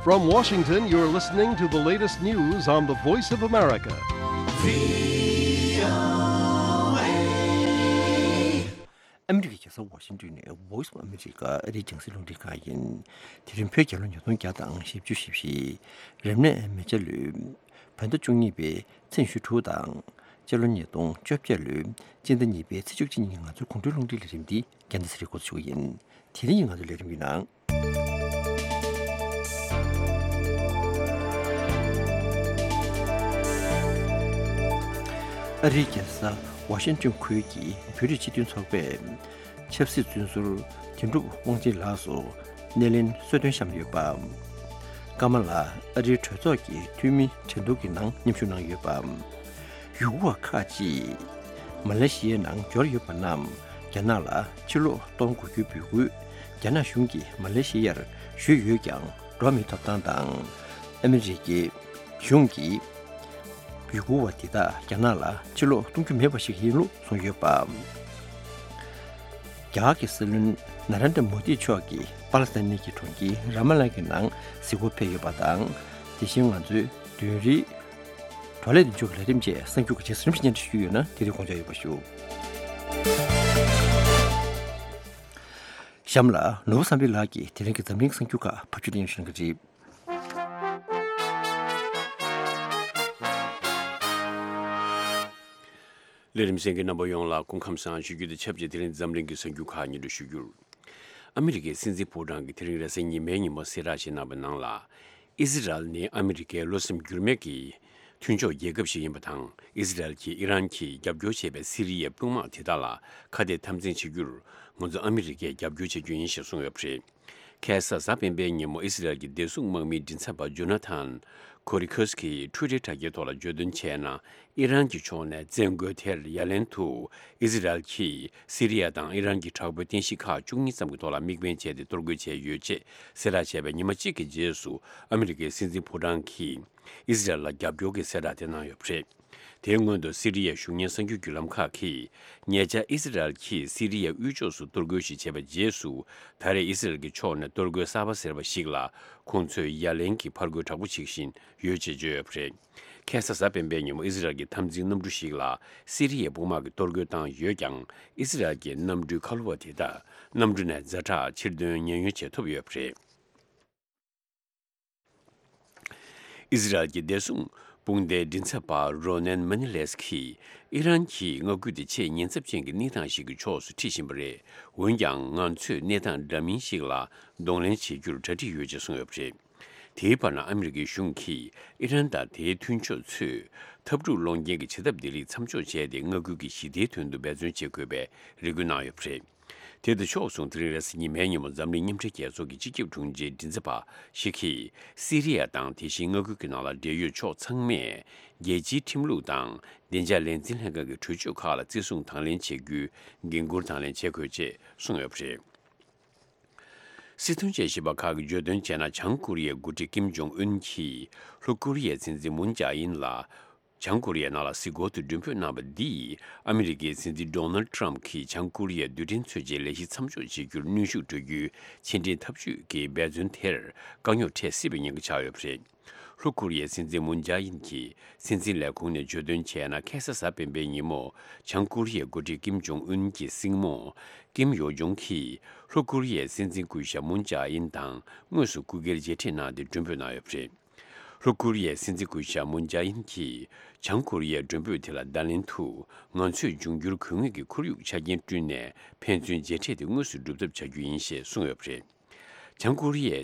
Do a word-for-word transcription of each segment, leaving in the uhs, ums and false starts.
From Washington, you're listening to the latest news on the Voice of America. ཨ་མི་རི་ཀའི་རྒྱལ་ས་ཝ་ཤིང་ཏོན་ནས་Voice of America ཨ་རིའི་རྒྱང་སྲིང་རླུང་འཕྲིན་ཁང་ཡིན། དེ་རིང་བོད་རྒྱལ་ལོ་ཉིས་སྟོང་བརྒྱ་དང་བཞི་བཅུ་ཞེ་བཞི། རབ་གནས་མེ་བྱ་ལོའི་བོད་ཟླ་བཅུ་གཉིས་པའི་ཚེས་ཉི་ཤུ་དྲུག་དང་། སྤྱི་ལོ་ཉིས་སྟོང་བཅོ་བརྒྱད་ལོའི་སྤྱི་ཟླ་གཉིས་པའི་ཚེས་བཅུ་གཅིག་ཉིན་ང་ཚོའི་དགུང་སྒྲོན་རླུང་འཕྲིན་ལས་རིམ་འདི་རྒྱང་སྲིང་རིག་འགོ་ཚུགས་ཡིན། དེ་རིང་ང་ཚོའི་ལས་རིམ་གྱི་ནང་། ཨ་རིའི་རྒྱལ་ས་ཝ་ཤིང་ཏོན་ཁུལ་གྱི་བོད་རིགས་སྤྱི་མཐུན་ཚོགས་པས་ཆབ་སྲིད་བཙོན་ཟུར་དོན་གྲུབ་དབང་ཆེན་ལགས་སུ་སྣེ་ལེན་གསོལ་སྟོན་བཤམས་ཡོད་པ། ཀ་མ་ལ་ཨ་རིའི་གྲོས་ཚོགས་ཀྱི་འཐུས་མི་གྲོས་བསྡུར་གྱི་ནང་མཉམ་ཞུགས་གནང་ཡོད་པ། ཡུ་གུར་བ་ཁག་ཅིག་མ་ལེ་ཤི་ཡའི་ནང་འབྱོར་ཡོད་པ་རྣམས་རྒྱ་ནག་ལ་ཕྱིར་ལོག་གཏོང་དགོས་རྒྱུའི་འབོད་སྐུལ་རྒྱ་ནག་གཞུང་གིས་མ་ལེ་ཤི་ཡར་ཞུས་ཡོད་ཀྱང་འགྲོ་མི་ཐོབ་ཐང་དང་། ཨ་མི་རི་ཀའི་གཞུང་གིས་ཡུ་གུར་བ་དེ་དག་རྒྱ་ནག་ལ་ཕྱིར་ལོག་གཏོང་རྒྱུ་མེད་པ་ཞིག་ཡིན་ལུགས་གསུངས་ཡོད་པ། རྒྱ་གར་གྱི་སྲིད་བློན་ན་རེན་དྲ་མོ་དི་མཆོག་གིས་པ་ལི་སི་ཐན་གྱི་གྲོང་ཁྱེར་ར་མ་ལ་གྱི་ནང་གཟིགས་སྐོར་ཕེབས་ཡོད་པ་དང་། དེ་བཞིན་ང་ཚོའི་བདུན་རིག་བགྲོ་གླེང་མདུན་ལྕོག་གི་ལས་རིམ་བཅས་གསར་འགྱུར་གྱི་རྗེས་སུ་རིམ་བཞིན་སྙན་སྒྲོན་ཞུ་རྒྱུ་ཡོད་ན་དེ་རིང་དགོངས་འཇགས་ཡོད་པ་ཞུ། གཤམ་ལ་ནོར་བུ་བསམ་འཕེལ་ལགས་ཀྱིས་དེ་རིང་གི་འཛམ་གླིང་གསར་འགྱུར་ཁག་ཕབ་སྒྱུར་གནང་ཞུ་གནང་གི་རེད། ལས་རིམ་གསན་མཁན་རྣམ་པ་ཡོངས་ལ་སྐུ་ཁམས་བཟང་ཞུ་རྒྱུ་དང་ཆབས་ཅིག་དེ་རིང་འཛམ་གླིང་གི་གསར་འགྱུར་ཁག་སྙན་སྒྲོན་ཞུ་རྒྱུར། ཨ་མི་རི་ཀའི་སྲིད་འཛིན་ཕོ་བྲང་གིས་དེ་རིང་རེས་གཟའ་ཉི་མའི་ཉིན་མོ་གསལ་བསྒྲགས་ཤིག་གནང་བའི་ནང་ལ། ཨི་ཟི་རལ་ནི་ཨ་མི་རི་ཀའི་བློ་སེམས་འགྱུར་མེད་ཀྱི་མཐུན་ཕྱོགས་རྒྱལ་ཁབ་ཞིག་ཡིན་པ་དང་། ཨི་ཟི་རལ་གྱིས་ཨི་རན་གྱིས་རྒྱབ་སྐྱོར་བྱས་པའི་སི་རི་ཡའི་དཔུང་དམག་དེ་དག་ལ་ཁ་གཏད་དམ་འཛིན་བྱེད་རྒྱུར་ང་ཚོ་ཨ་མི་རི་ཀས་རྒྱབ་སྐྱོར་བྱེད་རྒྱུ་ཡིན་ཞེས་གསུངས་ཡོད་པ་རེད། ཁ་སང་གཟའ་སྤེན་པའི་ཉིན་མོ་ཨི་སི་རལ་གྱི་བདེ་སྲུང་དམག་མིའི་མགྲིན་ཚབ་པ་ཇོ་ན་ཐན་ཁོ་རི་ཁོས་ཀྱིས་ཊུ་ཝི་ཊར་དྲ་རྒྱའི་ཐོག་ལ་བརྗོད་དོན་བྱས་ན། ཨི་རན་གྱི་ཕྱོགས་ནས་བཙན་རྒོལ་དེར་ཡ་ལན་དུ་ཨི་སི་རལ་གྱིས་སི་རི་ཡ་དང་ཨི་རན་གྱི་དྲག་པོའི་རྟེན་གཞི་ཁག་བཅུ་གཉིས་ཙམ་གྱི་ཐོག་ལ་དམིགས་འབེན་བྱས་ཏེ་གཏོར་རྒོལ་བྱས་ཡོད་ཅེས་གསལ་བསྒྲགས་བྱས་པའི་ཉི་མ་གཅིག་གི་རྗེས་སུ་ཨ་མི་རི་ཀའི་སྲིད་འཛིན་ཕོ་བྲང་གིས་ཨི་སི་རལ་ལ་རྒྱབ་སྐྱོར་གྱི་གསལ་བསྒྲགས་དེ་གནང་ཡོད་པ་རེད། དེའི་སྔོན་དུ་སི་རི་ཡའི་གཞུང་གཉེར་གསར་འགྱུར་བརྒྱུད་ལམ་ཁག་གིས་ཉེ་ཆར་ཨི་སི་རལ་གྱིས་སི་རི་ཡའི་དབུས་ཕྱོགས་སུ་གཏོར་རྒོལ་ཞིག་བྱས་པའི་རྗེས་སུ་ད་རེས་ཨི་སི་རལ་གྱི་ཕྱོགས་ནས་གཏོར་རྒོལ་གསར་པ་ཟེར་བ་ཞིག་ལ་ཁོང་ཚོས་ཡ་ལན་གྱི་ཕར་རྒོལ་དྲག་པོ་བྱེད་བཞིན་ཡོད་ཅེས་བརྗོད་ཡོད་པ་རེད། ཁ་སང་གཟའ་སྤེན་པའི་ཉིན་མོ་ཨི་སི་རལ་གྱི་འཐབ་འཛིང་གནམ་གྲུ་ཞིག་ལ་སི་རི་ཡའི་དཔུང་དམག་གིས་གཏོར་རྒོལ་བཏང་ཡོད་ཀྱང་ཨི་སི་རལ་གྱི་གནམ་གྲུའི་ཁ་ལོ་བ་དེ་དག་གནམ་གྲུ་ནས་ཛ་དྲག་ཕྱིར་ཐོན་ཉེན་གཡོལ་བྱེད་ཐུབ་ཡོད་པ་རེད། ཨི་ཟི་རལ་གྱི་བདེ་སྲུང་དཔུང་སྡེའི་མགྲིན་ཚབ་པ་རོ་ནན་མ་ནི་ལེས་ཀྱིས་ཨི་རན་གྱི་མངའ་ཁུལ་དེ་ཆེས་ཉེན་ཚབས་ཅན་གྱི་གནས་སྟངས་ཤིག་གི་ཕྱོགས་སུ་ཁྲིད་བཞིན་པ་རེད། འོན་ཀྱང་ང་ཚོས་གནས་སྟངས་འདྲ་མིན་ཞིག་ལ་གདོང་ལེན་བྱེད་རྒྱུར་གྲ་སྒྲིག་ཡོད་ཅེས་གསུངས་ཡོད་པ་རེད། དེའི་བར་ན་ཨ་མི་རི་ཀའི་གཞུང་གིས་ཨི་རན་དང་དེའི་མཐུན་ཕྱོགས་ཚོས་འཐབ་འཁྲུག་སློང་རྐྱེན་གྱི་བྱེད་ཐབས་བདེ་ལེགས་མཚམས་འཇོག་བྱས་ཏེ་མངའ་ཁུལ་གྱི་ཞི་བདེའི་དོན་དུ་འབད་བརྩོན་བྱེད་དགོས་པའི་རེ་སྐུལ་གནང་ཡོད་པ་རེད། དེ་དང་ཕྱོགས་མཚུངས་དེ་རིང་རེས་གཟའ་ཉི་མའི་ཉིན་མོ་འཛམ་གླིང་མཉམ་འབྲེལ་རྒྱལ་ཚོགས་ཀྱི་སྤྱི་ཁྱབ་དྲུང་ཆེའི་མགྲིན་ཚབ་པ་ཞིག་གིས་སི་རི་ཡ་དང་དེ་བཞིན་མངའ་ཁུལ་གྱི་ནང་ལ་འབྲེལ་ཡོད་ཕྱོགས་ཚང་མས་རྒྱལ་སྤྱིའི་ཁྲིམས་ལུགས་དང་བདེ་འཇགས་ལས་འཛིན་ལྷན་ཁང་གི་གྲོས་ཆོད་ཁག་ལ་བརྩི་སྲུང་དང་ལེན་བྱེད་རྒྱུའི་འགན་འཁུར་དང་ལེན་བྱེད་དགོས་ཅེས་གསུངས་ཡོད་པ་རེད། སྲིད་དོན་དཔྱད་ཞིབ་པ་ཁག་གིས་བརྗོད་དོན་བྱས་ན་བྱང་ཀོ་རི་ཡའི་འགོ་ཁྲིད་ཀིམ་ཇོང་ཨུན་གྱིས་ལྷོ་ཀོ་རི་ཡའི་སྲིད་འཛིན་མུན་ཇཱ་ཨིན་ལ་བྱང་ཀོ་རི་ཡའི་ནང་ལ་གཟིགས་སྐོར་དུ་མགྲོན་འབོད་གནང་བ་འདིས་ཨ་མི་རི་ཀའི་སྲིད་འཛིན་ཌོ་ནལ་ཊམ་གྱིས་བྱང་ཀོ་རི་ཡའི་རྡུལ་ཕྲན་མཚོན་ཆའི་ལས་གཞི་མཚམས་འཇོག་བྱེད་རྒྱུར་གནོན་ཤུགས་སྤྲོད་རྒྱུའི་ཕྱི་འབྲེལ་འཐབ་ཇུས་ཀྱི་འབད་བརྩོན་དེར་དཀའ་རྙོག་འཕྲད་སྲིད་པའི་ཉེན་ཁ་ཆགས་ཡོད་པ་རེད། ལྷོ་ཀོ་རི་ཡའི་སྲིད་འཛིན་མུན་ཇཱ་ཨིན་གྱིས་སྲིད་འཛིན་ལས་ཁུངས་ནས་བརྗོད་དོན་བྱས་ན་ཁ་སང་གཟའ་སྤེན་པའི་ཉིན་མོ་བྱང་ཀོ་རི་ཡའི་འགོ་ཁྲིད་ཀིམ་ཇོང་ཨུན་གྱི་སྲིང་མོ་ཀིམ་ཡོ་ཇོང་གིས་ལྷོ་ཀོ་རི་ཡའི་སྲིད་འཛིན་སྐུ་ཞབས་མུན་ཇཱ་ཨིན་དང་དངོས་སུ་སྐུ་སྒེར་མཇལ་འཕྲད་གནང་སྟེ་མགྲོན་འབོད་གནང་ཡོད་པ་རེད། ལྷོ་ཀོ་རི་ཡའི་སྲིད་འཛིན་སྐུ་ཞབས་མུན་ཇཱ་ཨིན་གྱིས་བྱང་ཀོ་རི་ཡའི་མགྲོན་འབོད་དེ་ལ་བརྡ་ལན་དུ་ང་ཚོས་འབྱུང་འགྱུར་དགོས་ངེས་ཀྱི་ཁོར་ཡུག་ཆ་རྐྱེན་བསྐྲུན་ནས་ཕན་ཚུན་མཇལ་འཕྲད་དེ་དངོས་སུ་སྒྲུབ་ཐབས་བྱ་རྒྱུ་ཡིན་ཞེས་གསུངས་ཡོད་པ་རེད། བྱང་ཀོ་རི་ཡའི་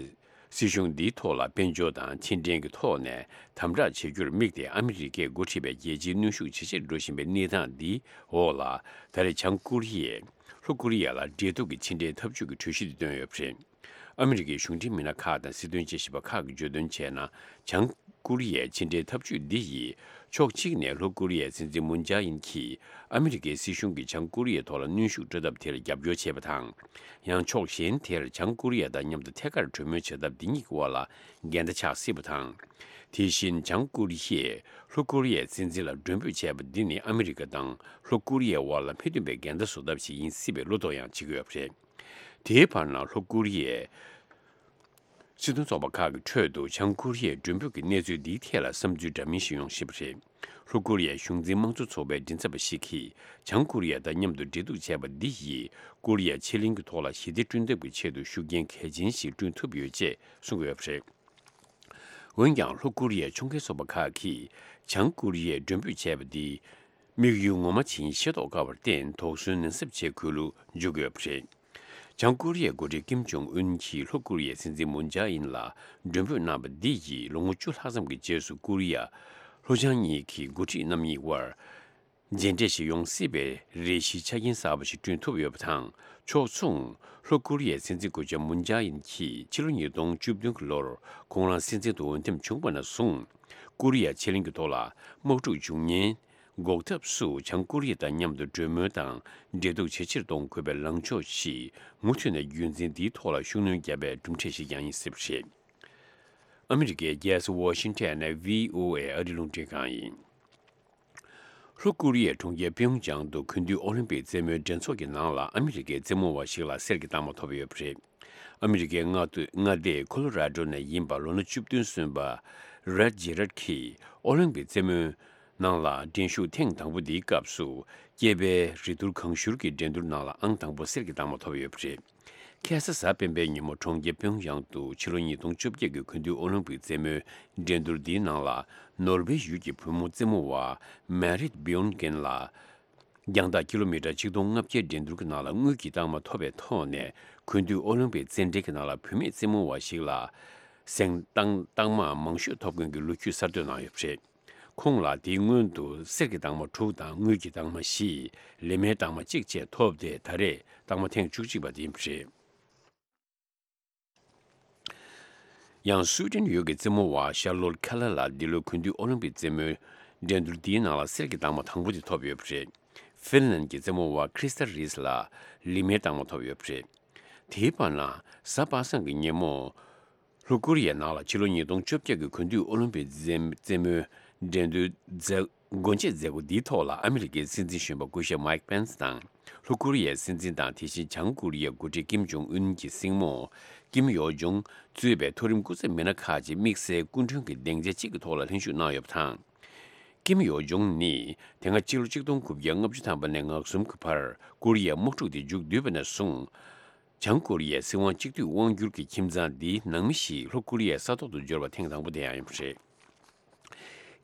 སྲིད་གཞུང་འདིའི་ཐོག་ལ་དཔལ་འབྱོར་དང་ཕྱི་འབྲེལ་གྱི་ཐོག་ནས་དམ་དྲག་བྱེད་རྒྱུར་དམིགས་ཏེ་ཨ་མི་རི་ཀས་འགོ་ཁྲིད་པའི་རྒྱལ་སྤྱིའི་གནོན་ཤུགས་ཇེ་ཆེར་འགྲོ་བཞིན་པའི་གནས་སྟངས་འདིའི་འོག་ལ་ད་རེས་བྱང་ཀོ་རི་ཡས་ལྷོ་ཀོ་རི་ཡ་ལ་འབྲེལ་གཏུག་གི་ཕྱི་འབྲེལ་འཐབ་ཇུས་ཀྱི་གྲོས་གཞི་དེ་བཏོན་ཡོད་པ་རེད། ཨ་མི་རི་ཀའི་གཞུང་འབྲེལ་མི་སྣ་ཁག་དང་སྲིད་དོན་དཔྱད་ཞིབ་པ་ཁག་གིས་བརྗོད་དོན་བྱས་ན། བྱང་ཀོ་རི་ཡའི་ཕྱི་འབྲེལ་འཐབ་ཇུས་འདི་ཡིས་ཕྱོགས་གཅིག་ནས་ལྷོ་ཀོ་རི་ཡའི་སྲིད་འཛིན་མུན་ཇཱ་ཨིན་གྱིས་ཨ་མི་རི་ཀའི་སྲིད་གཞུང་གིས་བྱང་ཀོ་རི་ཡའི་ཐོག་ལ་གནོན་ཤུགས་སྤྲོད་ཐབས་དེར་རྒྱབ་སྐྱོར་བྱས་པ་དང་། ཡང་ཕྱོགས་གཞན་དེར་བྱང་ཀོ་རི་ཡ་དང་མཉམ་དུ་ཐད་ཀར་གྲོས་མོལ་བྱ་ཐབས་འདི་གཉིས་ཀྱི་དབར་ལ་འགལ་ཟླ་ཆགས་སྲིད་པ་དང་། དེ་བཞིན་བྱང་ཀོ་རི་ཡས་ལྷོ་ཀོ་རི་ཡའི་སྲིད་འཛིན་ལ་མགྲོན་འབོད་བྱས་པ་འདི་ནི་ཨ་མི་རི་ཀ་དང་ལྷོ་ཀོ་རི་ཡའི་དབར་ལ་མི་མཐུན་པའི་འགལ་ཟླ་བཟོ་ཐབས་ཤིག་ཡིན་སྲིད་པའི་བློ་དོགས་ཡང་བྱེད་ཀྱི་ཡོད་པ་རེད། དེའི་བར་ན་ལྷོ་ཀོ་རི་ཡས་ སྲིད་དོན་ཚོགས་པ་ཁག་གི་ཁྲོད་དུ་བྱང་ཀོ་རི་ཡའི་མགྲོན་འབོད་ཀྱི་གནས་ཚུལ་འདིའི་ཐད་ལ་བསམ་ཚུལ་འདྲ་མིན་ཞིག་ཡོང་བཞིན་པ་རེད། ལྷོ་ཀོ་རི་ཡའི་གཞུང་འཛིན་དམངས་གཙོ་ཚོགས་པའི་མགྲིན་ཚབ་པ་ཞིག་གིས་བྱང་ཀོ་རི་ཡ་དང་མཉམ་དུ་འབྲེལ་གཏུག་བྱས་པ་འདི་ཡིས་ཀོ་རི་ཡ་ཕྱེད་གླིང་གི་ཐོག་ལ་ཞི་བདེ་བསྐྲུན་ཐབས་ཀྱི་ཆེད་དུ་ཤུགས་རྐྱེན་གལ་ཆེན་ཞིག་བསྐྲུན་ཐུབ་ཡོད་ཅེས་གསུངས་ཡོད་པ་རེད། འོན་ཀྱང་ལྷོ་ཀོ་རི་ཡའི་ཕྱོགས་འགལ་ཚོགས་པ་ཁག་གིས་བྱང་ཀོ་རི་ཡས་མགྲོན་འབོད་བྱས་པ་འདི། དམིགས་ཡུལ་ངོ་མ་ཇི་ཡིན་ཤེས་རྟོགས་དཀའ་བར་བརྟེན་དོགས་ཟོན་ནན་གསབ་བྱེད་དགོས་ལུགས་འཇོག་གི་ཡོད་པ་རེད། བྱང་ཀོ་རི་ཡའི་འགོ་ཁྲིད་ཀིམ་ཇོང་ཨུན་གྱིས་ལྷོ་ཀོ་རི་ཡའི་སྲིད་འཛིན་མུན་ཇཱ་ཨིན་ལ་མགྲོན་འབོད་གནང་བ་འདི་ཡིས་ལོ་ངོ་བཅུ་ལྷག་ཙམ་གྱི་རྗེས་སུ་ཀོ་རི་ཡ་ལྷོ་བྱང་གཉིས་ཀྱི་འགོ་ཁྲིད་རྣམ་གཉིས་དབར་མཇལ་འཕྲད་ཞིག་ཡོང་སྲིད་པའི་རེ་ཞིག་ཆ་རྐྱེན་གསར་པ་ཞིག་བསྐྲུན་ཐུབ་ཡོད་པ་དང་། ཕྱོགས་མཚུངས་ལྷོ་ཀོ་རི་ཡའི་སྲིད་འཛིན་སྐུ་ཞབས་མུན་ཇཱ་ཨིན་གྱིས་ཕྱི་ལོ་ཉིས་སྟོང་བཅུ་བདུན་གྱི་ལོར་ཁོང་རང་སྲིད་འཛིན་དུ་འོས་འདེམས་བྱུང་བ་ནས་བཟུང་། ཀོ་རི་ཡ་ཕྱེད་གླིང་གི་ཐོག་ལ་དམག་འཁྲུག་འབྱུང་ཉེན་འགོག་ཐབས་སུ་བྱང་ཀོ་རི་ཡ་དང་མཉམ་དུ་གྲོས་མོལ་དང་འབྲེལ་གཏུག་ཇེ་ཆེར་གཏོང་དགོས་པའི་ལངས་ཕྱོགས་ཤིག་མུ་མཐུད་ནས་རྒྱུན་འཛིན་འདིའི་ཐོག་ལ་ཤུགས་སྣོན་བརྒྱབ་པའི་གྲུབ་འབྲས་ཤིག་ཀྱང་ཡིན་སྲིད་པ་རེད། ཨ་མི་རི་ཀའི་རྒྱལ་ས་ཝ་ཤིང་ཊོན་ནས་བྷི་ཨོ་ཨེ་ཨ་རིའི་རླུང་འཕྲིན་ཁང་ཡིན། ལྷོ་ཀོ་རི་ཡའི་གྲོང་ཁྱེར་པེའུ་ཅང་དུ་གུས་འདུད་ཨོ་ལིམ་པིག་རྩེད་མོའི་འགྲན་ཚོགས་ཀྱི་ནང་ལ་ཨ་མི་རི་ཀའི་རྩེད་མོ་བ་ཞིག་ལ་གསེར་གྱི་རྟགས་མ་ཐོབ་ཡོད་པ་རེད། ཨ་མི་རི་ཀའི་མངའ་སྡེ་མངའ་སྡེ་ཁོ་ལོ་ར་ཌོ་ནས་ཡིན་པ་ལོ་ན་བཅུ་བདུན་སོན་པ་རེད་ཇེ་རེད་ཀྱིས་ཨོ་ལིམ་པིག་རྩེད་མོའི་ནང་ལ་འགྲན་ཞུགས་ཐེངས་དང་པོ་འདིའི་སྐབས་སུ་སྐྱེས་པའི་རིགས་ཐུར་གང་ཤུར་གྱི་འགྲན་བསྡུར་ནང་ལ་ཨང་དང་པོ་གསེར་གྱི་རྟགས་མ་ཐོབ་ཡོད་པ་རེད། ཁ་སང་གཟའ་སྤེན་པའི་ཉིན་མོ་གྲོང་ཁྱེར་པེའུ་ཡང་དུ་ཕྱི་ལོ་ཉིས་སྟོང་བཅོ་བརྒྱད་ཀྱི་གུས་འདུད་ཨོ་ལིམ་པིག་རྩེད་མོའི་འགྲན་བསྡུར་འདིའི་ནང་ལ་ནོར་ཝེ་ཡུལ་གྱི་བུ་མོ་རྩེད་མོ་བ་མེ་རིད་བིའུན་གྷེན་ལ་རྒྱང་ཐག་ཀི་ལོ་མི་ཊར་ཆིག་སྟོང་ལྔ་བརྒྱའི་འགྲན་བསྡུར་གྱི་ནང་ལ་དངུལ་གྱི་རྟགས་མ་ཐོབ་པའི་ཐོག་ནས་གུས་འདུད་ཨོ་ལིམ་པིག་རྩེད་འགྲན་གྱི་ནང་ལ་བུད་མེད་རྩེད་མོ་བ་ཞིག་ལ་གཟེངས་རྟགས་རྟགས་མ་མང་ཤོས་ཐོབ་མཁན་གྱི་ལོ་རྒྱུས་གསར་གཏོད་གནང་ཡོད་པ་རེད། ཁོང་ལ་དེའི་སྔོན་དུ་གསེར་གྱི་རྟགས་མ་དྲུག་དང་དངུལ་གྱི་རྟགས་མ་བཞི། ལི་མའི་རྟགས་མ་གཅིག་བཅས་ཐོབ་སྟེ་ད་རེས་རྟགས་མ་ཐེངས་བཅུ་གཅིག་པ་དེ་ཡིན་པ་རེད། ཡང་སུའི་ཏན་ཡུལ་གྱི་རྩེད་མོ་བ་ཤར་ལོར་ཁེ་ལར་ལ་འདི་ལོའི་གུས་འདུད་ཨོ་ལིམ་པིག་རྩེད་མོའི་འགྲན་བསྡུར་འདིའི་ནང་ལ་གསེར་གྱི་རྟགས་མ་དང་པོ་དེ་ཐོབ་ཡོད་པ་རེད། ཧྥིན་ལན་གྱི་རྩེད་མོ་བ་ཁྲི་སྟ་རིས་ལ་ལི་མའི་རྟགས་མ་ཐོབ་ཡོད་པ་རེད། དེའི་བར་ན་གཟའ་པ་སངས་ཀྱི་ཉིན་མོ། ལྷོ་ཀོ་རི་ཡའི་ནང་ལ་ཕྱི་ལོ་ཉིས་སྟོང་བཅོ་བརྒྱད་ཀྱི་གུས་འདུད་ཨོ་ལིམ་པིག་རྩེད་རྩེད་མོའི་འགྲན་བསྡུར་མཛད་སྒོ་འབྱེད་མཛད་སྒོ་འདིའི་ཐོག་ལ་ཨ་མི་རི་ཀའི་སྲིད་འཛིན་གཞོན་པ་སྐུ་ཞབས་མའིག་པེན་སི་དང་། ལྷོ་ཀོ་རི་ཡའི་སྲིད་འཛིན་དང་དེ་བཞིན་བྱང་ཀོ་རི་ཡའི་འགོ་ཁྲིད་ཀིམ་ཇོང་ཨུན་གྱི་སྲིང་མོ་ཀིམ་ཡོ་ཇོང་གཙོས་པའི་མཐོ་རིམ་སྐུ་ཚབ་མི་སྣ་ཁག་ཅིག་དམིགས་བསལ་སྐུ་མགྲོན་གྱི་སྡིངས་ཆ་གཅིག་གི་ཐོག་ལ་ལྷན་ཞུགས་གནང་ཡོད་པ་དང་། ཀིམ་ཡོ་ཇོང་ནི་དེ་སྔ་ཕྱི་ལོ་ཆིག་སྟོང་དགུ་བརྒྱ་ལྔ་བཅུ་ཐམ་པ་ནས་ང་གསུམ་གྱི་བར་ཀོ་རི་ཡའི་དམག་འཁྲུག་དེ་མཇུག་བསྡུས་པ་ནས་བཟུང་། བྱང་ཀོ་རི་ཡའི་སྲིད་དབང་གཅིག་སྡུད་དབང་བསྒྱུར་གྱི་ཁྱིམ་ཚང་འདིའི་ནང་མི་ཞིག་ལྷོ་ཀོ་རི་ཡའི་ས་ཐོག་ཏུ་འབྱོར་བ་ཐེངས་དང་པོ་དེ་ཡང་ཡིན་པ་རེད།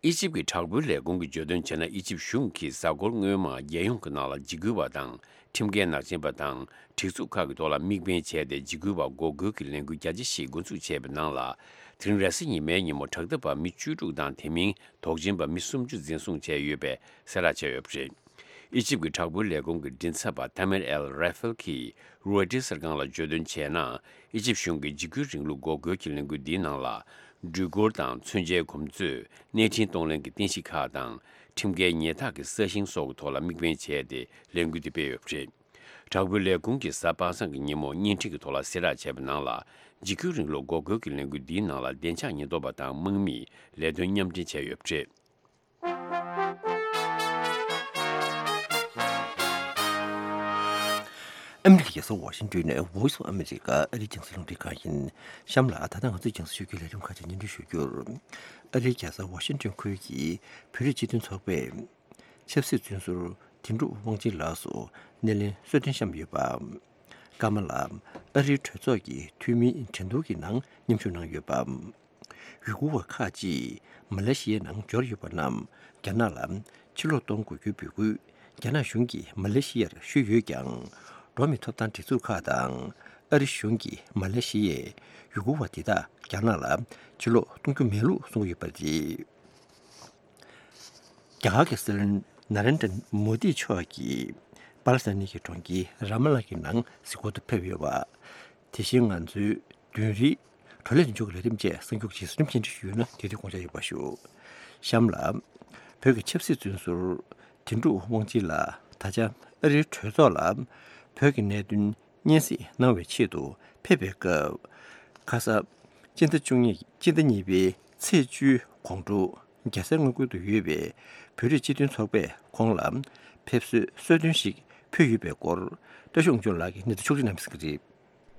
ཨི་ཇིབ་ཀྱི་དྲག་པོའི་ལས་ཁུངས་ཀྱིས་བརྗོད་དོན་བྱས་ན། ཨི་ཇིབ་གཞུང་གིས་གཟའ་འཁོར་སྔོན་མ་རྒྱལ་ཡོངས་ཀྱི་ནང་ལ་འཇིགས་སྐུལ་བ་དང་ཁྲིམས་འགལ་ནག་ཅན་པ་དང་སྒྲིག་འཛུགས་ཁག་གི་ཐོག་ལ་དམིགས་འབེན་བྱས་ཏེ་འཇིགས་སྐུལ་བ་འགོག་རྒོལ་གྱི་ལས་འགུལ་རྒྱ་ཆེ་ཞིག་འགོ་འཛུགས་བྱས་པའི་ནང་ལ། དེ་རིང་རེས་གཟའ་ཉི་མའི་ཉིན་མོ་དྲག་འཐབ་པ་མི་བཅུ་དྲུག་དང་དེ་མིན་དོགས་ཅན་པ་མི་སུམ་ཅུ་འཛིན་བཟུང་བྱས་ཡོད་པའི་གསལ་བསྒྲགས་བྱས་ཡོད་པ་རེད། ཨི་ཇིབ་ཀྱི་དྲག་པོའི་ལས་ཁུངས་ཀྱི་མགྲིན་ཚབ་པ་ཐ་མེར་ཨེལ་ར་ཧྥེལ་གྱིས་རོའི་ཊར་གསར་ཁང་ལ་བརྗོད་དོན་བྱས་ན། ཨི་ཇིབ་གཞུང་གིས་འཇིགས་སྐུལ་རིང་ལུགས་འགོག་རྒོལ་གྱི་ལས་འགུལ་འདིའི་ནང་ལ། འགྲུལ་འཁོར་དང་མཚོན་ཆའི་གོམས་མཛོད། གནས་འཕྲིན་གཏོང་ལེན་གྱི་རྟེན་གཞི་ཁག་དང་། ཁྲིམས་འགལ་ཉལ་ཐག་གི་ས་ཞིང་སོགས་ཀྱི་ཐོག་ལ་དམིགས་འབེན་བྱས་ཏེ་ལས་འགུལ་འདི་སྤེལ་ཡོད་པ་རེད། དྲག་པོའི་ལས་ཁུངས་ཀྱིས་གཟའ་པ་སངས་ཀྱི་ཉིན་མོ་བརྙན་འཕྲིན་གྱི་ཐོག་ལ་གསལ་བསྒྲགས་བྱས་པའི་ནང་ལ། འཇིགས་སྐུལ་རིང་ལུགས་འགོག་རྒོལ་གྱི་ལས་འགུལ་འདིའི་ནང་ལ་བདེ་འཇགས་ཉེན་རྟོག་པ་དང་དམག་མིས་ལས་དོན་མཉམ་འབྲེལ་བྱས་ཡོད་པ་རེད། ཨ་མི་རི་ཀའི་རྒྱལ་ས་ཝ་ཤིང་ཏོན་ནས་Voice of America ཨ་རིའི་རྒྱང་སྲིང་རླུང་འཕྲིན་ཁང་ཡིན། གཤམ་ལ་ད་ལྟ་ང་ཚོའི་རྒྱང་སྲིང་ཞུ་རྒྱུའི་ལས་རིམ་ཁག་ཅིག་སྙན་སྒྲོན་ཞུ་རྒྱུར། ཨ་རིའི་རྒྱལ་ས་ཝ་ཤིང་ཏོན་ཁུལ་གྱི་བོད་རིགས་སྤྱི་མཐུན་ཚོགས་པས་ཆབ་སྲིད་བཙོན་ཟུར་དིང་གྲུབ་དབང་ཆེན་ལགས་སུ་སྣེ་ལེན་གསོལ་སྟོན་བཤམས་ཡོད་པ། ཀ་མ་ལ་ཨ་རིའི་གྲོས་ཚོགས་ཀྱི་འཐུས་མིའི་འགྲན་བསྡུར་གྱི་ནང་མཉམ་ཞུགས་གནང་ཡོད་པ། ཡུ་གུར་བ་ཁག་ཅིག་མ་ལེ་ཤི་ཡའི་ནང་འབྱོར་ཡོད་པ་རྣམས་རྒྱ་ནག་ལ་ཕྱིར་ལོག་གཏོང་དགོས་རྒྱུའི་འབོད་སྐུལ་རྒྱ་ནག་གཞུང་གིས་མ་ལེ་ཤི་ཡར་ཞུས་ཡོད་ཀྱང་། འགྲོ་བ་མིའི་ཐོབ་ཐང་སྒྲིག་འཛུགས་ཁག་དང་ཨ་རི་གཞུང་གིས་མ་ལེ་ཤི་ཡས་ཡུ་གུར་བ་དེ་དག་རྒྱ་ནག་ལ་ཕྱིར་ལོག་གཏོང་རྒྱུ་མེད་ལུགས་གསུངས་ཡོད་པ་རེད། རྒྱ་གར་གྱི་སྲིད་བློན་ན་རེན་དྲ་མོ་དི་མཆོག་གིས་པ་ལི་སི་ཐན་གྱི་གྲོང་ཁྱེར་ར་མ་ལ་གྱི་ནང་གཟིགས་སྐོར་དུ་ཕེབས་ཡོད་པ། དེ་བཞིན་ང་ཚོའི་མདུན་རིའི་བགྲོ་གླེང་མཇུག་གི་ལས་རིམ་བཅས་གསར་འགྱུར་གྱི་གཟིགས་རིམ་སྙན་སྒྲོན་ཞུས་ཡོད་ན་དེ་དུས་དགོངས་འཇགས་ཡོད་པ་ཞུ། གཤམ་ལ། བོད་ཀྱི་ཆབ་སྲིད་བཙོན་ཟུར་དིང་གྲུབ་དབང་ཆེན་ལགས་ད་ཆ་ཨ་རིའི་གྲོས་ཚོགས་ལ་བོད་ཀྱི་གནད་དོན་སྙན་སེང་གནང་བའི་ཆེད་དུ་ཕེབས་པའི་སྐབས། ཁ་ས་སྤྱི་ཟླ་བཅུ་གཉིས་སྤྱི་ཟླ་གཉིས་པའི་ཚེས་བཅུའི་དགོང་དྲོ་རྒྱལ་སའི་མངའ་ཁུལ་དུ་ཡོད་པའི་བོད་རིགས་སྤྱི་མཐུན་ཚོགས་པས་ཁོང་ལ་ཕེབས་བསུའི་གསོལ་སྟོན་ཞིག་ཕུལ་ཡོད་པའི་སྐོར་བཀྲ་ཤིས་དབང་ཕྱུག་ལགས་ཀྱིས་གནས་ཚུལ་ཕྱོགས་སྒྲིག་གནང་ཡོད་པ་རེད།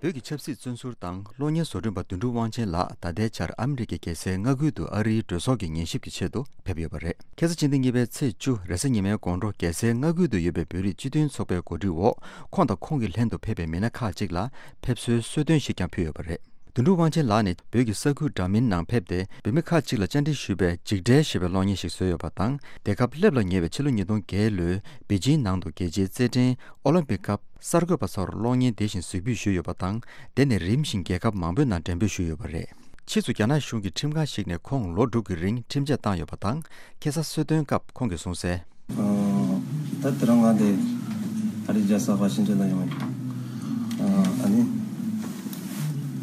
བོད་ཀྱི་ཆབ་སྲིད་བཙོན་ཟུར་དང་གློག་བརྙན་བཟོ་སྐྲུན་པ་དོན་གྲུབ་དབང་ཆེན་ལགས་ད་ལྟའི་ཆར་ཨ་མི་རི་ཀའི་རྒྱལ་སའི་མངའ་ཁུལ་དུ་ཨ་རིའི་གྲོས་ཚོགས་ཀྱི་ཉན་ཞིབ་ཀྱི་ཆེད་དུ་ཕེབས་ཡོད་པ་རེད། ཁ་སང་ཕྱི་ཟླ་གཉིས་པའི་ཚེས་བཅུ་རེས་གཟའ་ཉི་མའི་དགོང་དྲོ་རྒྱལ་སའི་མངའ་ཁུལ་དུ་ཡོད་པའི་བོད་རིགས་སྤྱི་མཐུན་ཚོགས་པའི་གོ་སྒྲིག་འོག་ཁོང་དང་ཁོང་གི་ལྷན་དུ་ཕེབས་པའི་མི་སྣ་ཁག་ཅིག་ལ་ཕེབས་བསུའི་གསོལ་སྟོན་ཞིག་ཀྱང་ཕུལ་ཡོད་པ་རེད། དོན་གྲུབ་དབང་ཆེན་ལགས་ནི་བོད་ཀྱི་ས་ཁུལ་འདྲ་མིན་ནང་ཕེབས་ཏེ་བོད་མི་ཁག་ཅིག་ལ་བཅར་འདྲི་ཞུས་པའི་འཇིགས་བྲལ་ཞེས་པའི་གློག་བརྙན་ཞིག་བཟོས་ཡོད་པ་དང་། རྒྱལ་ཁབ་སླེབས་ལ་ཉེ་བའི་ཕྱི་ལོ་ཉིས་སྟོང་བརྒྱད་ལོའི་པེ་ཅིང་ནང་དུ་རྒྱལ་སྤྱིའི་རྩེད་འགྲན་ཨོ་ལིམ་པིག་སྐབས་གསར་འགོད་པ་ཚོར་གློག་བརྙན་དེ་བཞིན་གཟིགས་འབུལ་ཞུས་ཡོད་པ་དང་། དེ་ནི་རིམ་བཞིན་རྒྱལ་ཁབ་མང་པོའི་ནང་འགྲེམས་སྤེལ་ཞུས་ཡོད་པ་རེད། ཕྱིས་སུ་རྒྱ་ནག་གཞུང་གི་ཁྲིམས་ཁང་ཞིག་ནས་ཁོང་ལོ་དྲུག་གི་རིང་ཁྲིམས་ཆད་བཏང་ཡོད་པ་དང་། ཁ་སང་གསོལ་སྟོན་སྐབས་ཁོང་གིས་གསུངས་གསལ། ད་དེ་རིང་ང་དེ་ཨ་རིའི་རྒྱལ་ས་ཝ་ཤིང་ཊོན་ལ་ཡོང་ཡོད། ཨ་ནི་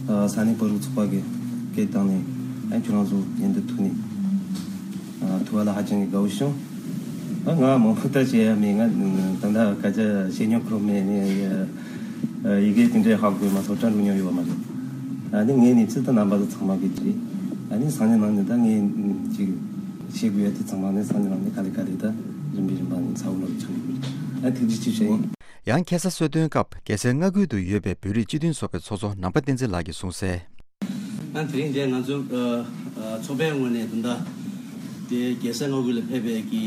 ས་གནས་བོད་རིགས་ཚོགས་པ་གི་སྐད་བཏང་ནས་ཨ་ཁྱོད་རང་ཚོ་མཉམ་དུ་ཐུག་ནས་ཐུག་པ་ལ་ཧ་ཅང་གི་དགའ་བོ་བྱུང་། ད་ང་མང་པོ་ད་བཤད་ཡ་མེད། ང་ད་ལྟ་སྐད་ཆ་བཤད་མྱོང་ཁུར་མེད་ནས་ཡི་གེ་དེ་འདྲའི་ཧ་གོ་མ་སོང་། སྐྲ་འགྲོ་མྱོང་ཡོད་པ་མ་རེད། ཨ་ནི་ངས་ནི་ཚིག་ད་རྣམ་པ་ཚོ་ཚང་མ་གི་བྲིས། ཨ་ནི་སང་ཉིན་ནང་ནས་ད་ངས་ཅིག་བཤད་དགོས་ཡ་དེ་ཚང་མ་ནི་སང་ཉིན་ནང་ནས་ག་ལེ་ག་ལེ་ད་རིམ་པས་རིམ་པ་ནས་ཚ་བོ་ལོག་ཆགས་ཡོད། ཨ་ཐུགས་རྗེ་ཆེ་ཞུ་ཡིན། ཡང་ཁ་སང་གསོལ་སྟོན་སྐབས་རྒྱལ་སའི་མངའ་ཁུལ་དུ་ཡོད་པའི་བོད་རིགས་སྤྱི་མཐུན་ཚོགས་པའི་ཚོགས་གཙོ་ནང་པ་བསྟན་འཛིན་ལགས་ཀྱིས་གསུངས་གསལ། ཨ་དེ་རིང་འདིར་ང་ཚོ་ཨ་ཨ་ཚོགས་པའི་ངོས་ནས་ད་ལྟ་དེ་རྒྱལ་སའི་མངའ་ཁུལ་ལ་ཕེབས་པའི་གི་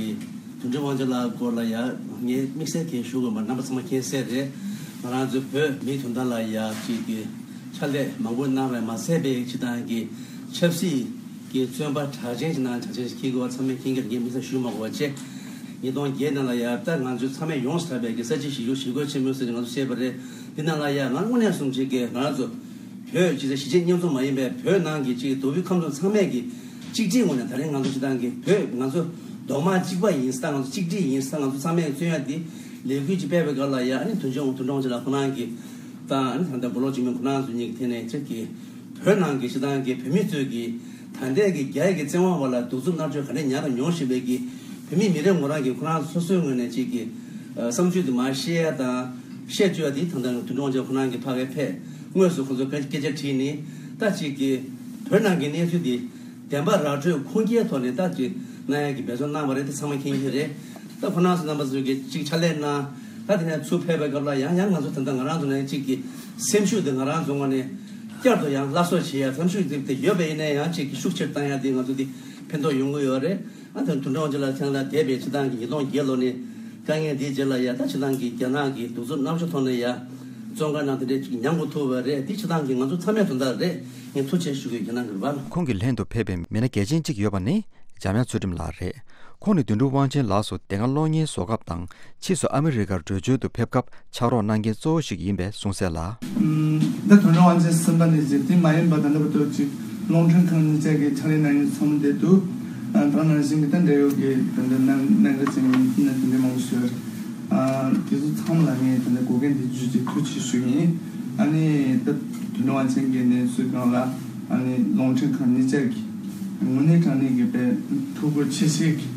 དོན་གྲུབ་དབང་ཆེན་ལགས་སྐོར་ལ་ཡ་ངས་དམིགས་བསལ་གང་ཞུ་དགོས་མ་རེད། རྣམ་པ་ཚང་མ་མཁྱེན་གསལ་རེད། ང་རང་ཚོ་བོད་མི་དོན་དག་ལ་ཡ་ཅིག་གི་ཕྱག་ལས་མང་པོ་གནང་བས་མ་ཚད་པའི་སྤྱི་བཏང་གི་ཆབ་སྲིད་ཀྱི་བཙོན་པ་གྲགས་ཅན་ཞིག་ནང་གྲགས་ཅན་ཞིག་འཁྱེར་དགོས་པ་ཚང་མས་མཁྱེན་གྱི་རེད། ངས་དམིགས་བསལ་ཞུ་མ་དགོས་པ་བྱས། ཉིས་སྟོང་བརྒྱད་ནང་ལ་ཡ་ད་ང་ཚོ་ཚང་མས་ཡོངས་སུ་གྲགས་པའི་གི་ས་བྱི་ཞི་རྒོལ་ཞི་རྒོལ་ཆེན་མོ་ཟེར་ནས་ང་ཚོ་བཤད་པ་རེད། འདི་ནང་ལ་ཡ་ང་དངོས་གནས་སོང་ཅིག་གི་ང་རང་ཚོ་བོད་ཅིག་གཞིས་བྱེས་མཉམ་འཛོམས་མ་ཡིན་པའི་བོད་ནང་གི་ཅིག་མདོ་དབུས་ཁམས་གསུམ་ཚང་མས་ཀྱི་གཅིག་སྒྲིལ་ངོས་ནས་ད་རིང་ང་ཚོ་སྤྱི་བཏང་གི་བོད་ང་ཚོ་རྡོག་མ་གཅིག་པ་ཡིན་ས། ང་ཚོ་གཅིག་སྒྲིལ་ཡིན་ས། ང་ཚོ་ཚང་མས་མཚོན་ཡ་འདི་ལས་འགུལ་ཅིག་སྤེལ་བའི་སྐབས་ལ་ཡ་ཨ་ནི་དོན་གཅོད་དོན་གྲུབ་དབང་ཆེན་ལགས་ཁོ་རང་གི་ད་ཨ་ནི་ད་ལྟ་སྦོ་ལོག་འཇིགས་མེད་ཁོ་རང་ཚོ་གཉིས་ཀྱི་ཐད་ནས་ཅིག་གི་བོད་ནང་གི་སྤྱི་བཏང་གི་བོད་མི་ཚོས་ཀྱི་ད་ལྟའི་གི་རྒྱ་ཡི་གི་བཙན་དབང་འོག་ལ་གདུག་རྩུབ་མནར་གཅོད་ག་འདྲ་མྱངས་དང་མྱོང་བཞིན་པའི་གི་བོད་མི་མི་རེ་ངོ་རང་གི་ཁོ་རང་ཚོ་སོ་སོའི་ངོས་ནས་ཅིག་གི་ཨ་བསམ་ཚུལ་དེ་མར་བཤད་ཡ་དང་བཤད་བཅུག་ཡ་དེ་ད་ལྟ་དོན་གྲུབ་དབང་ཆེན་ཁོ་རང་གི་ཕ་གིར་ཕེབས་དངོས་སུ་ཁོ་ཚོ་སྐད་སྐད་ཆ་དྲིས་ནས་ད་ཅིག་གི་བོད་ནང་གི་གནས་ཚུལ་དེ་བདེན་པ་ར་སྤྲོད་ཁུངས་སྐྱེལ་ཐོག་ནས་ད་ཅིག་གནང་ཡ་གི་འབད་བརྩོན་གནང་བ་རེད། དེ་ཚང་མ་མཁྱེན་གྱི་རེད། ད་ཁོ་རང་ཚོ་རྣམ་པ་ཚོ་གིས་ཅིག་ཕྱག་ལས་གནང་། ད་དེ་ནས་ཚུར་ཕེབས་པའི་སྐབས་ལ་ཡང་ཡང་ང་ཚོ་ད་ལྟ་ང་རང་ཚོ་ནས་ཅིག་གི་སེམས་ཤུགས་དེ་ང་རང་ཚོ་ངོས་ནས་བསྐྱར་དུ་ཡང་སླར་གསོ་བྱེད་ཡ་སེམས་ཤུགས་དེ་དེ་ཡོད་པ་ཡིན་ན་ཡང་ཅིག་གི་ཤུགས་ཆེར་བཏང་ཡ་དེ་ང་ཚོ་དེ་ཕན་ཐོགས་ཡོང་གི་ཡོད་རེད། ཨ་ད་དོན་གྲུབ་དབང་ཆེན་ལགས་ཐེངས་ལ་འདས་པའི་སྤྱི་བཏང་གི་ཉིས་སྟོང་བརྒྱད་ལོ་ནས་དཀའ་ངལ་འདིའི་རྗེས་ལ་ཡ་ད་སྤྱི་བཏང་གི་རྒྱ་ནག་གི་གདུག་རྩུབ་མནར་གཅོད་ཐོག་ནས་ཡ་བཙོན་ཁང་ནང་དེ་འདྲའི་ཅིག་མྱང་དགོས་ཐུག་པ་རེད། དེ་སྤྱི་བཏང་གི་ང་ཚོ་ཚང་མའི་དོན་དག་རེད། ངས་ཐུགས་རྗེ་ཆེ་ཞུ་གི་ཡོད། རྒྱ་ནག་གི་རེད་པ། ཁོང་གི་ལྷན་དུ་ཕེབས་པའི་མི་སྣ་གལ་ཆེན་གཅིག་ཡོད་པ་ནི་འཇམ་དབྱངས་ཚུལ་ཁྲིམས་ལགས་རེད། ཁོང་ནི་དོན་གྲུབ་དབང་ཆེན་ལགས་སུ་དེ་སྔ་གློག་བརྙན་བཟོ་སྐབས་དང་ཕྱིས་སུ་ཨ་མི་རི་ཀར་བྲོས་བྱོལ་དུ་ཕེབས་སྐབས་ཕྱག་རོགས་གནང་མཁན་གཙོ་བོ་ཞིག་ཡིན་པས་གསུངས་གསལ་ལ། ད་དོན་གྲུབ་དབང་ཆེན་གསུམ་པ་ནས་ཅིག་དེ་མ་ཡིན་པ་ད་ལྟ་བར་དུ་ཅིག་རླུང་འཕྲིན་ཁང་གཉིས་ཆ་གི་ཕྱག་ལས་གནང་མཁན་ཚོགས་མི་དེ་འདུག་ཨ་ད་ནང་བཞིན་གྱི་ད་འབྲེལ་ཡོད་ཀྱི་ད་ལྟ་གནད་གནད་འགག་ཅན་གྱི་མི་ཐུབ་ན་དེ་འདྲའི་མང་པོ་ཞིག་ཡོད་རེད། ཨ་དེ་ཚོ་ཚང་མ་ལ་ངས་ད་ལྟ་འགོག་རྐྱེན་དེ་བརྗོད་ཅིག་ཐུགས་རྗེ་ཆེ་ཞུ་གི་ཡིན། ཨ་ནི་ད་དོན་གྲུབ་དབང་ཆེན་གྱི་གནས་ཚུལ་སྒང་ལ་ཨ་ནི་རླུང་འཕྲིན་ཁང་གཉིས་ཆ་གི་དངོས་གནས་དྲང་གནས་ཀྱི་དཔེ་ཐུགས་ཁུར་ཆེ་བཞེས་ཀྱིས་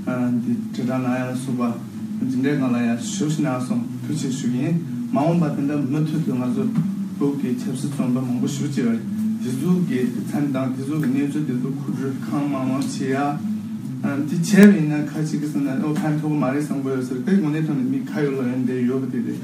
ཨ་འདི་དྲིལ་བསྒྲགས་གནང་ཡ་ལ་སོགས་པ་འདི་འདྲའི་སྒང་ལ་ཡང་ཞབས་ཞུ་གནང་སོང་། ཐུགས་རྗེ་ཆེ་ཞུ་གི་ཡིན། མ་འོངས་པ་དེ་འདྲ་མུ་མཐུད་དུ་ང་ཚོ་བོད་ཀྱི་ཆབ་སྲིད་བཙོན་པ་མང་པོ་ཞེ་པོ་ཅིག་ཡོད་རེད། དེ་ཚོ་གི་མཚན་དང་དེ་ཚོ་གི་གནས་ཚུལ་དེ་ཚོ་མཁོ་སྤྲོད་གང་མང་མང་བྱེད་ཡ། ཨ་འདི་བྱས་པ་ཡིན་ན་ཁ་ཅིག་གིས་བསམ་ན་ཨོ་ཕན་ཐོགས་མ་རེད་བསམ་གྱི་ཡོད་ས་རེད། དེ་དངོས་གནས་དྲང་གནས་མི་ཁ་ཡོད་ལག་ཡོད་འདི་ཡོད་པ་དེ་རེད།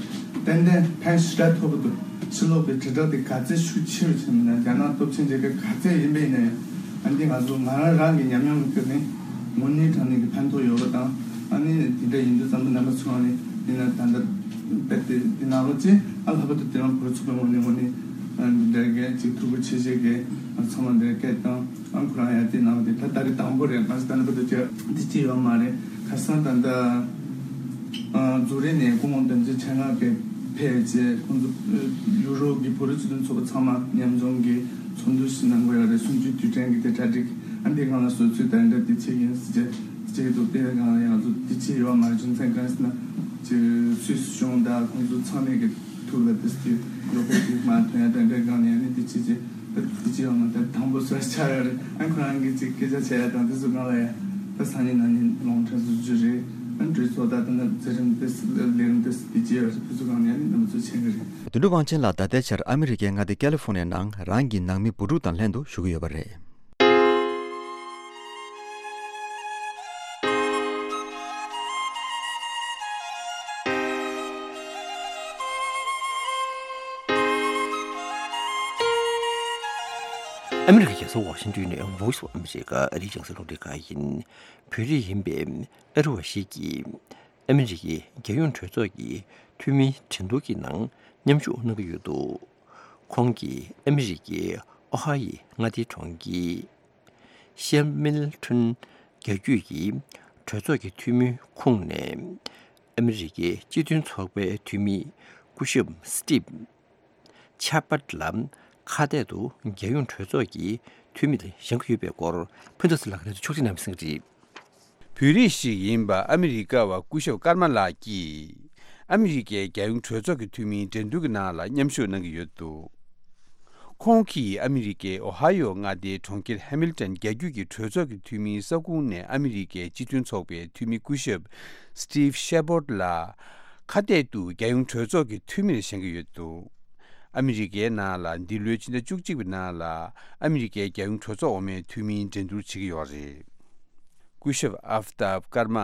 ཏན་ཏན་ཕན་ཞེ་དྲག་ཐོགས་ཀྱི་འདུག་ཕྱི་ལོགས་པའི་དྲིལ་བསྒྲགས་དེ་ག་ཚད་ཤུགས་ཆེ་རུ་ཕྱིན་ན་རྒྱ་ནག་སྟོབས་ཆེན་རྒྱལ་ཁབ་ག་ཚད་ཡིན་པ་ཡིན་ན་ཡང་། ཨ་འདི་ང་ཚོ་ང་རང་རང་གི་ཉམས་མྱོང་གི་སྟེང་ནས་དངོས་གནས་དྲང་གནས་ཀྱི་ཕན་ཐོགས་ཡོད་པ་དང་། ཨ་ནི་དེ་འདྲ་ཡིན་དུས་ཙམ་པ་རྣམ་པ་ཚོ་ནས་ཡིན་ན་ད་ལྟ་དཔེ་དེ་འདི་ནང་ལོགས་ཅིག་ཨ་ལྷག་པར་དུ་དེ་རིང་བོད་ཚོགས་པའི་ངོས་ནས་ངོས་ནས་ཨ་འདི་འདྲ་གི་ཅིག་ཐུགས་ཁུར་ཆེ་བཞེས་ཀྱི་ཚང་མ་འདིར་སྐད་བཏང་། ཨ་ཁོ་རང་ཡང་དེ་ནང་དེ་ད་ད་རེས་དང་པོ་རེད། གང་ཟེར་ད་ནི་བོད་དུ་ཅི་འདི་ཅི་ཡོད་མ་རེད། ཁ་སང་ད་ལྟ་ཨ་ཛུ་རིག་ནས་སྐུ་ངོ་དོན་གཅོད་ཆེ་ལྔ་གིས་ཕེབས་རྗེས་ཁོང་ཚོ་ཡུ་རོབ་ཀྱི་བོད་རིགས་སྤྱི་མཐུན་ཚོགས་པ་ཚང་མ་མཉམ་འཛོམས་ཀྱི་ཚོགས་འདུ་ཞིག་གནང་དགོས་ཡ་རེད། གསུམ་བཅུའི་དུས་དྲན་གྱི་དེ་གྲ་སྒྲིག་ཨ་འདི་སྒང་ལ་བཟོ་ཚུལ་དང་འདྲ་དེ་ཅི་ཡིན་ཟེར་རྗེས་ཅིག་འདུག་དེ་སྒང་ལ་ཡང་ཚོ་དེ་ཅི་ཡོད་མ་རེད། རྒྱུ་མཚན་གང་ཟེར་ན་ཅིག་སུད་སི་གཞུང་དང་ཁོང་ཚོ་ཚང་མས་ཀྱི་ཐུགས་ལ་དེ་སྟེ་ཡོད་པའི་དེ་མ་ཐོན་ཡ་དེ་འདྲའི་སྒང་ནས་ནི་དེ་ཅི་ཅི་དེ་ཅི་ཡང་མ་དེ་དང་པོ་སུ་ཆགས་ཡོད་རེད། ཨ་ཁོ་རང་གིས་ཅིག་སྐད་ཆ་བྱས་ཡ་དང་དེ་ཚོ་སྒང་ལ་ཡ་ད་སང་ཉིན་གནངས་ཉིན་རླུང་འཕྲིན་བཟོ་རྒྱུ་རེད། ཨ་གྲོས་ཚོགས་ད་ད་ནི་མཛད་རིམ་དེ་ལས་རིམ་དེ་དེ་ཅི་ཡོད་རེད། དེ་ཚོ་སྒང་ནས་ནི་རྣམ་པ་ཚོ་མཁྱེན་གི་རེད། དོན་གྲུབ་དབང་ཆེན་ལགས་ད་ལྟའི་ཆར་ཨ་མི་རི་ཀའི་མངའ་སྡེ་ཀ་ལི་ཧྥོ་ནི་ཡའི་ནང་རང་གི་ནང་མི་བུ་ཕྲུག་དང་ལྷན་དུ་བཞུགས་ཀྱི་ཡོད་པ་རེད། ཨ་མི་རི་ཀའི་རྒྱལ་ས་ཝ་ཤིང་ཏོན་ནས་Voice of America ཨ་རིའི་རྒྱང་སྲིང་རླུང་འཕྲིན་ཁང་ཡིན། བོད་རིགས་ཡིན་པའི་ཨ་རི་བ་ཞིག་གིས་ཨ་མི་རི་ཀའི་རྒྱལ་ཡོངས་གྲོས་ཚོགས་ཀྱི་འཐུས་མིའི་འགྲན་བསྡུར་གྱི་ནང་མཉམ་ཞུགས་གནང་གི་ཡོད་འདུག་ཁོང་གིས་ཨ་མི་རི་ཀའི་ཨོ་ཧ་ཡི་མངའ་སྡེའི་གྲོང་ཁྱེར་ཤེ་མིལ་ཊོན་རྒྱལ་རྒྱུད་ཀྱི་གྲོས་ཚོགས་ཀྱི་འཐུས་མི་ཁོངས་ནས་ཨ་མི་རི་ཀའི་སྤྱི་མཐུན་ཚོགས་པའི་འཐུས་མི་སྐུ་ཞབས་སི་ཊིབ་ཆ་པར་ལ་ཁ་གཏད་དུ་རྒྱལ་ཡོངས་གྲོས་ཚོགས་ཀྱི་འཐུས་མིར་བཞེངས་ཀྱི་ཡོད་པའི་སྐོར་ཕུན་ཚོགས་ཚེ་ལགས་ཀྱིས་ཕྱོགས་སྒྲིག་གནང་བའི་གསུང་རེད། བོད་རིགས་ཤིག་ཡིན་པ་ཨ་མི་རི་ཀ་བ་སྐུ་ཞབས་ཀརྨ་ལགས་ཀྱིས་ཨ་མི་རི་ཀའི་རྒྱལ་ཡོངས་གྲོས་ཚོགས་ཀྱི་འཐུས་མིའི་འགྲན་བསྡུར་གྱི་ནང་ལ་མཉམ་ཞུགས་གནང་གི་ཡོད་འདུག་ཁོང་གིས་ཨ་མི་རི་ཀའི་ཨོ་ཧ་ཡོ་མངའ་སྡེའི་གྲོང་ཁྱེར་ཧེ་མིལ་ཏོན་རྒྱལ་རྒྱུད་ཀྱི་གྲོས་ཚོགས་ཀྱི་འཐུས་མིའི་ས་ཁུངས་ནས་ཨ་མི་རི་ཀའི་སྤྱི་མཐུན་ཚོགས་པའི་འཐུས་མི་སྐུ་ཞབས་སི་ཊིབ་ཤེ་པོར་ལ་ཁ་གཏད་དུ་རྒྱལ་ཡོངས་གྲོས་ཚོགས་ཀྱི་འཐུས་མིར་བཞེངས་ཀྱི་ཡོད་འདུག་ཨ་མི་རི་ཀའི་ནང་ལ་འདི་ལོའི་ཕྱི་ཟླ་བཅུ་གཅིག་པའི་ནང་ལ་ཨ་མི་རི་ཀའི་རྒྱལ་ཡོངས་གྲོས་ཚོགས་འོག་མའི་འཐུས་མིའི་འགྲན་བསྡུར་བྱེད་ཀྱི་ཡོད་རེད། སྐུ་ཞབས་ཨབ་ཏབ་ཀརྨ་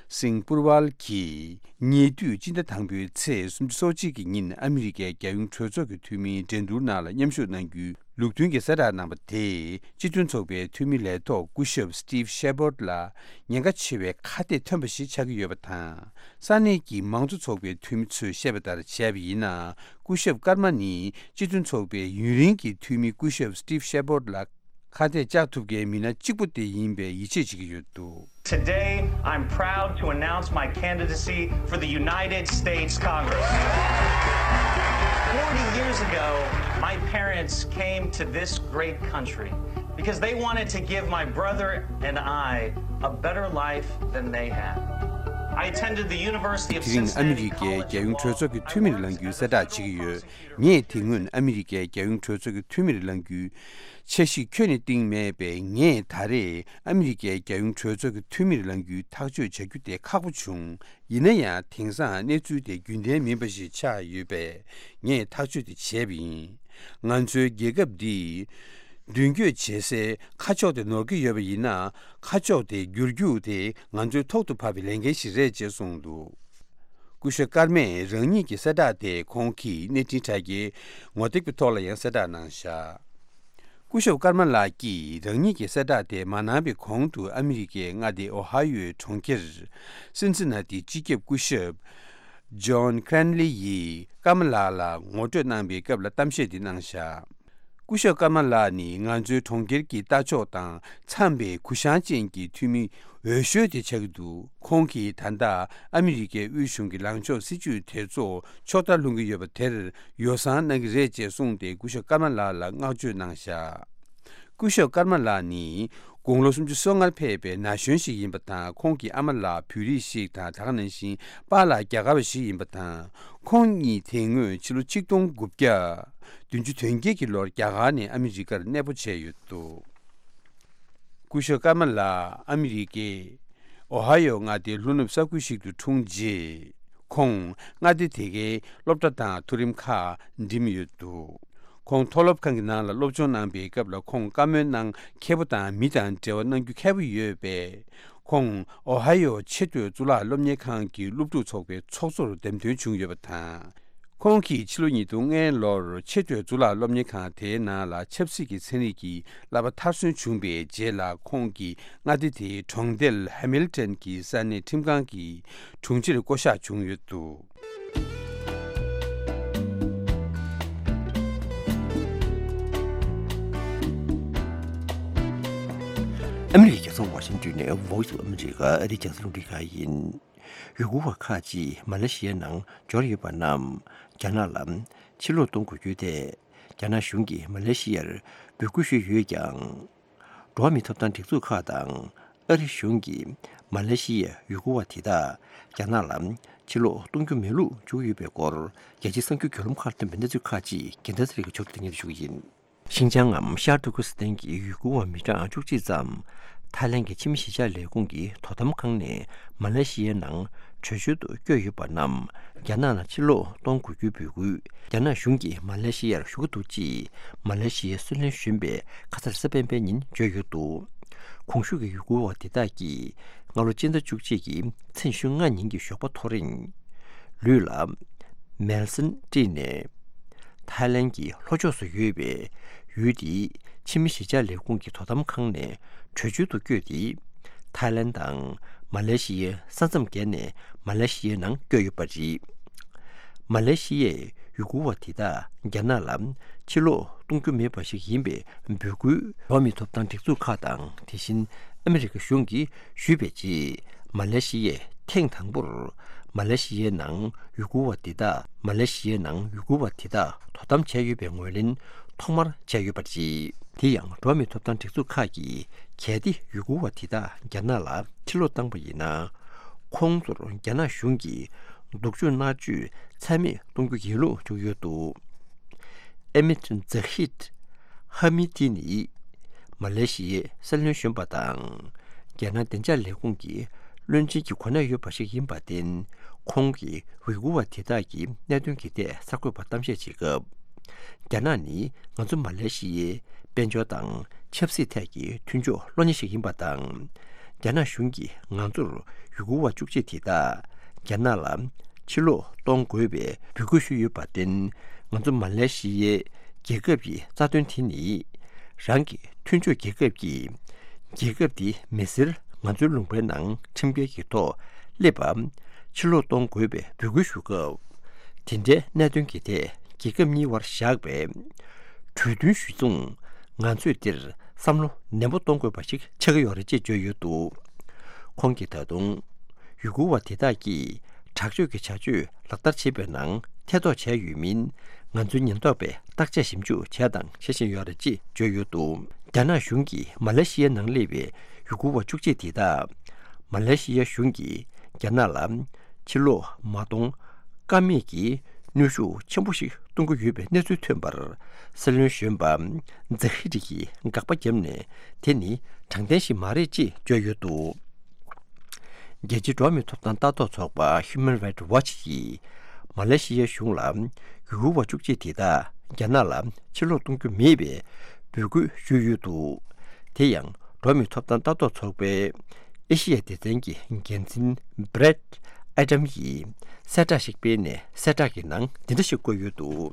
སིང་པུར་ཝལ་གྱིས་ཉེ་དུས་སྤྱི་ཟླ་དང་པོའི་ཚེས་སུམ་ཅུ་སོ་གཅིག་གི་ཉིན་ཨ་མི་རི་ཀའི་རྒྱལ་ཡོངས་གྲོས་ཚོགས་ཀྱི་འཐུས་མིའི་འགྲན་བསྡུར་ནང་ལ་མཉམ་ཞུགས་གནང་རྒྱུའི་ལུགས་མཐུན་གྱི་གསལ་བསྒྲགས་གནང་བ་དེས་སྤྱི་མཐུན་ཚོགས་པའི་འཐུས་མི་ལས་ཐོག་སྐུ་ཞབས་སི་ཊིབ་ཤེ་པོར་ལ་ཉེན་ཁ་ཆེ་བའི་ཁ་གཏད་ཐོན་པ་ཞིག་ཆགས་ཀྱི་ཡོད་པ་དང་། ས་གནས་ཀྱི་མང་གཙོ་ཚོགས་པའི་འཐུས་མི་ཚོས་བཤད་པ་ལྟར་བྱས་པ་ཡིན་ན། སྐུ་ཞབས་ཀརྨ་ནི་སྤྱི་མཐུན་ཚོགས་པའི་ཡུན་རིང་གི་འཐུས་མི་སྐུ་ཞབས་སི་ཊིབ་ཤེ་པོར་ལ་ཁ་གཏད་བཅག་ཐུབ་མཁན་མི་སྣ་གཅིག་པུ་དེ་ཡིན་པའི་ཡིད་ཆེས་བྱེད་ཀྱི་ཡོད་འདུག Today, I'm proud to announce my candidacy for the United States Congress. Forty years ago, my parents came to this great country because they wanted to give my brother and I a better life than they had. I attended the University of དེ་རིང་ཨ་མི་རི་ཀའི་རྒྱལ་ཡོངས་གྲོས་ཚོགས་ཀྱི་འཐུས་མིར་ལངས་རྒྱུའི་གསལ་བསྒྲགས་བྱེད་ཀྱི་ཡོད། ངས་དེ་སྔོན་ཨ་མི་རི་ཀའི་རྒྱལ་ཡོངས་གྲོས་ཚོགས་ཀྱི་འཐུས་མིར་ལངས་རྒྱུའི་འཆར་གཞི་ཁྱོན་ནས་བཏིང་མེད་པས། ངས་ད་རེས་ཨ་མི་རི་ཀའི་རྒྱལ་ཡོངས་གྲོས་ཚོགས་ཀྱི་འཐུས་མིར་ལངས་རྒྱུའི་ཐག་གཅོད་བྱ་རྒྱུ་དེ་ཁག་པོ་བྱུང་། ཡིན་ན་ཡང་དེང་སང་གནས་ཚུལ་དེ་རྒྱུན་ལྡན་མིན་པ་ཞིག་ཆགས་ཡོད་པས། ངས་ཐག་གཅོད་དེ་བྱས་པ་ཡིན། ང་ཚོའི་རྒྱལ་ཁབ་འདི་མདུན་སྐྱོད་བྱེད་སའི་ཁ་ཕྱོགས་དེ་ནོར་གྱི་ཡོད་པ་ཡིན་ན། ཁ་ཕྱོགས་དེ་བསྒྱུར་རྒྱུ་དེ་ང་ཚོའི་ཐོག་ཏུ་བབས་པའི་ལས་འགན་ཞིག་རེད་ཅེས་གསུངས་འདུག་སྐུ་ཞབས་ཀརྨས་རང་ཉིད་ཀྱི་གསལ་བསྒྲགས་དེ་ཁོང་གི་གནས་འཕྲིན་དྲ་རྒྱའི་ངོ་དེབ་ཀྱི་ཐོག་ལ་ཡང་གསལ་བསྒྲགས་གནང་བཞག་སྐུ་ཞབས་ཀརྨ་ལགས་ཀྱིས་རང་ཉིད་ཀྱི་གསལ་བསྒྲགས་དེ་མ་གནང་བའི་གོང་དུ་ཨ་མི་རི་ཀའི་མངའ་སྡེ་ཨོ་ཧ་ཡོའི་གྲོང་ཁྱེར་སིན་སི་ན་ཏིའི་སྤྱི་ཁྱབ་སྐུ་ཞབས་ཇོན་ཁྲན་ལི་ཡིས་ཀརྨ་ལགས་ལ་ངོ་སྤྲོད་གནང་པའི་སྐབས་ལ་གཏམ་བཤད་འདི་གནང་བཞག་སྐུ་ཞབས་ཀརྨ་ལགས་ནི་ང་ཚོའི་གྲོང་ཁྱེར་གྱི་ལྟ་ཕྱོགས་དང་འཚམས་པའི་གུ་ཡངས་ཅན་གྱི་འཐུས་མི་འོས་ཤོས་དེ་ཆགས་ཀྱི་འདུག་ཁོང་གིས་ད་ལྟ་ཨ་མི་རི་ཀའི་དབུས་གཞུང་གི་ལངས་ཕྱོགས་སྲིད་ཇུས་དེ་ཚོ་ཕྱོགས་མཐར་ལྷུང་གི་ཡོད་པ་དེར་ཡོ་བསྲང་གནང་གི་རེད་ཅེས་གསུངས་ཏེ། སྐུ་ཞབས་ཀརྨ་ལགས་ལ་བསྔགས་བརྗོད་གནང་བཞག་སྐུ་ཞབས་ཀརྨ་ལགས་ནི་དགུང་ལོ་སུམ་ཅུ་སོ་ལྔར་ཕེབས་པའི་ན་གཞོན་ཞིག་ཡིན་པ་དང་། ཁོང་གི་ཨ་མ་ལགས་བོད་རིགས་ཤིག་དང་། ད་ག་ནང་བཞིན་པཱ་ལགས་རྒྱ་གར་བ་ཞིག་ཡིན་པ་དང་། ཁོང་གཉིས་དེ་སྔོན་ཕྱི་ལོ་ཆིག་སྟོང་དགུ་བརྒྱ་བདུན་ཅུ་དོན་བརྒྱད་ཀྱི་ལོར་རྒྱ་གར་ནས་ཨ་མི་རི་ཀར་གནས་སྤོ་བྱས་ཡོད་འདུག་སྐུ་ཞབས་ཀརྨ་ལགས་ཨ་མི་རི་ཀའི་ཨོ་ཧ་ཡོ་མངའ་སྡེའི་ལྷོ་ནུབ་ས་ཁུལ་ཞིག་ཏུ་འཁྲུངས་རྗེས། ཁོང་མངའ་སྡེ་དེ་གའི་སློབ་གྲྭ་དང་མཐོ་རིམ་ཁག་འགྲིམས་ཡོད་འདུག་ཁོང་མཐོ་སློབ་ཁང་གི་ནང་ལ་སློབ་སྦྱོང་གནང་པའི་སྐབས་ལ་ཁོང་བཀའ་མོལ་གནང་མཁས་པོ་དང་། མི་དང་འབྲེལ་བ་གནང་རྒྱུ་མཁས་པོ་ཡོད་པས། ཁོང་ཨོ་ཧ་ཡོ་ཆེས་མཐོའི་གཙུག་ལག་སློབ་གཉེར་ཁང་གི་སློབ་ཕྲུག་ཚོགས་པའི་ཚོགས་གཙོར་འདེམས་ཐོན་བྱུང་ཡོད་པ་དང་། ཁོང་གིས་ཕྱི་ལོ་ཉིས་སྟོང་ལྔ་ལོར་ཆེས་མཐོའི་གཙུག་ལག་སློབ་གཉེར་ཁང་དེའི་ནང་ལ་ཆབ་སྲིད་ཀྱི་ཚན་རིག་གི་བསླབ་པ་མཐར་སོན་བྱུང་པའི་རྗེས་ལ། ཁོང་གིས་མངའ་སྡེ་དེའི་གྲོང་རྡལ་ཧེ་མིལ་ཏོན་གྱི་ས་གནས་ཁྲིམས་ཁང་གི་དྲུང་ཆེར་བསྐོ་གཞག་བྱུང་ཡོད་འདུག་ཨ་མི་རི་ཀའི་རྒྱལ་ས་ཝ་ཤིང་ཏོན་ནས་Voice of America ཨ་རིའི་རྒྱང་སྲིང་རླུང་འཕྲིན་ཁང་ཡིན། ཡུལ་སྐོར་བ་ཁག་ཅིག་མ་ལེ་ཤི་ཡའི་ནང་འབྱོར་ཡོད་པ་རྣམས་རྒྱ་ནག་ལ་ཕྱིར་ལོག་གཏོང་དགོས་རྒྱུའི་ཐད། རྒྱ་ནག་གཞུང་གིས་མ་ལེ་ཤི་ཡར་འབོད་སྐུལ་ཞུས་ཡོད་ཀྱང་། འགྲོ་བ་མིའི་ཐོབ་ཐང་སྒྲིག་འཛུགས་ཁག་དང་ཨ་རི་གཞུང་གིས་མ་ལེ་ཤི་ཡའི་ཡུལ་སྐོར་བ་དེ་དག་རྒྱ་ནག་ལ་ཕྱིར་ལོག་གཏོང་རྒྱུ་མེད་ལུགས་བརྗོད་ཀྱི་ཡོད་པའི་སྐོར། རྒྱལ་སྤྱིའི་གསར་འགྱུར་བརྒྱུད་ལམ་ཁག་ལ་བཏོན་པའི་གནས་ཚུལ་ཁག་ཅིག་རྒྱལ་མཚན་ཚེ་རིང་གིས་ཕྱོགས་སྒྲིག་ཏུ་སྙན་སྒྲོན་ཞུ་གི་ཡིན། ཤིན་ཅང་ངམ་ཤར་ཏུར་ཀི་སི་ཐན་གྱི་ཡུལ་སྐོར་བ་མི་གྲངས་བཅུ་གཅིག་ཙམ། ཐའི་ལན་གྱི་ཕྱི་མི་གཞིས་ཆགས་ལས་ཁུངས་ཀྱི་དོ་དམ་ཁང་ནས་མ་ལེ་ཤི་ཡའི་ནང་བྲོས་བྱོལ་དུ་བསྐྱོད་ཡོད་པ་རྣམས་རྒྱ་ནག་ལ་ཕྱིར་ལོག་གཏོང་དགོས་རྒྱུའི་འབོད་སྐུལ་རྒྱ་ནག་གཞུང་གིས་མ་ལེ་ཤི་ཡར་ཞུ་གི་འདུག་ཅེས་མ་ལེ་ཤི་ཡའི་སྲིད་བློན་གཞོན་པས་ཁ་སང་རེས་གཟའ་སྤེན་པའི་ཉིན་བརྗོད་ཡོད་འདུག་གོང་ཞུས་ཀྱི་ཡུལ་སྐོར་བ་དེ་དག་གིས་སྔ་ལོ་སྤྱི་ཟླ་བཅུ་གཅིག་གི་ཚེས་ཉི་ཤུ་ལྔ་ཉིན་གྱི་ཞོགས་པ་ཐོ་རེངས་ལུས་ལ་མལ་སྲན་དཀྲིས་ནས། ཐའི་ལན་གྱི་ལྷོ་ཕྱོགས་སུ་ཡོད་པའི་ཡུལ་དེའི་ཕྱི་མི་གཞིས་ཆགས་ལས་ཁུངས་ཀྱི་དོ་དམ་ཁང་ནས་བྲོས་བྱོལ་དུ་བསྐྱོད་དེ། ཐའི་ལན་དང་མ་ལེ་ཤི་ཡའི་ས་མཚམས་བརྒལ་ནས་མ་ལེ་ཤི་ཡའི་ནང་བསྐྱོད་ཡོད་པ་རེད། མ་ལེ་ཤི་ཡས་ཡུ་གུར་བ་དེ་དག་རྒྱ་ནག་ལ་ཕྱིར་ལོག་གཏོང་རྒྱུ་མེད་པ་ཞིག་ཡིན་པའི་འབོད་སྐུལ་འགྲོ་བ་མིའི་ཐོབ་ཐང་སྒྲིག་འཛུགས་ཁག་དང་དེ་བཞིན་ཨ་མི་རི་ཀ་གཞུང་གིས་ཞུས་པའི་རྗེས། མ་ལེ་ཤི་ཡས་ཐེངས་དང་པོར་མ་ལེ་ཤི་ཡའི་ནང་ཡུ་གུར་བ་དེ་དག་མ་ལེ་ཤི་ཡའི་ནང་ཡུ་གུར་བ་དེ་དག་དོ་དམ་བྱས་ཡོད་པའི་ངོས་ལེན་ཐོག་མར་བྱས་ཡོད་པ་རེད། དེ་ཡང་འགྲོ་བ་མིའི་ཐོབ་ཐང་སྒྲིག་འཛུགས་ཁག་གིས་གལ་ཏེ་ཡུ་གུར་བ་དེ་དག་རྒྱ་ནག་ལ་ཕྱིར་ལོག་བཏང་པ་ཡིན་ན། ཁོང་ཚོར་རྒྱ་ནག་གཞུང་གིས་སྡུག་སྦྱོང་མནར་གཅོད་ཚད་མེད་གཏོང་རྒྱུ་ཡིན་ལུགས་བརྗོད་ཡོད་འདུག་ཨེ་མིད་ཛ་ཧིད་ཧ་མི་ཏི་ནི་མ་ལེ་ཤི་ཡའི་སྲིད་བློན་གཞོན་པ་དང་། རྒྱ་ནག་བདེ་འཇགས་ལས་ཁུངས་ཀྱི་བློན་ཆེན་གྱི་གོ་གནས་ཡོད་པ་ཞིག་ཡིན་པར་བརྟེན། ཁོང་གིས་ཝི་གུར་བ་དེ་དག་གི་གནད་དོན་གྱི་ཐད་གསར་འགོད་པར་གཏམ་བཤད་བྱེད་སྐབས། རྒྱ་ནག་ནི་ང་ཚོ་མ་ལེ་ཤི་ཡའི་དཔལ་འབྱོར་དང་ཆབ་སྲིད་ཐད་ཀྱི་མཐུན་ཕྱོགས་གློ་ཉེ་ཞིག་ཡིན་པ་དང་། རྒྱ་ནག་གཞུང་གིས་ང་ཚོར་ཡུ་གུར་བ་བཅུ་གཅིག་དེ་དག་རྒྱ་ནག་ལ་ཕྱིར་ལོག་གཏོང་དགོས་པའི་འབོད་སྐུལ་ཞུས་ཡོད་པར་བརྟེན། ང་ཚོ་མ་ལེ་ཤི་ཡའི་རྒྱལ་ཁབ་ཀྱི་རྩ་དོན་དེ་ནི་རང་གི་མཐུན་ཕྱོགས་རྒྱལ་ཁབ་ཀྱིས་རྒྱལ་ཁབ་དེའི་མི་སེར་ང་ཚོའི་ལུང་པའི་ནང་ཁྲིམས་འགལ་གྱི་ཐོག་སླེབས་པ་ཕྱིར་ལོག་གཏོང་དགོས་པའི་འབོད་སྐུལ་ཞུ་སྐབས། དེ་འདྲའི་གནད་དོན་གྱི་ཐད་རྒྱལ་ཁབ་གཉིས་དབར་བཞག་པའི་གྲོས་མཐུན་གཞིར་བཟུང་ང་ཚོས་འདིར་བསམ་བློ་ནན་པོ་གཏོང་དགོས་པ་ཞིག་ཆགས་ཀྱི་ཡོད་རེད་ཅེས་བརྗོད་ཡོད་འདུག་ཁོང་གིས་ད་དུང་ཡུ་གུར་བ་དེ་དག་གིས་དྲག་སྤྱོད་ཀྱི་བྱ་སྤྱོད་ལག་བསྟར་བྱེད་པའི་ནང་ཐེ་གཏོགས་བྱས་ཡོད་མིན། ང་ཚོའི་ཉེན་རྟོག་པས་བརྟག་དཔྱད་ཞིབ་འཇུག་བྱས་དང་བྱེད་བཞིན་ཡོད་རེད་ཅེས་བརྗོད་ཡོད་འདུག་རྒྱ་ནག་གཞུང་གིས་མ་ལེ་ཤི་ཡའི་ནང་སླེབས་པའི་ཡུ་གུར་བ་བཅུ་གཅིག་དེ་དག་མ་ལེ་ཤི་ཡ་གཞུང་གིས་རྒྱ་ནག་ལ་ཕྱིར་ལོག་མ་གཏོང་ཀ་མེད་ཀྱི་གནོན་ཤུགས་ཆེན་པོ་ཞིག་གཏོང་གི་ཡོད་པའི་གནས་ཚུལ་ཐོན་པར། སྲིད་བློན་གཞོན་པ་ཛ་ཧི་རི་ཡིས་དགག་པ་བརྒྱབ་ནས། དེ་ནི་དྲང་བདེན་ཞིག་མ་རེད་ཅེས་བརྗོད་ཡོད་འདུག་རྒྱལ་སྤྱིའི་འགྲོ་བ་མིའི་ཐོབ་ཐང་ལྟ་རྟོག་ཚོགས་པ་Human Rights Watch ཡིས་མ་ལེ་ཤི་ཡའི་གཞུང་ལ་ཡུ་གུར་བ་བཅུ་གཅིག་དེ་དག་རྒྱ་ནག་ལ་ཕྱིར་ལོག་གཏོང་རྒྱུ་མེད་པའི་འབོད་སྐུལ་ཞུས་ཡོད་འདུག་དེ་ཡང་འགྲོ་བ་མིའི་ཐོབ་ཐང་ལྟ་རྟོག་ཚོགས་པའི་ཨེ་ཤི་ཡའི་སྡེ་ཚན་གྱི་འགན་འཛིན་Brad Adam ཡིས་གསལ་བསྒྲགས་ཤིག་སྤེལ་ནས། གསལ་བསྒྲགས་ཀྱི་ནང་འདི་འདྲ་ཞིག་བཀོད་ཡོད་འདུག་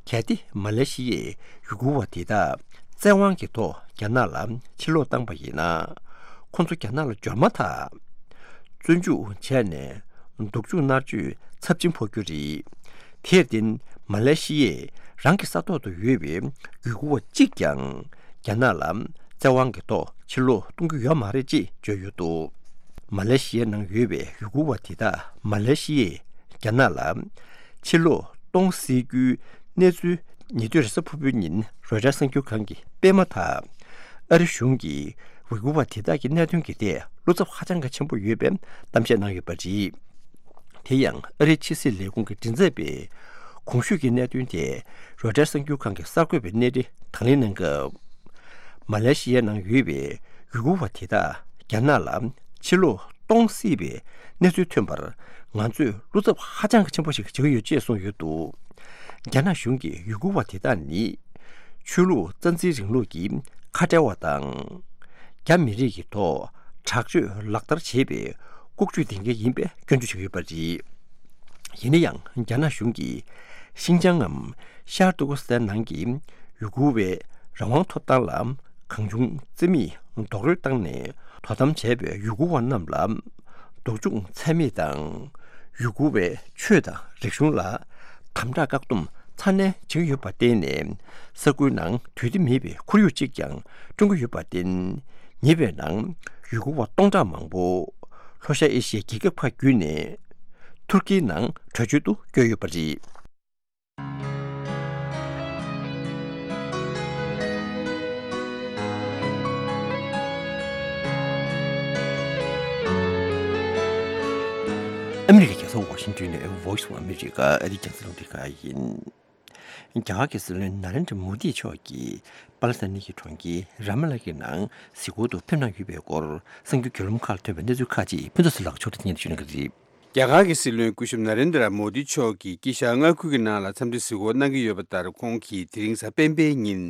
གལ་ཏེ་མ་ལེ་ཤི་ཡས་ཡུ་གུར་བ་དེ་དག་བཙན་དབང་གི་ཐོག་རྒྱ་ནག་ལ་ཕྱིར་ལོག་བཏང་པ་ཡིན་ན། ཁོང་ཚོ་རྒྱ་ནག་ལ་འབྱོར་མ་ཐག་བཙོན་འཇུག་བྱས་ནས་སྡུག་སྦྱོང་མནར་གཅོད་ཚབས་ཆེན་ཕོག་རྒྱུ་རེད། དེར་བརྟེན། མ་ལེ་ཤི་ཡས་རང་གི་ས་ཐོག་ཏུ་ཡོད་པའི་ཡུ་གུར་བ་གཅིག་ཀྱང་རྒྱ་ནག་ལ་བཙན་དབང་གི་ཐོག་ཕྱིར་ལོག་གཏོང་རྒྱུ་ཡོད་མ་རེད་ཅེས་བརྗོད་ཡོད་འདུག་མ་ལེ་ཤི་ཡའི་ནང་ཡོད་པའི་ཡུ་གུར་བ་དེ་དག་མ་ལེ་ཤི་ཡས་རྒྱ་ནག་ལ་ཕྱིར་ལོག་གཏོང་སྲིད་རྒྱུའི་གནས་ཚུལ་ཉེ་དུས་རེས་གཟའ་ཕུར་བུའི་ཉིན་རོའི་ཊར་གསར་འགྱུར་ཁང་གིས་སྤེལ་མ་ཐག་ཨ་རི་གཞུང་གིས་ཡུ་གུར་བ་དེ་དག་གི་གནད་དོན་གྱི་ཐད་བློ་འཚབ་ཧ་ཅང་གི་ཆེན་པོ་ཡོད་པའི་གཏམ་བཤད་གནང་ཡོད་པ་རེད། དེ་ཡང་ཨ་རིའི་ཕྱི་སྲིད་ལས་ཁུངས་ཀྱི་མགྲིན་ཚབ་པས་གོང་ཞུས་ཀྱི་གནད་དོན་དེ་རོའི་ཊར་གསར་འགྱུར་ཁང་གི་གསར་འགོད་པའི་གནས་རི་དང་ལེན་གནང་སྐབས། མ་ལེ་ཤི་ཡའི་ནང་ཡོད་པའི་ཡུ་གུར་བ་དེ་དག་རྒྱ་ནག་ལ་ཕྱིར་ལོག་གཏོང་སྲིད་པའི་གནས་ཚུལ་ཐོན་པར་ང་ཚོས་བློ་འཚབ་ཧ་ཅང་གི་ཆེན་པོ་ཞིག་བྱེད་ཀྱི་ཡོད་ཅེས་གསུངས་ཡོད་འདུག་རྒྱ་ནག་གཞུང་གིས་ཡུ་གུར་བ་དེ་དག་ནི་ཆོས་ལུགས་རྩ་འཛིན་རིང་ལུགས་ཀྱི་ཁ་བྲལ་བ་དང་། རྒྱ་མི་རིགས་ཀྱི་ཐོག་དྲག་སྤྱོད་ལག་བསྟར་བྱེད་པའི་ལྐོག་ཇུས་ལྡན་མཁན་ཡིན་པའི་སྐྱོན་བརྗོད་བྱེད་ཀྱི་ཡོད་པ་རེད། ཡིན་ན་ཡང་། རྒྱ་ནག་གཞུང་གིས་ཤིན་ཅང་ངམ་ཤར་ཏུར་ཀུ་སི་ཐན་ནང་གི་ཡུ་གུར་བའི་རང་དབང་ཐོབ་ཐང་ལ་གང་བྱུང་རྩིས་མེད་རྡོག་རོལ་བཏང་ནས་དོ་དམ་བྱས་པའི་ཡུ་གུར་བ་རྣམས་ལ་སྡུག་སྦྱོང་ཚད་མེད་དང་། ཡུ་གུར་བའི་ཆོས་དང་རིག་གཞུང་ལ་དམ་དྲག་བཀག་སྡོམ་ཚ་ནན་བྱེད་ཀྱི་ཡོད་པར་བརྟེན་ནས། ས་ཁུལ་ནང་དུས་བདེ་མེད་པའི་ཁོར་ཡུག་ཅིག་ཀྱང་བསྐྲུན་གྱི་ཡོད་པར་བརྟེན། ཉེ་བའི་ནང་ཡུ་གུར་བ་སྟོང་ཕྲག་མང་པོ་ལྷོ་ཤར་ཨེ་ཤི་ཡའི་རྒྱལ་ཁབ་ཁག་བརྒྱུད་ནས་ཐུར་ཀིའི་ནང་བྲོས་བྱོལ་དུ་བསྐྱོད་ཡོད་པ་རེད། ཨ་མི་རི་ཀའི་རྒྱལ་ས་ཝ་ཤིང་ཏོན་ནས་Voice of America ཨ་རིའི་རྒྱང་སྲིང་རླུང་འཕྲིན་ཁང་ཡིན། རྒྱ་གར་གྱི་སྲིད་བློན་ན་རེན་དྲ་མོ་དི་མཆོག་གིས་པ་ལི་སི་ཐན་གྱི་གྲོང་ཁྱེར་ར་མ་ལ་གི་ནང་གཟིགས་སྐོར་དུ་ཕེབས་གནང་ཡོད་པའི་སྐོར་གསར་འགྱུར་བརྒྱུད་ལམ་ཁག་ལ་ཐོན་པའི་གནས་ཚུལ་ཁག་ཅིག་ཕུན་ཚོགས་ཟུར་ལགས་ཕྱོགས་སྒྲིག་སྙན་ཞུ་གནང་གི་རེད། རྒྱ་གར་གྱི་སྲིད་བློན་སྐུ་ཞབས་ན་རེན་དྲ་མོ་དི་མཆོག་གིས་དཀྱིལ་ཤར་མངའ་ཁུལ་གྱི་ནང་ལ་འཚམས་འདྲི་གཟིགས་སྐོར་གནང་གི་ཡོད་པ་ལྟར། ཁོང་གིས་དེ་རིང་གཟའ་སྤེན་པའི་ཉིན།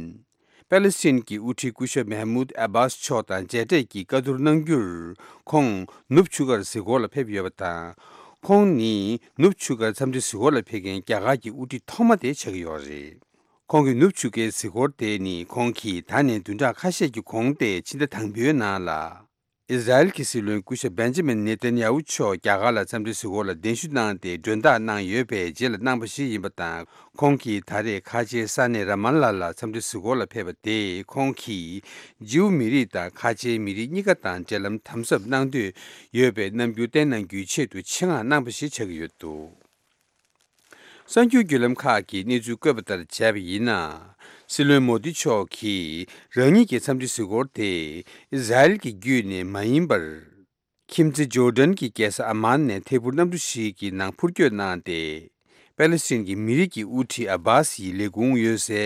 པ་ལི་སི་ཐན་གྱི་དབུ་ཁྲིད་སྐུ་ཞབས་མེ་མུད་ཨ་བྷཱས་མཆོག་དང་མཇལ་འཕྲད་ཀྱིས་བཀའ་བསྡུར་གནང་རྒྱུར། ཁོང་ནུབ་ཆུ་ཁར་གཟིགས་སྐོར་ལ་ཕེབས་ཡོད་པ་དང་། ཁོང་ནི་ནུབ་ཆུ་ཁར་འཚམས་འདྲི་གཟིགས་སྐོར་ལ་ཕེབས་མཁན་རྒྱ་གར་གྱི་དབུ་ཁྲིད་ཐོག་མ་དེ་ཆགས་ཀྱི་ཡོད་རེད། ཁོང་གི་ནུབ་ཆུ་ཁའི་གཟིགས་སྐོར་དེ་ནི་ཁོང་གིས་ད་ནས་བདུན་ཕྲག་ཁ་ཤས་ཀྱི་གོང་སྟེ་ཕྱི་ཟླ་དང་པོའི་ནང་ལ། ཨི་ཟ་རེལ་གྱི་སྲིད་བློན་སྐུ་ཞབས་བེན་ཇ་མིན་ནེ་ཐན་ཡ་ཧུ་མཆོག་རྒྱ་གར་ལ་འཚམས་འདྲི་གཟིགས་སྐོར་ལ་གདན་ཞུ་གནང་སྟེ་མགྲོན་བདག་གནང་ཡོད་པའི་རྗེས་ལ་གནང་པ་ཞིག་ཡིན་པ་དང་། ཁོང་གིས་ད་རེས་ཁ་ཆེའི་ས་གནས་ར་མ་ལ་ལ་འཚམས་འདྲི་གཟིགས་སྐོར་ལ་ཕེབས་པ་དེས་ཁོང་གིས་ཇིའུ་མི་རིགས་དང་ཁ་ཆེའི་མི་རིགས་གཉིས་ཀ་དང་འབྲེལ་ལམ་དམ་ཟབ་གནང་འདོད་ཡོད་པའི་རྣམ་འགྱུར་བསྟན་གནང་རྒྱུའི་ཆེད་དུ་ཆེད་མངགས་གནང་པ་ཞིག་ཆགས་ཀྱི་ཡོད་འདུག། གསར་འགྱུར་བརྒྱུད་ལམ་ཁག་གིས་གནས་ཚུལ་བཀོད་པ་ལྟར་བྱས་པ་ཡིན་ན། སྲིད་བློན་མོ་དི་མཆོག་གིས་རང་ཉིད་ཀྱི་འཚམས་འདྲི་གཟིགས་སྐོར་དེ་ཨི་ཟ་རེལ་གྱི་བརྒྱུད་ནས་མ་ཡིན་པར། ཁྱིམ་མཚེས་ཇོར་ཌན་གྱི་རྒྱལ་ས་ཨ་མཱན་ནས་ཐད་འཕུར་གནམ་གྲུ་ཞིག་གི་ནང་འཕུར་སྐྱོད་གནང་སྟེ། པེ་ལེ་སི་ཐན་གྱི་མི་རིགས་ཀྱི་དབུ་ཁྲིད་ཨ་བྷཱ་སི་ཡི་ལས་ཁུངས་ཡོད་སའི་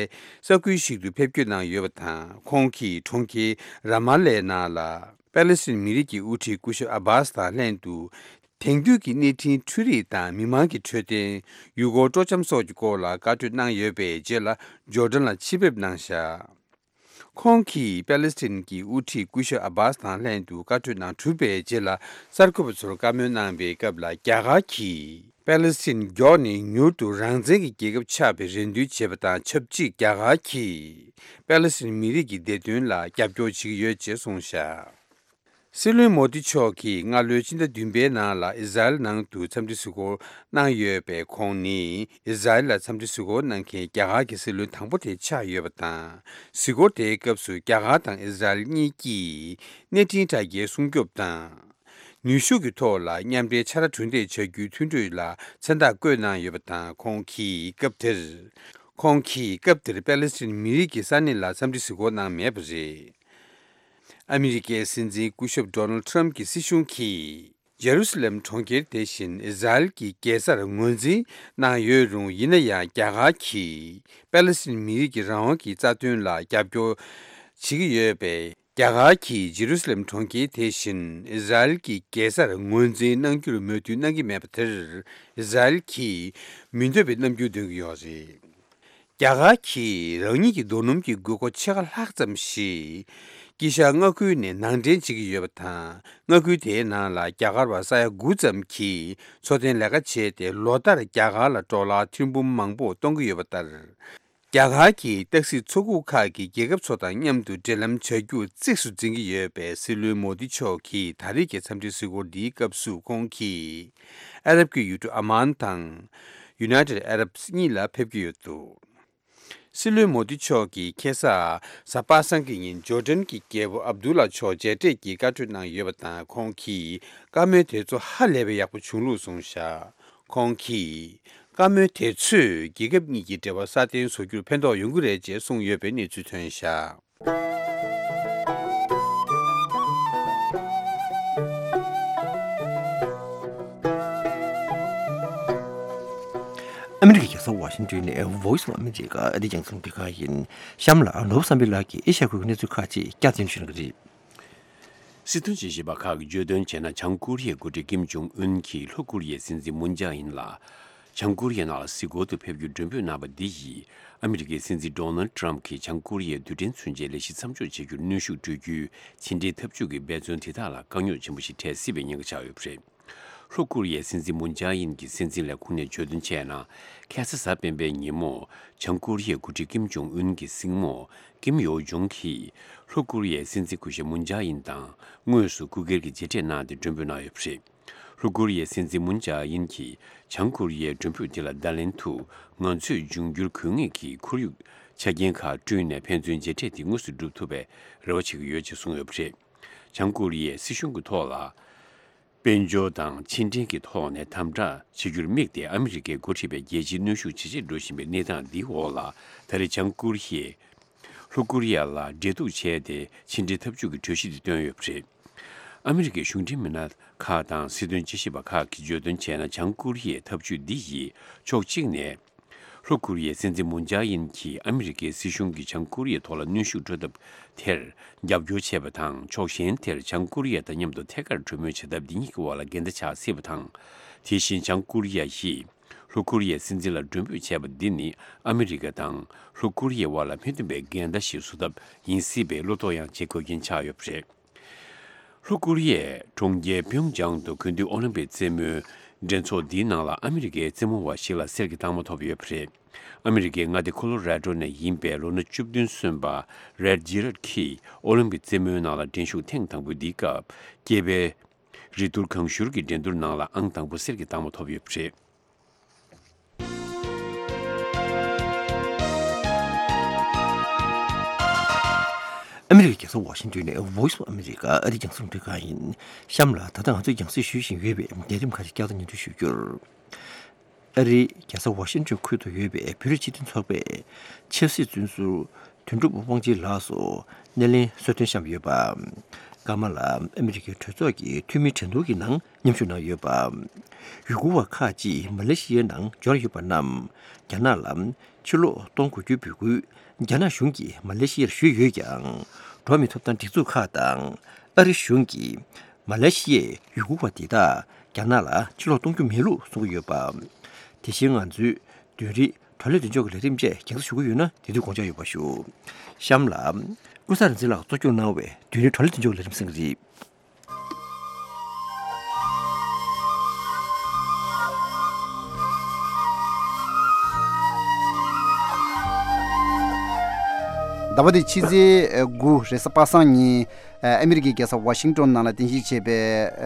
ས་ཁུལ་ཞིག་ཏུ་ཕེབས་སྐྱོད་གནང་ཡོད་པ་དང་། ཁོང་གིས་གྲོང་ཁྱེར་ར་མ་ལའི་ནང་ལ་པེ་ལེ་སི་ཐན་མི་རིགས་ཀྱི་དབུ་ཁྲིད་སྐུ་ཞབས་ཨ་བྷཱ་སི་དང་ལྷན་དུ། དེང་དུས་ཀྱི་གནས་འཕྲིན་འཕྲུལ་རིག་དང་མི་མང་གི་འཕྲོད་བསྟེན། ཡུལ་སྐོར་སྤྲོ་འཆམ་སོགས་ཀྱི་སྐོར་ལ་བཀའ་གྲོས་གནང་ཡོད་པའི་རྗེས་ལ་ཇོར་ཌན་ལ་ཕྱིར་ཕེབས་གནང་བཞག། ཁོང་གིས་པེ་ལེ་སི་ཐན་གྱི་དབུ་ཁྲིད་སྐུ་ཞབས་ཨ་བྷཱ་སི་དང་ལྷན་དུ་བཀའ་གྲོས་གནང་གྲུབ་པའི་རྗེས་ལ་གསར་འགོད་པ་ཚོར་བཀའ་མོལ་གནང་བའི་སྐབས་ལ། རྒྱ་གར་གྱིས་པེ་ལེ་སི་ཐན་མགྱོགས་ནས་མྱུར་དུ་རང་བཙན་གྱི་རྒྱལ་ཁབ་ཆགས་པའི་རེ་འདུན་བྱེད་པ་དང་ཆབས་ཅིག་རྒྱ་གར་གྱིས་པེ་ལེ་སི་ཐན་མི་རིགས་ཀྱི་བདེ་དོན་ལ་རྒྱབ་སྐྱོར་བྱེད་ཀྱི་ཡོད་ཅེས་གསུངས་བཞག། སྲིད་བློན་མོ་དི་མཆོག་གིས་སྔ་ལོའི་ཕྱི་ཟླ་བདུན་པའི་ནང་ལ་ཨི་ཟ་རེལ་ནང་དུ་འཚམས་འདྲི་གཟིགས་སྐོར་གནང་ཡོད་པས། ཁོང་ནི་ཨི་ཟ་རེལ་ལ་འཚམས་འདྲི་གཟིགས་སྐོར་གནང་མཁན་རྒྱ་གར་གྱི་སྲིད་བློན་དང་པོ་དེ་ཆགས་ཡོད་པ་དང་། གཟིགས་སྐོར་དེའི་སྐབས་སུ་རྒྱ་གར་དང་ཨི་ཟ་རེལ་གཉིས་ཀྱིས་གནས་འཕྲིན་དྲ་རྒྱའི་སྲུང་སྐྱོབ་དང་། ནུས་ཤུགས་ཀྱི་ཐོག་ལ་མཉམ་འབྲེལ་ཕྱར་གྲུ་འདེགས་བྱ་རྒྱུའི་མཐུན་གྲོས་ལ་མཚན་རྟགས་བཀོད་གནང་ཡོད་པ་དང་། ཁོང་གིས་སྐབས་དེར། ཁོང་གིས་སྐབས་དེར་པེ་ལེ་སི་ཐན་མི་རིགས་ཀྱི་ས་གནས་ལ་འཚམས་འདྲི་གཟིགས་སྐོར་གནང་མེད་པ་རེད། ཨ་མི་རི་ཀའི་སྲིད་འཛིན་སྐུ་ཞབས་ཌོ་ནལ་ཊམ་གྱི་སྲིད་གཞུང་གིས་ཇེ་རུ་སི་ལེམ་གྲོང་ཁྱེར་དེ་བཞིན་ཨི་ཟ་རེལ་གྱི་རྒྱལ་སར་ངོས་འཛིན་གནང་ཡོད་རུང་། ཡིན་ན་ཡང་རྒྱ་གར་གྱིས་པེ་ལེ་སི་ཐན་མི་རིགས་ཀྱི་རང་དབང་གི་རྩ་དོན་ལ་རྒྱབ་སྐྱོར་བྱེད་ཀྱི་ཡོད་པས། རྒྱ་གར་གྱིས་ཇེ་རུ་སི་ལེམ་གྲོང་ཁྱེར་དེ་བཞིན་ཨི་ཟ་རེལ་གྱི་རྒྱལ་སར་ངོས་འཛིན་གནང་རྒྱུར་མོས་མཐུན་གནང་གི་མེད་པ་དེར། ཨི་ཟ་རེལ་གྱིས་མི་འདོད་པའི་རྣམ་འགྱུར་སྟོན་གྱི་ཡོད་རེད། རྒྱ་གར་གྱིས་རང་ཉིད་ཀྱི་རྡོ་སྣུམ་གྱི་དགོས་མཁོ་ཕྱེད་ཀ་ལྷག་ཙམ་ཞིག་དཀྱིལ་ཤར་མངའ་ཁུལ་ནས་ནང་འདྲེན་བྱེད་ཀྱི་ཡོད་པ་དང་། མངའ་ཁུལ་དེའི་ནང་ལ་རྒྱ་གར་བ་ས་ཡ་དགུ་ཙམ་གྱིས་འཚོ་རྟེན་ལས་ཀ་བྱས་ཏེ། ལོ་ལྟར་རྒྱ་གར་ལ་ཌོ་ལར་ཐེར་འབུམ་མང་པོ་གཏོང་གི་ཡོད་པ་ལྟར། རྒྱ་གར་གྱིས་སྟག་གཟིག་མཚོ་ཁུག་ཁག་གི་རྒྱལ་ཁབ་ཚོ་དང་མཉམ་དུ་འབྲེལ་ལམ་བྱ་རྒྱུ་གཙིགས་སུ་འཛིན་གྱི་ཡོད་པའི་སྲིད་བློན་མོ་དི་མཆོག་གིས་ད་རེས་ཀྱི་འཚམས་འདྲི་གཟིགས་སྐོར་འདིའི་སྐབས་སུ། ཁོང་གིས་ཨ་རབ་ཀྱི་ཡུལ་གྲུ་ཨ་མཱན་དང་ཡུ་ནའི་ཊེཌ་ཨ་རབ་གཉིས་ལ་ཕེབས་ཀྱི་ཡོད་འདུག། སྲིད་བློན་མོ་དི་མཆོག་གིས་ཁ་སང་གཟའ་པ་སངས་ཀྱི་ཉིན་ཇོར་ཌན་གྱི་རྒྱལ་པོ་ཨབ་དུ་ལ་མཆོག་མཇལ་འཕྲད་ཀྱིས་བཀའ་གྲོས་གནང་ཡོད་པ་དང་། ཁོང་གིས་བཀའ་མོལ་དེ་ཚོ་ཧ་ལས་པའི་ཡག་པོ་བྱུང་ལུགས་གསུངས་བཞག། ཁོང་གིས་བཀའ་མོལ་དེ་ཚོས་རྒྱལ་ཁབ་གཉིས་ཀྱི་འབྲེལ་བ་སྲ་བརྟན་བཟོ་རྒྱུར་ཕན་ཐོགས་ཡོང་གི་རེད་ཅེས་གསུངས་ཡོད་པའི་གནས་ཚུལ་ཐོན་བཞག། ཨ་མི་རི་ཀའི་རྒྱལ་ས་ཝ་ཤིང་ཏོན་ནས་Voice of America ཨ་རིའི་རྒྱང་སྲིང་ལས་ཁང་ཡིན། གཤམ་ལ་ནོར་བུ་བསམ་འཕེལ་ལགས་ཀྱིས་ཨེ་ཤ་ཡ་ཁུལ་གྱི་གནས་ཚུལ་ཁག་ཅིག་བསྐྱར་ཟློས་ཞུ་གནང་གི་རེད། སྲིད་དོན་དཔྱད་ཞིབ་པ་ཁག་གིས་བརྗོད་དོན་བྱས་ན། བྱང་ཀོ་རི་ཡའི་འགོ་ཁྲིད་ཀིམ་ཇོང་ཨུན་གྱིས་ལྷོ་ཀོ་རི་ཡའི་སྲིད་འཛིན་མུན་ཇཱ་ཨིན་ལ་བྱང་ཀོ་རི་ཡའི་ནང་ལ་གཟིགས་སྐོར་དུ་ཕེབས་རྒྱུར་མགྲོན་འབོད་གནང་བ་འདི་ཡིས། ཨ་མི་རི་ཀའི་སྲིད་འཛིན་ཌོ་ནལ་ཊམ་གྱིས་བྱང་ཀོ་རི་ཡའི་རྡུལ་ཕྲན་མཚོན་ཆའི་ལས་གཞི་མཚམས་འཇོག་བྱེད་རྒྱུར་གནོན་ཤུགས་སྤྲོད་རྒྱུའི་ཕྱི་འབྲེལ་འཐབ་ཇུས་ཀྱི་འབད་བརྩོན་དེ་དག་ལ་དཀའ་རྙོག་ཆེན་པོ་ཞིག་འཕྲད་སྲིད་པའི་ཉེན་ཁ་ཆགས་ཡོད་པ་རེད། ལྷོ་ཀོ་རི་ཡའི་སྲིད་འཛིན་མུན་ཇཱ་ཨིན་གྱི་སྲིད་འཛིན་ལས་ཁུངས་ནས་བརྗོད་དོན་བྱས་ན། ཁ་ས་གཟའ་སྤེན་པའི་ཉིན་མོ། བྱང་ཀོ་རི་ཡའི་འགོ་ཁྲིད་ཀིམ་ཇོང་ཨུན་གྱི་སྲིང་མོ་ཀིམ་ཡོ་ཇོང་གིས་ལྷོ་ཀོ་རི་ཡའི་སྲིད་འཛིན་སྐུ་ཞབས་མུན་ཇཱ་ཨིན་དང་དངོས་སུ་སྐུ་སྒེར་གྱི་མཇལ་འཕྲད་གནང་སྟེ་མགྲོན་འབོད་གནང་ཡོད་པ་རེད། ལྷོ་ཀོ་རི་ཡའི་སྲིད་འཛིན་མུན་ཇཱ་ཨིན་གྱིས་བྱང་ཀོ་རི་ཡའི་མགྲོན་འབོད་དེ་ལ་བརྡ་ལན་དུ། ང་ཚོས་འབྱུང་འགྱུར་དགོས་ངེས་ཀྱི་ཁོར་ཡུག་ཆ་རྐྱེན་ཁག་བསྐྲུན་ནས་ཕན་ཚུན་མཇལ་འཕྲད་དེ་དངོས་སུ་སྒྲུབ་ཐུབ་པའི་རེ་བ་བྱེད་ཀྱི་ཡོད་ཅེས་གསུངས་ཡོད་པ་རེད། བྱང་ཀོ་རི་ཡའི་སྲིད་གཞུང་གི་ཐོག་ལ། དཔལ་འབྱོར་དང་ཕྱི་འབྲེལ་གྱི་ཐོག་ནས་དམ་དྲག་བྱེད་རྒྱུར་དམིགས་ཏེ། ཨ་མི་རི་ཀས་འགོ་ཁྲིད་པའི་རྒྱལ་སྤྱིའི་གནོན་ཤུགས་ཇེ་ཆེར་འགྲོ་བཞིན་པའི་གནས་སྟངས་འདིའི་འོག་ལ། ད་རེས་བྱང་ཀོ་རི་ཡས་ལྷོ་ཀོ་རི་ཡ་ལ་འབྲེལ་གཏུག་བྱས་ཏེ། ཕྱི་འབྲེལ་འཐབ་ཇུས་ཀྱི་གྲོས་གཞི་དེ་བཏོན་ཡོད་པ་རེད། ཨ་མི་རི་ཀའི་གཞུང་འབྲེལ་མི་སྣ་ཁག་དང་སྲིད་དོན་དཔྱད་ཞིབ་པ་ཁག་གིས་བརྗོད་དོན་བྱས་ན། བྱང་ཀོ་རི་ཡའི་འཐབ་ཇུས་འདི་ཡིས་ཕྱོགས་གཅིག་ནས། ལྷོ་ཀོ་རི་ཡའི་སྲིད་འཛིན་མུན་ཇཱ་ཨིན་གྱིས་ཨ་མི་རི་ཀའི་སྲིད་གཞུང་གིས་བྱང་ཀོ་རི་ཡའི་ཐོག་ལ་གནོན་ཤུགས་སྤྲོད་ཐབས་དེར་རྒྱབ་སྐྱོར་བྱས་པ་དང་། ཕྱོགས་གཞན་དེར་བྱང་ཀོ་རི་ཡ་དང་མཉམ་དུ་ཐད་ཀར་གྲོས་མོལ་བྱ་ཐབས་འདི་གཉིས་ཀྱི་དབར་ལ་འགལ་ཟླ་ཆགས་སྲིད་པ་དང་། དེ་བཞིན་བྱང་ཀོ་རི་ཡ་ཡིས་ལྷོ་ཀོ་རི་ཡའི་སྲིད་འཛིན་ལ་མགྲོན་འབོད་བྱས་པ་འདི་ནི་ཨ་མི་རི་ཀ་དང་ལྷོ་ཀོ་རི་ཡའི་དབར་ལ་མི་མཐུན་པའི་འགལ་ཟླ་ཞིག་བཟོ་ཐབས་ཡིན་སྲིད་པའི་བློ་དོགས་ཡང་བྱེད་དགོས་རྐྱེན་ཆགས་ཡོད་པ་རེད། ལྷོ་ཀོ་རི་ཡའི་གྲོང་ཁྱེར་པིའུང་ཅང་དུ་དགུན་དུས་ཨོ་ལིམ་པིག་རྩེད་མོའི་ འགྲན་ཚོགས་འདིའི་ནང་ལ་ཨ་མི་རི་ཀའི་རྩེད་མོ་བ་ཞིག་ལ་གསེར་གྱི་རྟགས་མ་ཐོབ་ཡོད་པ་རེད། ཨ་མི་རི་ཀའི་མངའ་སྡེ་ཁོ་ལོ་ར་ཌོ་ནས་ཡིན་པའི་ལོ་ན་བཅུ་བདུན་སོན་པ་རེད་ཇི་རད་ཀྱིས་ཨོ་ལིམ་པིག་རྩེད་མོའི་ནང་ལ་འགྲན་ཞུགས་ཐེངས་དང་པོ་འདིའི་སྐབས་སྐྱེས་པའི་རིགས་གཏོར་གང་ཞུར་གྱི་འགྲན་བསྡུར་ནང་ལ་ཨང་དང་པོ་གསེར་གྱི་རྟགས་མ་ཐོབ་ཡོད་པ་རེད། ཨ་མི་རི་ཀའི་རྒྱལ་ས་ཝ་ཤིང་ཏོན་ནས་Voice of America ཨ་རིའི་རྒྱང་སྲིང་རླུང་འཕྲིན་ཁང་ཡིན། གཤམ་ལ་ད་ལྟ་ང་ཚོས་རྒྱང་སྲིང་ཞུ་བཞིན་ཡོད་པའི་ལས་རིམ་ཁག་ཅིག་བསྐྱར་དུ་སྙན་སྒྲོན་ཞུ་རྒྱུར། ཨ་རིའི་རྒྱལ་ས་ཝ་ཤིང་ཏོན་ཁུལ་དུ་ཡོད་པའི་བོད་རིགས་སྤྱི་མཐུན་ཚོགས་པའི་ཆབ་སྲིད་བཙོན་ཟུར་དོན་གྲུབ་དབང་ཆེན་ལགས་སུ་སྣེ་ལེན་གསོལ་སྟོན་བཤམས་ཡོད་པ། ཀ་མ་ལ་ཨ་མི་རི་ཀའི་གྲོས་ཚོགས་ཀྱི་འཐུས་མིའི་གྲོས་བསྡུར་གྱི་ནང་མཉམ་ཞུགས་གནང་ཡོད་པ། ཡུ་གུར་བ་ཁག་ཅིག་མ་ལེ་ཤི་ཡའི་ནང་འབྱོར་ཡོད་པ་རྣམས་རྒྱ་ནག་ལ་ཕྱིར་ལོག་གཏོང་དགོས་རྒྱུའི་འབོད་སྐུལ་རྒྱ་ནག་གཞུང་གིས་མ་ལེ་ཤི་ཡར་ཞུས་ཡོད་ཀྱང་། འགྲོ་བ་མིའི་ཐོབ་ཐང་སྒྲིག་འཛུགས་ཁག་དང་ཨ་རི་གཞུང་གིས་མ་ལེ་ཤི་ཡའི་ཡུ་གུར་བ་དེ་དག་རྒྱ་ནག་ལ་ཕྱིར་ལོག་གཏོང་རྒྱུ་མེད་ལུགས་གསུང་གི་ཡོད་པ། དེ་བཞིན་ང་ཚོའི་བདུན་རེའི་བགྲོ་གླེང་མདུན་ལྕོག་གི་ལས་རིམ་བཅས་རྒྱང་སྲིང་ཞུ་གི་ཡོད་ན་དེ་དུས་དགོངས་འཇགས་ཡོད་པ་ཞུ། གཤམ་ལ་ཀུན་བཟང་རིག་འཛིན་ལགས་གཙོ་སྐྱོང་གནང་བའི་བདུན་རེའི་བགྲོ་གླེང་མདུན་ལྕོག་ལས་རིམ་གསན་གྱི་རེད། ཟླ་བ་འདིའི་ཕྱི་ཚེས་དགུ་རེས་གཟའ་པ་སངས་ཉིན། ཨ་མི་རི་ཀའི་རྒྱལ་ས་ཝ་ཤིང་ཏོན་ནང་ལ་རྟེན་གཞི་བྱས་པའི་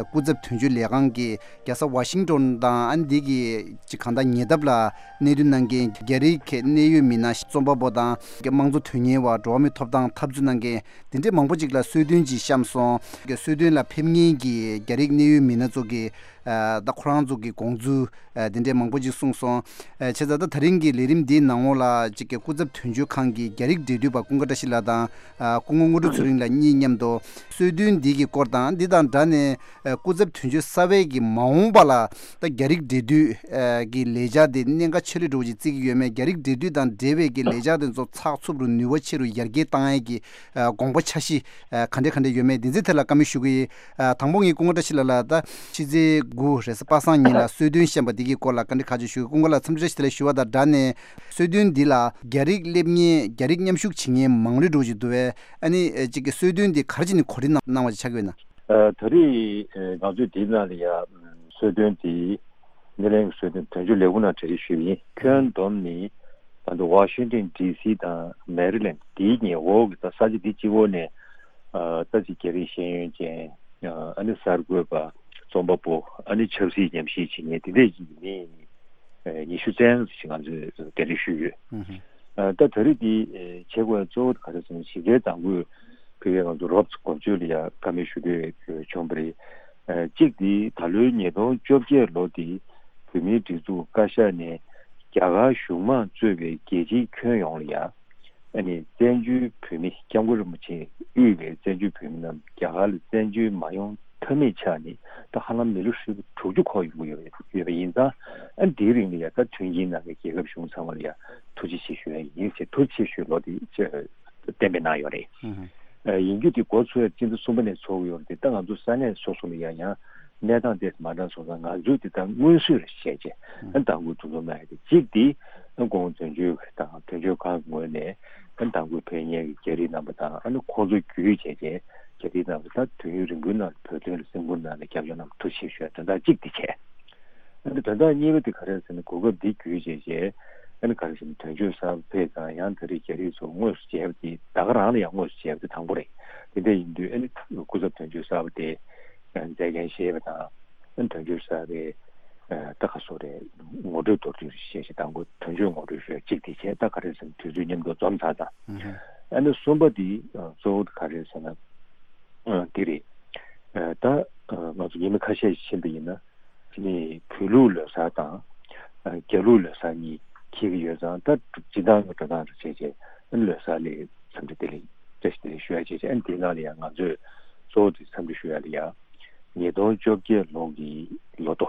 སྐུ་ཚབ་དོན་གཅོད་ལས་ཁང་གི་རྒྱལ་ས་ཝ་ཤིང་ཏོན་དང་ཨ་ནི་འདི་གི་ཅིག་གང་ལྟར་ཉེ་འདབས་ལ་གནས་སྡོད་གནང་མཁན་རྒྱ་རིགས་ཀྱི་གནད་ཡོད་མི་སྣ་རྩོམ་པ་པོ་དང་དམངས་གཙོ་དོན་གཉེར་བ། འགྲོ་བ་མིའི་ཐོབ་ཐང་འཐབ་རྩོད་གནང་མཁན་དེ་འདྲའི་མང་པོ་ཅིག་ལ་གསོལ་སྟོན་ཅིག་བཤམས་སོང་། གསོལ་སྟོན་ལ་ཕེབས་མཁན་གྱི་རྒྱ་རིགས་གནད་ཡོད་མི་སྣ་ཚོ་གིས་ཨ་ད་ཁོ་རང་ཚོ་གི་དགོངས་ཚུལ་ཨ་དེ་འདྲའི་མང་པོ་ཅིག་གསུངས་སོང་། ཨ་བྱས་ཙང་ད་ད་རིང་གི་ལས་རིམ་འདིའི་ནང་ལོགས་ལ་ཅིག་གི་སྐུ་ཚབ་དོན་གཅོད་ཁང་གི་རྒྱ་རིགས་འབྲེལ་མཐུད་པ་ཀུན་དགའ་བཀྲ་ཤིས་ལགས་དང་། ཨ་སྐུ་ངོ་དངོས་གྲུབ་ཚེ་རིང་ལགས་གཉིས་མཉམ་དུ་གསོལ་སྟོན་འདི་གི་སྐོར་དང་། འདི་དང་སྦྲགས་ནས་ཨ་སྐུ་ཚབ་དོན་གཅོད་གསར་པའི་གི་མ་འོངས་པ་ལ་ད་རྒྱ་རིགས་འབྲེལ་མཐུད་ཨ་གི་ལས་འཆར་དེ་གནད་འགག་ཆེ་ལོས་འགྲོ་བ་ཅིག་བརྩི་གི་ཡོད་མེད། རྒྱ་རིགས་འབྲེལ་མཐུད་དང་འབྲེལ་བའི་གི་ལས་འཆར་དེ་ཚོ་ཚགས་ཚུད་རུ་ནུས་པ་ཆེ་རུ་ཡར་རྒྱས་བཏང་ཡས་ཀྱི་ཨ་དགོངས་པ་འཆར་གཞི་ཨ་ག་འདྲ་ག་འདྲ་ཡོད་མེད་འདི་ཚོའི་ཐད་ལ་བཀའ་མོལ་ཞུ་གི་ཡིན། ཨ་དང་པོ་ངས་ཀུན་དགའ་བཀྲ་ཤིས་ལགས་ལ་ད་ཕྱི་ཚེས་དགུ་རེས་གཟའ་པ་སངས་ཉིན་ལ་གསོལ་སྟོན་བཤམས་པ་འདི་གི་སྐོར་ལ་བཀའ་འདྲི་ཁག་ཅིག་ཞུ་གི། ཀུན་དགའ་ལགས་འཚམས་འདྲི་བཀྲ་ཤིས་བདེ་ལེགས་ཞུ་བ་དང་སྦྲགས་ནས། གསོལ་སྟོན་འདི་ལ་རྒྱ་རིགས་སླེབས་མཁན་རྒྱ་རིགས་མཉམ་ཞུགས་བྱེད་མཁན་མང་རུ་འགྲོ་བཞིན་འདུག་བས། ཨ་ནི་ཨེ་གཅིག་གི་གསོལ་སྟོན་འདི་ག་རེ་བྱས་ནས་གོ་སྒྲིག་གནང་གནང་བ་ཅིག་ཆགས་ཀྱི་ཡོད་ན། ཨ་ད་རེས་ཨེ་ང་ཚོས་འདིའི་ནང་ལ་ཡ་གསོལ་སྟོན་འདི་སྣེ་ལེན་གྱི་གསོལ་སྟོན་དོན་གཅོད་ལས་ཁུངས་ནང་གྲ་སྒྲིག་ཞུས་པ་ཡིན། ཁྱོན་བསྡོམས་ནི་ད་ལྟ་ཝ་ཤིང་ཏོན་ཌི་སི་དང་མེ་རི་ལེན་འདིའི་ཉེ་འོག་གི་ད་ས་ཆ་འདི་གཅིག་པོ་ནས་ཨ་ད་ཅིག་རྒྱ་རིགས་ཤེས་ཡོན་ཅན་ཨ་ནི་གསར་འགོད་པ། རྩོམ་པ་པོ། ཨ་ནི་ཆབ་སྲིད་ཉམས་ཞིབ་བྱེད་མཁན་དེ་འདྲས་ཀྱི་མི་ཨ་ཉི་ཤུ་ཙམ་ཞིག་ང་ཚོས་གདན་འདྲེན་ཞུས་ཡོད། ཨུ་ཧུ། ཨ་ད་ད་རེས་འདི་ཨ་བྱེད་དགོས་གཙོ་བོ་ག་རེ་ཟེར་ན། གཞི་རྩའི་དང་པོས་ཕ་གིའི་ང་ཚོ་རོབ་ཙམ་འགོ་བརྗོད་ལ་ཡ་བཀའ་མོལ་ཞུ་འདོད་བྱུང་བ་རེད། ཨ་གཅིག་འདི་ད་ལོའི་ཉིས་སྟོང་བཅོ་བརྒྱད་ལོ་འདི་བོད་མིའི་སྒྲིག་འཛུགས་བཀའ་ཤག་ནས་རྒྱ་གར་གཞུང་མང་གཙོས་པའི་རྒྱལ་སྤྱིའི་ཁྱོན་ཡོངས་ལ་ཡ། ཨ་ནི་བཙན་བྱོལ་བོད་མི་སྐྱབས་མགོན་རིན་པོ་ཆེས་དབུས་པའི་བཙན་བྱོལ་བོད་མི་རྣམས་རྒྱ་གར་ལ་བཙན་བྱོལ་མ་ཡོང་ཐབས་མེད་ཆགས་ནས་ད་ཧ་ལམ་མི་ལོ་ཧྲིལ་པོ་དྲུག་ཅུ་འཁོར་ཡོང་གི་ཡོད་ཡོད་པ་ཡིན་ཙང་། ཨ་ནི་དེའི་རིང་ལ་ཡ་ད་མཐུན་རྐྱེན་གནང་མཁན་རྒྱལ་ཁབ་གཞུང་ཚང་མ་ལ་ཡ་ཐུགས་རྗེ་ཆེ་ཞུ་ཡ་ཡིན་ཞེས་ཐུགས་རྗེ་ཆེ་ཞུའི་ལོ་དེ་གཏན་འབེབས་གནང་ཡོད་རེད། ཨ་ཡིན་རྒྱུ་དེ་འགོ་ཚུགས་ཡ་སྤྱི་ཟླ་གསུམ་པ་ནས་ཚོགས་ཀྱི་ཡོད་རེད་དེ། ད་ང་ཚོ་ས་གནས་སོ་སོ་ལ་ཡ་ཡང་གནས་སྟངས་དེ་མ་འདྲ་སོང་ཙང་ང་ཚོས་དེ་ད་སྔོན་བསུས་རེ་བྱས་རྗེས་ཨ་དང་པོ་འདུ་འཛོམས་གནང་ཡ་དེ་གཅིག་དེ། ཨ་ཁོང་དོན་གཅོད་དང་དོན་གཅོད་ཁང་གི་ངོས་ནས་ཨ་དང་པོ་ཕེབས་མཁན་གྱི་རྒྱ་རིགས་རྣམ་པ་དང་། ཨ་ནི་ཁོང་ཚོ་བརྒྱུད་བྱས་རྗེས་རྒྱ་རིགས་རྣམ་པ་ད་དུས་ཡུན་རིང་པོའི་ནང་བོད་དོན་ལ་སེམས་ཁུར་གནང་ནས་སྐྱབས་བཅོལ་རྣམས་ཐུགས་རྗེ་ཆེ་ཞུ་ཡ་དོན་དག་གཅིག་དེ་བྱས། ཨ་ནི་དོན་དག་གཉིས་པ་དེ་ག་རེ་ཟེར་ན། གོ་སྐབས་འདི་བརྒྱུད་བྱས་རྗེས་ཨ་ནི་ག་རེ་ཟེར་ན། དོན་གཅོད་གསར་པ་ཕེབས་ཙང་ཡང་ད་རེས་རྒྱ་རིགས་ཚོ་དངོས་སུ་མཇལ་བ་དེ་ད་ག་རང་ལ་ཡང་དངོས་སུ་མཇལ་བ་དེ་དང་པོ་རེད། དེ་འདྲ་ཡིན་དུས་ཨ་ནི་སྐུ་ཚབ་དོན་གཅོད་གསར་པ་དེ་མཛད་འགན་བཞེས་པ་དང་། ཨ་ནི་དོན་གཅོད་གསར་པའི་ཨ་ད་ག་སོ་རེད། ངོ་སྤྲོད་མདོར་བསྡུས་ཤིག་བྱས་ཤིག་དང་པོ་དོན་གཅོད་ངོ་སྤྲོད་ཞུ་ཡ་གཅིག་དེ་བྱས། ད་ག་རེ་ཟེར་ན་དུས་ཚོད་མཉམ་དུ་འཛོམས་ཚར་ཙང་། ཨ་ནི་གསུམ་པ་དེ་གཙོ་བོ་ག་རེ་ཟེར་ན། ཨ་དེ་རེད། ཨ་ད་ང་ཚོ་ཉི་མ་ཁ་ཤས་ཤིག་ཕྱིན་པ་ཡིན་ན་ཨ་ནི་བོད་ལུགས་ལོ་གསར་དང་ཨ་རྒྱ་ལུགས་ལོ་གསར་གཉིས་འཁེལ་གྱི་ཡོད་ཙང་། ད་སྤྱིར་བཏང་གི་འགྲོ་སྟངས་རེ་བྱས་བྱས་ཨ་ནི་ལོ་གསར་ལ་འཚམས་འདྲི་བདེ་ལེགས་བཀྲ་ཤིས་བདེ་ལེགས་ཞུ་ཡ་བྱས་བྱས། ཨ་ནི་དེའི་ནང་ལ་ཡང་ང་ཚོས་གཙོ་བོ་དེ་འཚམས་འདྲི་ཞུ་ཡ་ལ་ཡ། ཉིས་སྟོང་བཅོ་བརྒྱད་ལོ་གི་ལོ་ཐོ།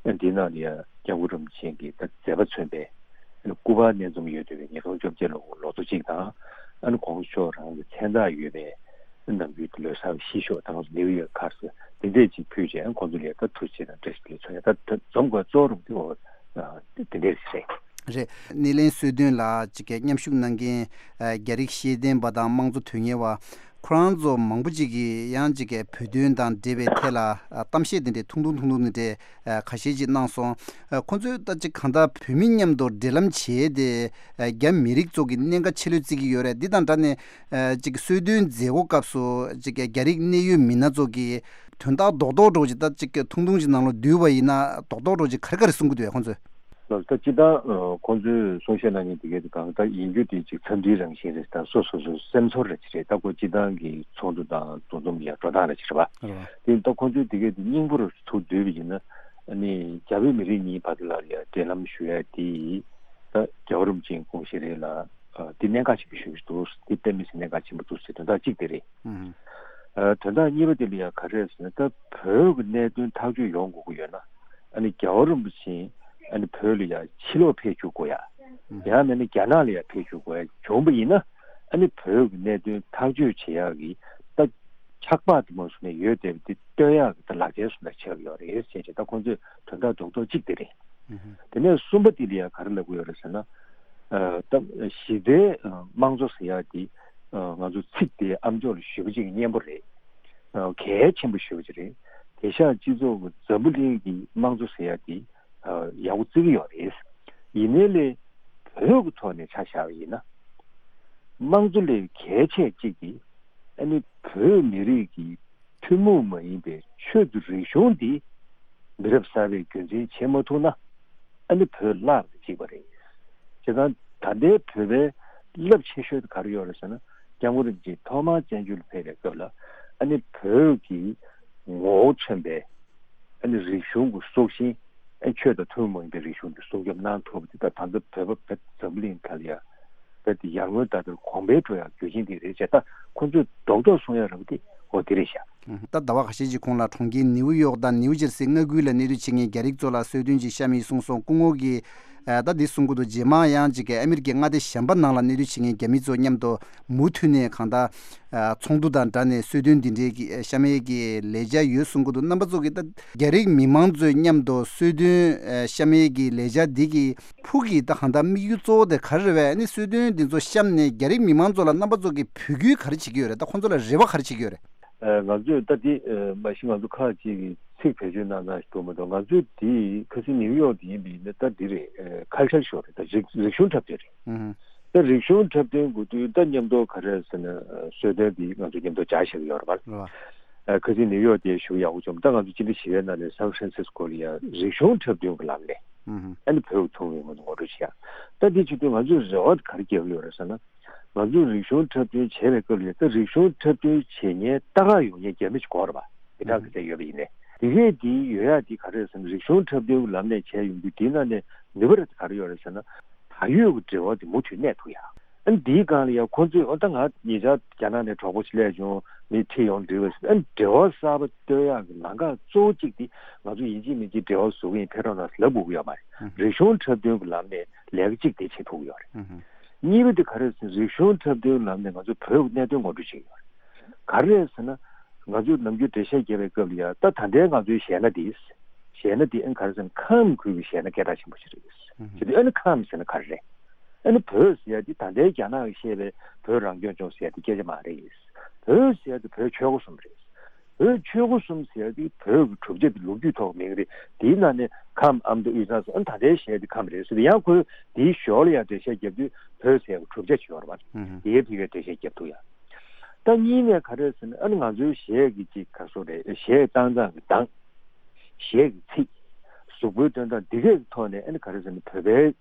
ཨ་འདི་ནང་ལ་ཡང་སྐྱབས་མགོན་རིན་པོ་ཆེ་གི་ད་མཛད་པ་མཚོན་པའི་ཨ་ནི་སྐུ་པར་གནས་འཛོམས་ཡོད་བསྡད་པའི་ཉིས་སྟོང་བཅོ་བརྒྱད་ལོ་ལོ་ཐོ་གཅིག་དང་། ཨ་ནི་གོང་ས་མཆོག་རང་གི་མཚན་རྟགས་ཡོད་པའི་ནམ་རྒྱུན་གྱི་ལོ་གསར་གྱི་ཤིས་ཤོག་དང་ནིའུ་ཡར་ཁར་སི་དེ་འདྲས་ཅིག་ཕུལ་རྗེས་ཨ་ཁོང་ཚོ་ལ་ཡང་ད་ཐུགས་རྗེ་ཆེ་དང་བཀྲ་ཤིས་བདེ་ལེགས་མཚོན་ཡ། ད་ད་འཛོམས་དགོས་གཙོ་བོ་རུ་དེ་འོ་དེ་འདྲས་རེད། རེད། སྣེ་ལེན་གསོལ་སྟོན་ལ་ཅིག་གི་མཉམ་ཞུགས་གནང་མཁན་ཨ་རྒྱ་རིགས་ཤེས་ལྡན་པ་དང་དམངས་གཙོ་དོན་གཉེར་བ་ ཁོ་རང་ཚོ་མང་པོ་ཅིག་གིས་ཡང་ཅིག་གི་བོད་དོན་དང་འབྲེལ་བའི་ཐད་ལ་ཨ་གཏམ་བཤད་དེ་འདྲའི་ཐུང་ཐུང་ཐུང་ཐུང་དེ་འདྲའི་ཨ་ཁ་ཤས་ཅིག་གནང་སོང་། ཨ་ཁོ་ཚོས་ད་ཅིག་གང་ལྟར་བོད་མི་མཉམ་དུ་འབྲེལ་ལམ་བྱས་ཏེ་ཨ་རྒྱ་མི་རིགས་ཚོ་གི་གནད་འགག་ཆེ་ལོས་བརྩི་གི་ཡོད་རེད། འདི་དང་སྦྲགས་ནས་ཨ་ཅིག་གསོལ་སྟོན་མཛད་སྒོ་སྐབས་སུ་ཅིག་རྒྱ་རིགས་གནད་ཡོད་མི་སྣ་ཚོ་གི་དོན་དག་རྡོག་རྡོག་འདྲ་བོ་ཅིག་ད་ཅིག་ཐུང་ཐུང་ཅིག་ནང་ལ་བསྡུས་པ་ཡིན་ན་རྡོག་རྡོག་འདྲ་བོ་ཅིག་ག་རེ་ག་རེ་གསུང་གི་འདུག་ཁོང་ཚོས། ལགས་ད་སྤྱིར་བཏང་ཨ་ཁོང་ཚོས་གསུང་བཤད་གནང་མཁན་དེ་གའི་དེ་གང་ལྟར་ཡིན་རྒྱུ་དེ་ཅིག་འཚམས་འདྲིའི་རང་བཞིན་རེད། ད་སོ་སོ་སོ་སེམས་ཚོར་རེ་ཅིག་རེད། ད་ཁོ་སྤྱིར་བཏང་གི་ཚོགས་འདུ་དང་འདུ་འཛོམས་ཡ་འགྲོ་སྟངས་རེ་ཅིག་རེད་པ། རེད་པ། དེ་ད་ཁོང་ཚོས་དེ་གའི་དེ་སྙིང་པོ་རུ་ཚུར་བསྡུས་པ་ཡིན་ན་ཨ་ནི་རྒྱ་བོད་མི་རིགས་གཉིས་བར་དུ་ལ་ཡ་འབྲེལ་ལམ་ཞུ་ཡ་དེ་ད་རྒྱལ་བ་རིན་པོ་ཆེའི་དགོངས་བཞེད་རེད་ལ། ཨ་དེ་གནད་འགག་ཆེན་པོ་ཞེ་པོ་ཅིག་འདུག་དེ་གཏན་མི་སྲིད་གནད་འགག་ཆེན་པོ་འདུག་ཟེར་དོན་དག་གཅིག་དེ་རེད། ཨ་དོན་དག་གཉིས་པ་དེ་ལ་ཡང་ག་རེ་རེད་ཟེར་ན་ད་བོད་ཀྱི་གནད་དོན་ཐག་གཅོད་ཡོང་དགོས་ཀྱི་ཡོད་ན་ཨ་ནི་རྒྱལ་བ་རིན་པོ་ཆེ་ཨ་ནི་བོད་ལ་ཡང་ཕྱི་ལོགས་ཕེབས་བཅུག་དགོས་ཡ། ཡང་མིན་ན་རྒྱ་ནག་ལ་ཡང་ཕེབས་བཅུག་དགོས་ཡ་བྱུང་པ་ཡིན་ན་ཨ་ནི་བོད་ཀྱི་གནད་དོན་ཐག་གཅོད་བྱེད་ཡག་གི་ད་ཆགས་པ་དེ་མ་སོང་ནས་ཡོད་བསྡད་པ་དེ་སྟོན་ཡག་གི་ད་ལག་ཆའི་བཟོ་འདྲ་ཆགས་ཡོད་རེད་ཟེར་བྱས་ད་ཁོང་ཚོས་དོན་དག་རྡོག་རྡོག་གཅིག་དེ་རེད། དེ་ནས་གསུམ་པ་དེ་ལ་ཡང་ག་རེ་ལབ་ཀྱི་ཡོད་རེད་ཟེར་ན། ཨ་ད་གཞི་རྩའི་ཨ་དམངས་གཙོ་ཟེར་ཡག་དེ་ཨ་ང་ཚོ་ཚིག་དེ་ཨ་མཆོག་ལ་ཞུས་པ་ཅིག་གི་སྙན་པོ་རེད། ཨ་གལ་ཆེན་པོ་ཞུས་པ་ཅིག་རེད། དེང་སང་སྤྱི་ཚོགས་ཀྱི་འཛམ་བུ་གླིང་གི་དམངས་གཙོ་ཟེར་ཡག་དེ་ཨ་ཡག་པོ་བརྩི་གི་ཡོད་རེད། ཡིན་ནའི་ལས་བོད་ཀྱི་ཐོག་ནས་ཆ་བཞག་པ་ཡིན་ན། དམངས་གཙོ་ལས་གལ་ཆེ་གཅིག་དེ། ཨ་ནི་བོད་མི་རིགས་ཀྱི་ཐུན་མོང་མ་ཡིན་པའི་ཆོས་དང་རིག་གཞུང་འདི་མི་རབས་གསར་པས་རྒྱུན་འཛིན་བྱེད་མ་ཐུབ་ན་ཨ་ནི་བོད་བརླག་དང་གཅིག་པ་རེད། བྱས་ཙང་ད་ལྟའི་བོད་པའི་རླབས་ཆེ་ཤོས་དེ་ག་རེ་ཡོད་རེད་ཟེར་ན་སྐྱབས་མགོན་རིན་པོ་ཆེ་ཐོག་མར་བཙན་བྱོལ་ལ་ཕེབས་པའི་སྐབས་ལ་ཨ་ནི་བོད་ཀྱི་ངོ་བོ་མཚོན་པའི་ཨ་ནི་རིག་གཞུང་གི་སྲོག་ཤིང་ཨ་ཆོས་དང་ཐུན་མོང་མ་ཡིན་པའི་རིག་གཞུང་འདི་སྲུང་སྐྱོབ་གནང་ཐུབ་པ་འདི་ད་ད་ལྟ་བོད་པ་བོད་འཛམ་བུ་གླིང་ཐད་ལ་ཡ་བོད་འདི་ཡར་ངོའི་ཟླ་ལྟར་གོང་འཕེལ་འགྲོ་ཡག་རྒྱུ་རྐྱེན་འདི་རེད་ཅེས་ད་ཁོང་ཚོས་རྡོག་རྡོག་གསུང་ཡག་རེད་པ་འདི་འོ་འདི་རེད་ཤག་ད་ཟླ་བ་ཁ་ཤས་ཀྱི་གོང་ལ་གྲོང་ཁྱེར་ནེའུ་ཡོག་དང་ནེའུ་ཇར་སི་མངའ་ཁུལ་ལ་གནས་སྡོད་བྱེད་མཁན་རྒྱ་རིགས་ཚོ་ལ་གསོལ་སྟོན་ཅིག་བཤམས་ཡིན་གསུངས་སོང་། སྐུ་ངོ་གིས་ད་འདི་གསུང་གི་འདུག་རྗེས་མ་ཡང་ཅིག་ཨ་མི་རི་ཀའི་མངའ་སྡེ་གཞན་པ་ནང་ལ་གནས་སྡོད་བྱེད་མཁན་རྒྱ་མི་ཚོ་མཉམ་དུ་མུ་མཐུད་ནས་གང་ལྟར། ཚོགས་འདུ་དང་སྦྲགས་ནས་གསོལ་སྟོན་འདི་འདྲའི་གི་བཤམས་ཡས་ཀྱི་ལས་འཆར་ཡོད་གསུང་གི་འདུག་རྣམ་པ་ཚོ་གིས་ད་རྒྱ་རིགས་མི་མང་ཚོའི་མཉམ་དུ་གསོལ་སྟོན་བཤམས་ཡས་ཀྱི་ལས་འཆར་འདི་གི་ཕུགས་ཀྱི་ད་གང་ལྟར་དམིགས་ཡུལ་གཙོ་བོ་དེ་ག་རེ་རེད་པས། ཨ་ནི་གསོལ་སྟོན་འདི་ཚོ་བཤམས་ནས་རྒྱ་རིགས་མི་མང་ཚོ་ལ་རྣམ་པ་ཚོ་གིས་འབོད་སྐུལ་ག་རེ་བྱེད་ཀྱི་ཡོད་རེད། ད་ཁོང་ཚོ་ལ་རེ་བ་ག་རེ་བྱེད་ཀྱི་ཡོད་རེད། ཨ་ང་ཚོས་ད་འདི་ཨ་མ་གཞི་ང་ཚོ་ཁག་ཅིག་གིས་ཚིག་བེད་སྤྱོད་གནང་སྟངས་ཤིག་འདུག་མ་གཏོགས་ང་ཚོས་འདི་ཁ་སང་ནིའུ་ཡོག་འདི་ཡིན་པ་ཡིན་ན་ད་འདི་རེད། ཨ་ཁལ་ཆར་ཤོག་རེད། ད་རིག་རིག་གཞུང་འཁྲབ་སྟོན་རེད། ཨུ་ཧུ། ད་རིག་གཞུང་འཁྲབ་སྟོན་དགོས་དུས་ད་མཉམ་དུ་ག་རེ་ཟེར་ན་གསོལ་སྟོན་འདི་ང་ཚོ་མཉམ་དུ་སྦྱར་བཞག་གི་ཡོད་རེད་པ། རེད་པ། ཨ་ཁ་སང་ནིའུ་ཡོག་དེ་ཞུ་ཡག་པོ་བྱུང་། ད་ང་ཚོ་སྤྱི་ཟླ་བཞི་པའི་ནང་ནས་སན་ཧྥ་རན་སིས་ཀོ་ལ་ཡ་རིག་གཞུང་འཁྲབ་སྟོན་གྱི་ལམ་ནས་ཨུ་ཧུ། ཨ་ནི་བོད་ཀྱི་ཐུན་མོང་མ་ཡིན་པ་ངོ་སྤྲོད་བྱེད་ཡག་ད་འདི་བྱེད་དུས་ང་ཚོས་རེ་བ་ག་རེ་རྒྱག་གི་ཡོད་རེད་ཟེར་ན། ང་ཚོས་རིག་གཞུང་འཁྲབ་སྟོན་བྱས་པའི་སྐབས་ལ་ད་རིག་གཞུང་འཁྲབ་སྟོན་བྱེད་མཁན་ལྟ་ག་ཡོང་མཁན་རྒྱ་མི་ཞིག་དགོས་རེད་པ། དེ་དག་གི་ཚད་ཡོད་པ་ཡིན་ནའི། དེ་གས་དེ་ཡོད་ཡག་དེ་ག་རེ་རེད་ཟེར་ན་རིག་གཞུང་འཁྲབ་སྟོན་གྱི་ལམ་ནས་བྱས་ཡོང་དུས་དེའི་ནང་ནས་ནུས་པ་རེ་ག་རེ་ཡོད་རེད་ཟེར་ན། ད་ཡོད་ཀྱི་འབྲེལ་བ་དེ་མུ་མཐུད་གནས་ཐུབ་ཡག་ཨ་ནི་དེའི་སྒང་ལ་ཡང་ཁོང་ཚོས་ཨ་ད་ང་ཉེ་ཆར་རྒྱ་ནག་ནས་གྲོགས་པོ་ཞིག་སླེབས་བྱུང་། མི་ཁྲིད་ཡོང་འགྲིག་པ་ཞིག་ཨ་ནི་འབྲེལ་བ་གསར་པ་གཏོད་ཡག་གི་ལམ་ཁ་གཙོ་བོ་གཅིག་དེ་ང་ཚོ་ཡིན་གཅིག་མིན་གཅིག་འབྲེལ་བ་བཟོ་གི་ཡིན། ཕེབས་རོགས་གནང་ཟེར་ལབ་དགོས་ཀྱི་ཡོད་མ་རེད། རིག་གཞུང་འཁྲབ་སྟོན་གྱི་ལམ་ནས་ལས་ཀ་གཅིག་དེ་བྱེད་ཐུབ་ཀྱི་ཡོད་རེད། གཉིས་པ་དེ་ག་རེ་ཟེར་ན་རིག་གཞུང་འཁྲབ་སྟོན་ལམ་ནས་ང་ཚོ་བོད་ཀྱི་གནད་དོན་ངོ་སྤྲོད་བྱེད་ཀྱི་ཡོད་རེད། ག་རེ་རེད་ཟེར་ན། ང་ཚོས་ནམ་རྒྱུན་འགྲེལ་བཤད་རྒྱབ་པའི་སྐབས་ལ་ཡང་ད་ད་ལྟའི་ང་ཚོའི་གཞས་སྣ་འདི། གཞས་སྣ་འདི་ཨ་ནི་ག་རེ་ཟེར་ན་ཁམས་ཁུལ་གྱི་གཞས་སྣ་སྐད་གྲགས་ཆེན་པོ་ཞིག་རེད། བྱས་དུས་ཨ་ནི་ཁམས་ཟེར་ན་ག་རེ་རེད། ཨ་ནི་བོད་ཟེར་ཡ་འདི་ད་ལྟའི་རྒྱ་ནག་གིས་བཤད་པའི་བོད་རང་སྐྱོང་ལྗོངས་ཟེར་ཡ་འདི་སྐད་ཆ་མ་རེད། བོད་ཟེར་ཡ་འདི་བོད་ཆོལ་ཁ་གསུམ་རེད། བོད་ཆོལ་ཁ་གསུམ་ཟེར་ཡ་དེ་བོད་ཀྱི་གྲུབ་ཆ་དེ་ལོ་རྒྱུས་ཐོག་མིང་རེད། དེའི་ནང་ནས་ཁམས་ཨ་མདོ་དབུས་གཙང་སོགས་ཨ་ནི་ད་ལྟའི་གཞས་དེ་ཁམས་རེད་ཟེར་ཏེ་ཡང་ཁོས་དེའི་ཞོར་ལ་ཡང་འགྲེལ་བཤད་རྒྱབ་དུས་བོད་ཟེར་ཡ་གི་གྲུབ་ཆ་ཅིག་ཡོད་རེད་པ། ཨུ་ཧུ། དེའི་ཐད་ཀའི་འགྲེལ་བཤད་རྒྱབ་ཐུབ་ཡ། ད་གཉིས་ནས་ག་རེ་ཟེར་ན་ཨ་ནི་ང་ཚོའི་གཞས་ཀྱི་ཅིག་ག་སོགས་རེད། གཞས་བཏང་སྟངས་ཀྱི་གདངས། གཞས་ཀྱི་ཚིག་གཟུགས་པོའི་སྟོན་སྟངས་འདི་གས་ཀྱི་ཐོག་ནས་ཨ་ནི་ག་རེ་ཟེར་ན་བོད་པའི་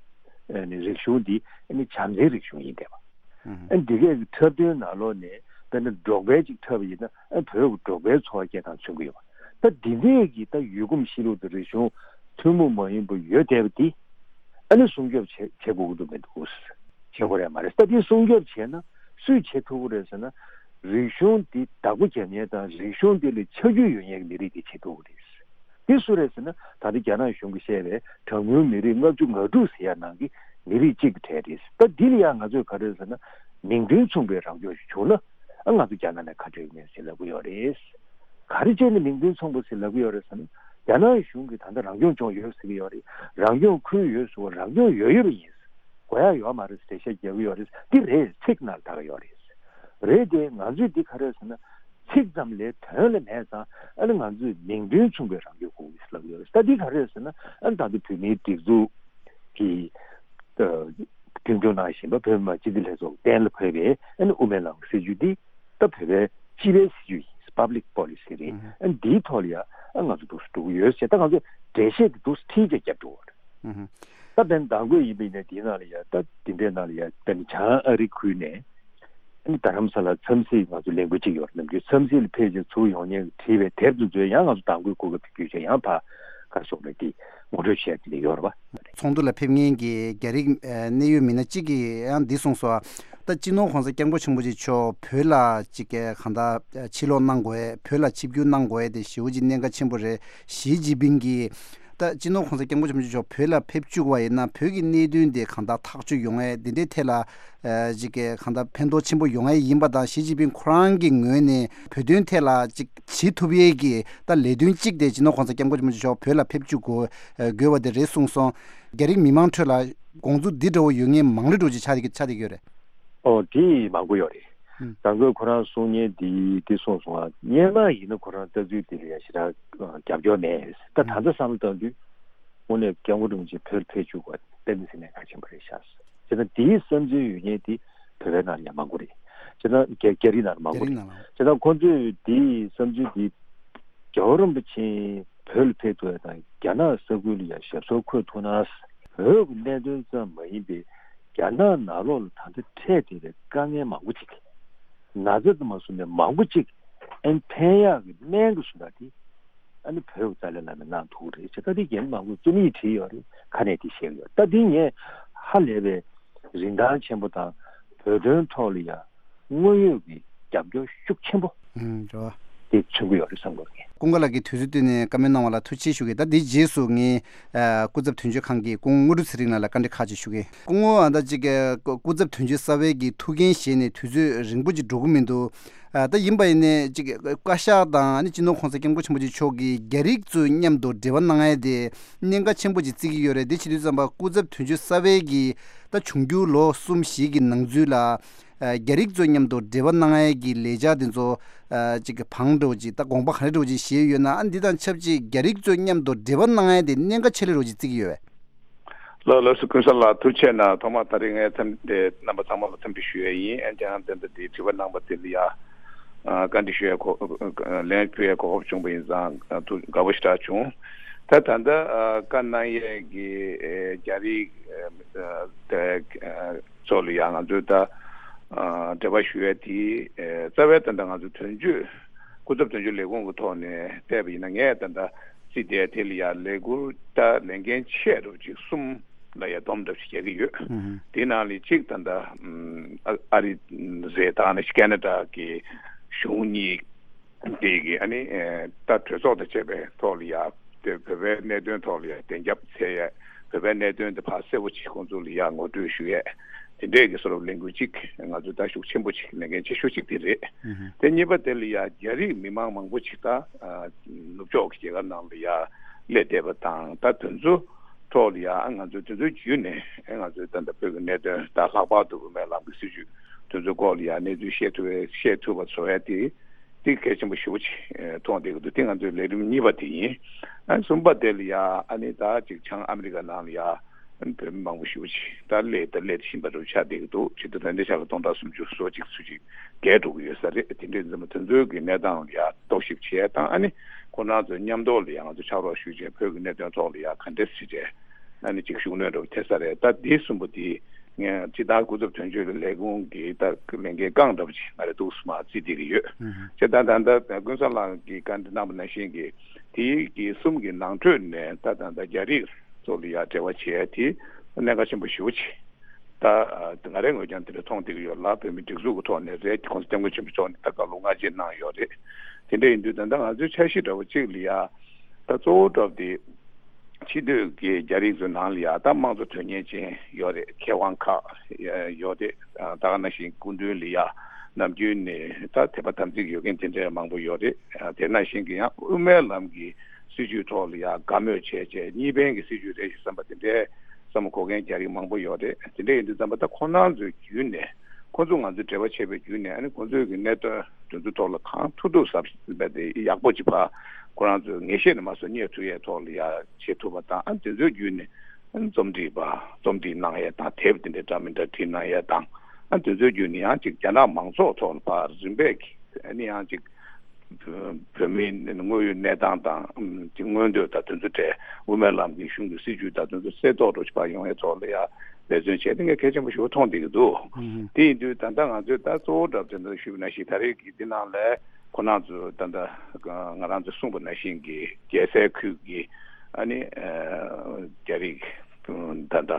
ཨ་ནི་རིག་གཞུང་འདི་ཨ་ནི་བྱམས་བརྩེའི་རིག་གཞུང་ཡིན་བསྡད་པ། ཨ་འདི་གས་ཀྱི་འཁྲབ་སྟོན་ནང་ལོགས་ནས་དཔེར་ན་འབྲོག་པའི་ཅིག་འཁྲབ་པ་ཡིན་ན་ཨ་བོད་ཀྱི་འབྲོག་པའི་འཚོ་བ་སྐྱེལ་སྟངས་མཚོན་གྱི་ཡོད་པ། ད་འདི་འདྲས་ཀྱི་ད་ཡུལ་གོམས་གཤིས་ལུགས་དང་རིག་གཞུང་ཐུན་མོང་མ་ཡིན་པ་ཡོད་བསྡད་པ་འདི་ཨ་ནི་སྲུང་སྐྱོབ་བྱེད་བྱེད་དགོས་ཀྱི་འདུག་མི་འདུག་བྱེད་དགོས་རེད་མ་རེད། ད་འདི་སྲུང་སྐྱོབ་བྱས་ན་སུས་བྱེད་ཐུབ་ཀྱི་རེད་ཟེར་ན་རིག་གཞུང་འདི་བདག་པོ་རྒྱབ་མཁན་དང་རིག་གཞུང་འདི་ལ་ཆ་རྒྱུས་ཡོད་མཁན་གྱི་མི་རིགས་འདི་བྱེད་ཐུབ་ཀྱི་རེད། འདི་སུ་རེད་ཟེར་ན་ད་ལྟ་རྒྱ་ནག་གཞུང་གིས་བཤད་པའི་གྲངས་ཉུང་མི་རིགས་ལྔ་བཅུ་ང་དྲུག་ཟེར་ཡ་ནང་གི་མི་རིགས་གཅིག་གི་གྲས་རེད། ད་འདི་ལ་ཡང་ང་ཚོས་ག་རེ་ཟེར་ན་མིང་དོན་མཚུངས་པའི་རང་སྐྱོང་ཞིག་བྱུང་ན་ཨ་ང་ཚོ་རྒྱ་ནག་ནས་ཁ་བྲལ་གྱི་མེད་ཟེར་ལབ་ཀྱི་ཡོད་རེད། ག་རེ་བྱས་ནས་མིང་དོན་མཚུངས་པ་ཟེར་ལབ་ཀྱི་ཡོད་རེད་ཟེར་ན་རྒྱ་ནག་གཞུང་གིས་ད་ལྟ་རང་སྐྱོང་ལྗོངས་ཡོད་ཟེར་གྱི་ཡོད་རེད། རང་སྐྱོང་ཁུལ་ཡོད་ཟེར་བ་རང་སྐྱོང་ཡོད་ཡོད་པ་ཡིན། དགོས་ཡ་ཡོད་མ་རེད་ཟེར་འགྲེལ་བཤད་རྒྱག་གི་ཡོད་རེད། འདི་རེད། ཚིག་ནང་ལ་ད་ག་ཡོད་རེད། རེད་དེ། ང་ཚོས་འདི་ག་རེ་ཟེར་ན། ཚིག་ཙམ་ལས་དོན་ལ་མེད་ཙང་། ཨ་ནི་ང་ཚོས་མིང་དོན་མཚུངས་པའི་རང་སྐྱོང་དགོས་ཀྱི་ལབ་ཡོད་རེད། ད་འདི་ག་རེ་ཟེར་ན། ཨ་ནི་ད་ལྟ་བོད་མིའི་སྒྲིག་འཛུགས་ཀྱི་ཨ་རྒྱུན་སྐྱོང་གནང་བཞིན་པ་བོད་མི་མང་སྤྱི་འཐུས་ལྷན་ཚོགས་གཏན་ལ་ཕབ་པའི་ཨ་ནི་དབུ་མའི་ལམ་གྱི་སྲིད་བྱུས་འདི། ད་བོད་པའི་སྤྱི་པའི་སྲིད་བྱུས་ཡིན། Public Policy རེད། ཨ་ནི་འདིའི་ཐོག་ལ་ཡ་ཨ་ང་ཚོ་འདུག་སེ་འགྲོ་གི་ཡོད་ཟེར། ད་ང་ཚོ་འགྲེལ་བཤད་དེ་འདུག་སེ་ཁྲིད་བྱས་རྒྱབ་འགྲོ་བ་རེད། ད་དཔེར་ན་མདང་དགོང་ཡིན་པ་ཡིན་ན། འདིའི་ནང་ལ་ཡ། ད་འདི་འདྲའི་ནང་ལ་ཡ། དཔེར་ན་བྱང་ཨ་རི་ཁུལ་ནས། ཨ་ནི་རྡ་རམ་ས་ལ་འཚམས་གཟིགས་ང་ཚོ་ལས་འགུལ་ཅིག་ཡོད་རེད། ནམ་རྒྱུན་འཚམས་གཟིགས་ལ་ཕེབས་བྱས་ཚུར་ཡོང་མཁན་གྱིས་བྲིས་པའི་དེབ་དེ་ཚོ་ཡང་ང་ཚོ་མདང་དགོང་གོ་སྐབས་དེ་བརྒྱུད་བྱས་ཡང་ཕར་ག་རེ་ཟེར་དགོས་རེད། དེ་ངོ་སྤྲོད་བྱས་དེ་འདྲ་ཡོད་རེད་པ། ཚོགས་འདུ་ལ་ཕེབས་མཁན་གྱི་རྒྱ་རིགས་ཨ་གནད་ཡོད་མི་སྣ་གཅིག་གིས་ཡང་འདི་གསུངས་སོང་། ད་སྤྱི་ནོར་༸གོང་ས་༸སྐྱབས་མགོན་ཆེན་པོ་མཆོག་བོད་ལ་ཅིག་གང་ལྟར་ཕྱིར་ལོག་གནང་དགོས། བོད་ལ་ཆིབས་བསྒྱུར་གནང་དགོས་དེ་ཞེ་པོ་ཅིག་གནད་འགག་ཆེན་པོ་རེད། ཞི་ཅིན་ཕིང་གིས། ད་སྤྱི་ནོར་༸གོང་ས་༸སྐྱབས་མགོན་ཆེན་པོ་མཆོག་བོད་ལ་ཕེབས་བཅུག་པ་ཡིན་ན། བོད་ཀྱི་གནད་དོན་དེ་གང་ལྟར་ཐག་གཅོད་ཡོང་ཡས། འདི་འདྲའི་ཐད་ལ་ཨ་ཅིག་གང་ལྟར་ཕན་ཐོགས་ཆེན་པོ་ཡོང་ཡས་ཡིན་པ་དང་། ཞི་ཅིན་ཕིང་ཁོ་རང་གི་ངོས་ནས་བོད་དོན་ཐད་ལ་ཅིག་བྱེད་ཐུབ་ཡས་ཀྱི་ད་ལས་དོན་གཅིག་དེ་སྤྱི་ནོར་༸གོང་ས་༸སྐྱབས་མགོན་ཆེན་པོ་མཆོག་བོད་ལ་ཕེབས་བཅུག་དགོས་དགོས་པ་དེ་རེད་གསུངས་སོང་། རྒྱ་རིགས་མི་མང་ཁྲོད་ལ་དགོངས་ཚུལ་འདི་འདྲ་བོ་ཡོད་མཁན་མང་རབས་འདྲ་བོ་ཅིག་ཆགས་བསྡད་ཀྱི་ཆགས་བསྡད་ཀྱི་ཡོད་རེད། ཨོ། དེ་མང་པོ་ཡོད་རེད། ཨུམ། ད་ཁོས་ཁོ་རང་གསུང་མཁན་དེ་དེ་གསུངས་སོང་ང་། སྔོན་མ་ཡིན་ན་ཁོ་རང་ལྟ་ཚུལ་དེ་ལ་ཡ་ཞེ་དྲག་རྒྱབ་སྐྱོར་མེད། ད་ད་ལྟ་བསམ་བློ་བཏང་དུས་དངོས་གནས་སྐྱབས་མགོན་རིན་པོ་ཆེ་བོད་ལ་ཕེབས་བཅུག་པ་དཔེ་མི་སྲིད་གནད་འགག་ཆེན་པོ་རེད་ཤག་ཟེར། ད་དེའི་བསམ་ཚུལ་ཡོད་མཁན་དེ་བོད་པའི་ནང་ལ་ཡ་མང་པོ་རེད། བྱས་ན་རྒྱ་རྒྱ་རིགས་ནང་ལ་མང་པོ་རྒྱ་རིགས་རེད། ནང་ལ། བྱས་ན་ཁོང་ཚོས་དེའི་བསམ་ཚུལ་དེ། རྒྱལ་བ་རིན་པོ་ཆེ་བོད་ལ་ཕེབས་ཐུབ་ཡ་དང་། རྒྱ་ནག་ས་ཁུལ་ལ་ཡ་ཞབས་སོར་འཁོད་ཐུབ་ན། བོད་ཀྱི་གནད་དོན་ཙམ་མ་ཡིན་པའི་རྒྱ་ནག་ནང་ལོགས་ལ་ད་ལྟ་འཕྲད་བསྡད་པའི་དཀའ་ངལ་མང་པོ་ཅིག། ན་ཚ་དང་མ་བཟུང་ནས་མང་པོ་ཅིག་ཨན་ཕན་ཡག་གི་སྨན་གྱི་བཟོ་འདྲ་དེ། ཨ་ནི་བོད་ཀྱི་ཏཱ་ལའི་བླ་མས་གནང་ཐུབ་ཀྱི་རེད་ཅེས། ད་དེ་རྒྱ་མི་མང་པོས་རྩོམ་ཡིག་བྲིས་ཡོད་རེད། ཁ་ནས་དེ་བཤད་ཀྱི་ཡོད། ད་དེ་ངས་ཧ་ལས་པའི་རིན་ཐང་ཆེན་པོ་དང་། བོད་དོན་ཐོག་ལ་ཡ་དངོས་ཡོད་ཀྱི་རྒྱབ་སྐྱོར་ཤུགས་ཆེན་པོ་ཨུམ། རེད་བ། དེ་མཚོན་གྱི་ཡོད་རེད་བསམ་གྱི་ཡོད། ཀུན་དགའ་ལགས་ཀྱིས་དུས་ཚོད་བཏོན་ནས་བཀའ་མོལ་གནང་བ་ལ་ཐུགས་རྗེ་ཆེ་ཞུ་གི། ད་འདིའི་རྗེས་སུ་ངས་ཨ་སྐུ་ཚབ་དོན་གཅོད་ཁང་གི་སྐུ་ངོ་དངོས་གྲུབ་ཚེ་རིང་ལགས་ལ་བཀའ་འདྲི་ཁག་ཅིག་ཞུ་གི། སྐུ་ངོ། ཨ་ད་ཅིག་སྐུ་ཚབ་དོན་གཅོད་གསར་པའི་གི་ཐུགས་འགན་བཞེས་ནས་དུས་ཚོད་རིང་པོ་ཅིག་འགྲོ་གི་མི་འདུག། ཨ་ད་ཡིན་པ་ཡིན་ནའི་ཅིག་བཀའ་ཤག་དང་། ཨ་ནི་སྤྱི་ནོར་༸གོང་ས་༸སྐྱབས་མགོན་ཆེན་པོ་མཆོག་གིས་རྒྱ་རིགས་ཚོའི་མཉམ་དུ་འབྲེལ་བ་གནང་ཡས་དེ་གནད་འགག་ཆེན་པོ་ཅིག་བརྩི་གི་ཡོད་རེད། དེ་བྱེད་དུས་ཙམ་པ་སྐུ་ཚབ་དོན་གཅོད་གསར་པའི་གི་ད་འབྱུང་འགྱུར་ལོ་གསུམ་བཞི་གི་ནང་ཚུད་ལ། ཨ་རྒྱ་རིགས་ཚོའི་མཉམ་དུ་འབྲེལ་བ་གནང་ཡས་ཀྱི་ལས་འཆར་དེ་ཚོ་ཨ་ཅིག་གི་བང་འགྲོ་ཅིག། ད་དགོངས་པ་ག་རེ་འགྲོ་ཅིག་བཞེས་ཡོད་ན། ཨ་འདི་དང་ཆབས་ཅིག་རྒྱ་རིགས་ཚོའི་མཉམ་དུ་འབྲེལ་བ་གནང་ཡས་དེ་གནད་འགག་ཆེ་ལེ་འགྲོ་ཅིག་བརྩི་གི་ཡོད་པས། ལགས་ལགས་སོ། ཀུན་བཟང་ལགས་ཐུགས་རྗེ་གནང་། ཐོག་མར་ད་རེས་ངས་འཚམས་འདྲི་རྣམ་པ་ཚང་མ་ལ་འཚམས་འདྲི་ཞུ་ཡས་ཡིན། ཨ་ནི་ཡང་དེ་འདྲ་དེ་དྲི་བ་གནང་པ་དེ་ལ་ཡ་ཨ་བཀའ་འདྲི་ཞུ་ཡས་གོ་ལན་ཕུལ་ཡས་གོ་སྐབས་བྱུང་པ་ཡིན་ཙང་ཨ་ཐུགས་དགའ་པོ་ཞེ་དྲག་བྱུང་། ད་ད་ལྟ་ཨ་བཀའ་གནང་ཡས་ཀྱི་ཨེ་རྒྱ་རིགས་ཨེ་དེ་ཨེ་ཚོ་ལ་ཡང་ང་ཚོས་ད་ཨ་འབྲེལ་བ་ཞུ་ཡས་དེ་ཨེ་རྩ་བའི་ད་ལྟ་ང་ཚོ་དོན་གཅོད་སྐུ་ཚབ་དོན་གཅོད་ལས་ཁུངས་ཀྱི་ཐོག་ནས་བལྟས་པ་ཡིན་ན། ངས་ད་ལྟ་རྩིས་དེ་དེ་ལ་ཡ་ལས་འགུལ་ད་ལས་འགན་ཆེ་རུ་ཅིག་གསུམ་ལ་ཡ་སྡོམ་འདྲ་ཞིག་རྒྱག་གི་ཡོད། ཨུ་ཧུ། དེའི་ནང་ལས་གཅིག་ད་ལྟ་ཨ་ཨ་རི་རེད། ད་ནི་ཁེ་ན་ཌ་གི་གཞུང་གཉིས། དེ་གི་ཨ་ནི་ཨེ་ད་གྲོས་ཚོགས་དང་བཅས་པའི་ཐོག་ལ་ཡ་དེ་བོད་པའི་གནད་དོན་ཐོག་ལ་ཡ་བདེན་རྒྱབ་འཚོལ་ཡས། བོད་པའི་གནད་དོན་དེ་ཕར་གསལ་པོ་ཅིག་ཁོང་ཚོ་ལ་ཡ་ངོ་སྤྲོད་ཞུ་ཡས། དེ་འདྲས་ཀྱི་བཟོ་འདྲ་ལས་འགུལ་གཅིག་ང་ཚོ་ད་ཤུགས་ཆེན་པོ་ཅིག་ལས་འགན་ཆེ་ཤོས་གཅིག་དེ་རེད། ཨུ་ཧུ། དེ་གཉིས་པ་དེ་ལ་ཡ་རྒྱ་རིགས་མི་མང་མང་པོ་ཅིག་ད་ཨ་ནུབ་ཕྱོགས་ཀྱི་རྒྱལ་ཁབ་ནང་ལ་ཡ་སླེབས་བསྡད་པ་དང་། ད་དེ་ཚོ་ཐོག་ལ་ཡ་ང་ཚོ་དེ་ཚོའི་བརྒྱུད་ནས་ང་ཚོའི་ད་ལྟ་བོད་ཀྱི་གནད་དོན་དང་། ལྷག་པར་དུ་དབུ་མའི་ལམ་གྱི་སྲིད་བྱུས་དེ་ཚོའི་སྐོར་ལ་ཡ་གནས་ཚུལ་བཤད་ཐུབ་པའི་བཤད་ཐུབ་པ་བཟོ་ཡ་དེ། དེ་གལ་ཆེན་པོ་ཞེ་པོ་ཅིག་མཐོང་བསྡད་ཀྱི་འདུག། དེ་ང་ཚོའི་ལས་རིམ་གཉིས་པ་དེ་ཡིན། ཨ་གསུམ་པ་དེ་ལ་ཡ་ཨ་ནི་ད་ཅིག་བྱང་ཨ་མི་རི་ཀ་ནང་ལ་ཡ་ཨ་ནི་བོད་མི་མང་པོ་ཞེ་པོ་ཅིག་ད་སླེབས་ད་སླེབས་བཞིན་པ་འདྲ་ཆགས་བསྡད་ཀྱི་འདུག། ཇི་ལྟར་ད་ལྟའི་ཆ་ལ་སྟོང་ཕྲག་སུམ་ཅུ་སོ་གཅིག་ཚོད་ཅིག་བརྒལ་འགྲོ་གི་ཡོད་ས་རེད། དེ་འདྲའི་ཙམ་དེ་ཚོའི་གི་གནས་སྟངས་ལ་ཡ་རྟོག་ཞིབ་བྱས་དང་། ཨ་ནི་ཁོང་རྣམ་ཚོ་མཉམ་དུ་ལ་ཡ་ང་ཚོ་ཕྱག་རོགས་ཞུས་བྱས་བོད་ཀྱི་གནད་དོན་ཐོག་ལ་ཡ་ག་འདྲ་སེ་བྱས་ཨ་ནི་ཅིག་ཤུགས་སྣོན་འདྲ་པོ་ཐེབས་ས་རེད། ད་འདི་གསུམ་པོ་འདི་ངས་སྤྱིར་བཏང་སྐུ་ཚབ་དོན་གཅོད་ཀྱི་ལས་ཁུངས་ཀྱི་ད་ལས་འགན་རྐང་འདྲ་པོ་ཅིག་ང་རེ་འདུག་སེ་མར་བརྩིས་བསྡད་ཀྱི་ཡོད། ཨུ་ཧུ། བྱས་ཙང་ད་ལྟ་ཀུན་བཟང་ལགས་ཀྱིས་བཀའ་འདྲི་གནང་བ་ནང་བཞིན་གྱི་དེའི་གི་གསུམ་གྱི་ནང་ཁྲོད་ནས་ད་ད་ལྟ་རྒྱ་རིགས་ཚོ་ལ་ཡ་འབྲེལ་བ་བྱེད་ཡ་དེ་གནད་འགག་ཆེན་པོ་ཞེ་པོ་ཅིག། ད་ང་རའི་ངོས་ཀྱང་དེ་འདྲ་མཐོང་བསྡད་ཀྱི་ཡོད་ལ། བོད་མི་སྒྲིག་འཛུགས་ཀྱི་ཐོག་ནས་རེད། ༸གོང་ས་༸སྐྱབས་མགོན་ཆེན་པོ་མཆོག་ནས་ད་བཀའ་སློབ་སྔ་རྗེས་གནང་ཡོད་རེད། དེ་འདྲ་ཡིན་དུས་ད་ལྟ་ང་ཚོའི་འཆར་གཞི་འདྲ་བོ་གཅིག་ལ་ཡ་ད་གཙོ་བོ་འདྲ་བོ་དེ་ཕྱི་སྡོད་ཀྱི་རྒྱ་རིགས་ཚོའི་ནང་ལ་ཡ་ད་དམངས་གཙོ་དོན་གཉེར་ཅན་ཡོད་རེད། མཁས་དབང་ཁག་ཡོད་རེད། ད་ག་ནང་བཞིན་སྐུ་མདུན་ལ་ཡ་ནམ་རྒྱུན་ནས་ད་དད་པ་དམ་ཚིག་ཡོད་མཁན་དེ་འདྲ་མང་པོ་ཡོད་རེད། དེ་ནང་བཞིན་གྱི་ཡང་དབུ་མའི་ལམ་གྱི་སྲིད་བྱུས་ཐོག་ལ་ཡ་དགའ་མོས་བྱས་བྱས་གཉིས་ཕན་གྱི་སྲིད་བྱུས་རེད་ཞེས་བསམ་པ་དེ་འདྲའི་བསམ་བློ་འཁོར་མཁན་རྒྱ་རིགས་མང་པོ་ཡོད་རེད། དེ་འདྲ་ཡིན་དུས་ཙམ་པ་ད་ཁོང་རྣམ་ཚོའི་བརྒྱུད་ནས་ ཁོང་ཚོ་ང་ཚོའི་འབྲེལ་བ་བྱས་པའི་བརྒྱུད་ནས། ཨ་ནི་ཁོང་ཚོའི་གི་གནད་དོན་དེ་ཚོའི་ཐོག་ལ་གང་ཐུབ་ཐུབ་ཟབ་ཟབ་དེ་ཡག་པོ་ཅིག་ཕར་ཁོ་རང་ཚོས་ངེས་ཤེས་ནས་མ་སོང་རྙེད་ཐུབ་ཡས་ཐོག་ལ་ཡ་བྱེད་ཐུབ་པ་དང་། ཨ་ནི་དེ་ཚོའི་བརྒྱུད་ནས་ཨ་ནི་རྩོམ་སྒྲིག་པ་རྩོམ་སྒྲིག་གནང་ཡས་དང་། དེབ་དེ་འདྲའི་འདྲ་མི་འདྲ་བྲིས་གནང་ཡས་དང་། ཨ་ནི་དེ་ཚོའི་བརྒྱུད་ནས་ཡང་ཅིག་རྒྱ་ནག་མང་ཚོགས་ཐོག་ལ་ཕར་རིམ་པས་ཀྱིས་ཨ་ནི་ཡང་ཅིག་བོད་མིའི་དངོས་ཡོད་གནས་སྟངས་དང་། ཨམ་ཅིག་མངོན་འདོད་དང་དེ་ཚོ་གྲས། དབུ་མའི་ལམ་གྱི་གཞུང་གི་སྲིད་བྱུས་དང་དེ་ཚོ་གསལ་རྟོགས་འདྲ་ཅིག་ཕར་ཡོང་ཡས་ཐོག་ལ་ཡ་འབད་བརྩོན་བྱས་ཏེ་ངས་གལ་ཆེན་པོ་ཞེ་པོ་མཐོང་བསྡད་ཀྱི་འདུག། ཨུ་ཧུ། དེ་ཡིན་དུས་ད་ལྟ་ང་ཚོས་ད་གཙོ་བོ་འདྲ་དེ་འདྲ་ཞུས་པ་ནང་བཞིན། ད་རེས་ཀྱི་འདི་ནང་ལ་ཁོ་རང་ཚོ་ད་ལྟ་ང་རང་ཚོས་གསུངས་པ་ནང་བཞིན་གྱི་རྒྱལ་སའི་ཁུལ་གྱི་ཨ་ནི་ཨ་རྒྱ་རིགས་ད་ལྟ་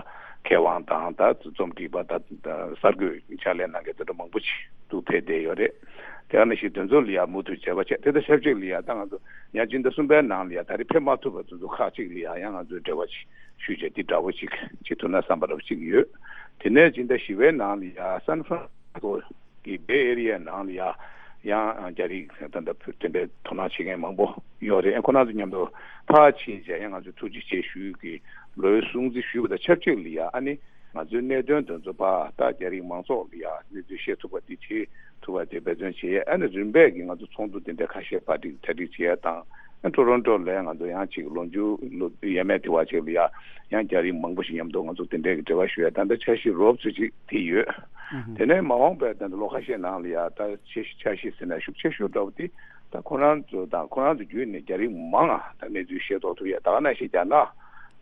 མཁས་དབང་དང་། ད་རྩོམ་སྒྲིག་པ་དང་། ད་གསར་འགོད་ཕྱག་ལས་གནང་མཁན་དེ་འདྲ་མང་པོ་ཅིག་ཏུ་ཕེབས་བསྡད་ཡོད་རེད། དེ་ག་ནང་བཞིན་དེ་ཚོ་ལ་ཡང་མུ་མཐུད་བྱས་པ་བྱས། དེ་དང་ཆབས་ཅིག་ལ་ཡང་ད་ང་ཚོ་ཡང་སྤྱི་ཟླ་གསུམ་པའི་ནང་ལ་ཡང་ད་རེས་ཕེབས་མ་ཐུབ་པ་དེ་ཚོ་ཁག་ཅིག་ལ་ཡང་ཡང་ང་ཚོས་འབྲེལ་བ་ཅིག་ཞུས་བྱས། དེ་འདྲ་བོ་ཅིག་བྱེད་ཐུབ་ན་བསམ་པ་འདྲ་བོ་ཅིག་ཡོད། དེ་ནས་སྤྱི་ཟླ་བཞི་པའི་ནང་ལ་ཡང་སན་ཧྥ་རན་སི་སྐོ་གི་བེ་ཨེ་རི་ཡའི་ནང་ལ་ཡང་ཡང་རྒྱ་རིགས་ད་ལྟ་བོད་དེ་འདྲའི་དོ་སྣང་བྱེད་མཁན་མང་པོ་ཡོད་རེད། ཁོ་རང་ཚོ་མཉམ་དུ་ཕར་ཕྱིན་བྱས་ཡང་ང་ཚོས་ཐུགས་རྗེ་ཆེ་ཞུ་གི། ལོའི་སྲུང་བརྩི་ཞུས་པ་དང་ཆབས་ཅིག་ལ་ཡང་ཨ་ནི་ང་ཚོའི་གནད་དོན་དེ་ཚོ་ཕར་ད་རྒྱ་རིགས་མང་ཚོགས་ལ་ཡང་གནས་ཚུལ་ཤེས་ཐུབ་པ་དེ་བྱེད་ཐུབ་པ་དེ་འབད་བརྩོན་བྱེད་ཡས། ཨ་ནི་རིམ་པས་ཀྱིས་ང་ཚོ་ཚོགས་འདུ་དེ་འདྲ་ཁ་ཤས་གྲ་སྒྲིག་གྲ་སྒྲིག་བྱེད་ཡས་དང་། ཨ་ཊོ་རོན་ཊོ་ལ་ང་ཚོ་ཡང་ཅིག་ལོ་མཇུག་ལོ་ཡས་མས་དེ་བ་ཅིག་ལ་ཡང་ཡང་རྒྱ་རིགས་མང་པོ་ཞིག་མཉམ་དུ་ང་ཚོ་དེ་འདྲའི་གི་འབྲེལ་བ་ཞུ་ཡས་ད་ལྟ་འཆར་གཞི་རོབ་ཙམ་ཅིག་དེ་ཡོད། དེ་ནས་མ་འོངས་པའི་ད་ལྟ་ལོ་ཁ་ཤས་ནང་ལ་ཡང་ད་འཆར་གཞི་འཆར་གཞི་ཟེར་ན་ཤུགས་ཆེ་ཤོས་འདྲ་བོ་དེ་ད་ཁོ་རང་ཚོ་དང་ཁོ་རང་ཚོ་བརྒྱུད་ནས་རྒྱ་རིགས་མང་ང་ད་གནས་ཚུལ་ཤེས་རྟོགས་ཐུབ་ཡས། ད་ག་ནང་བཞིན་རྒྱ་ནག་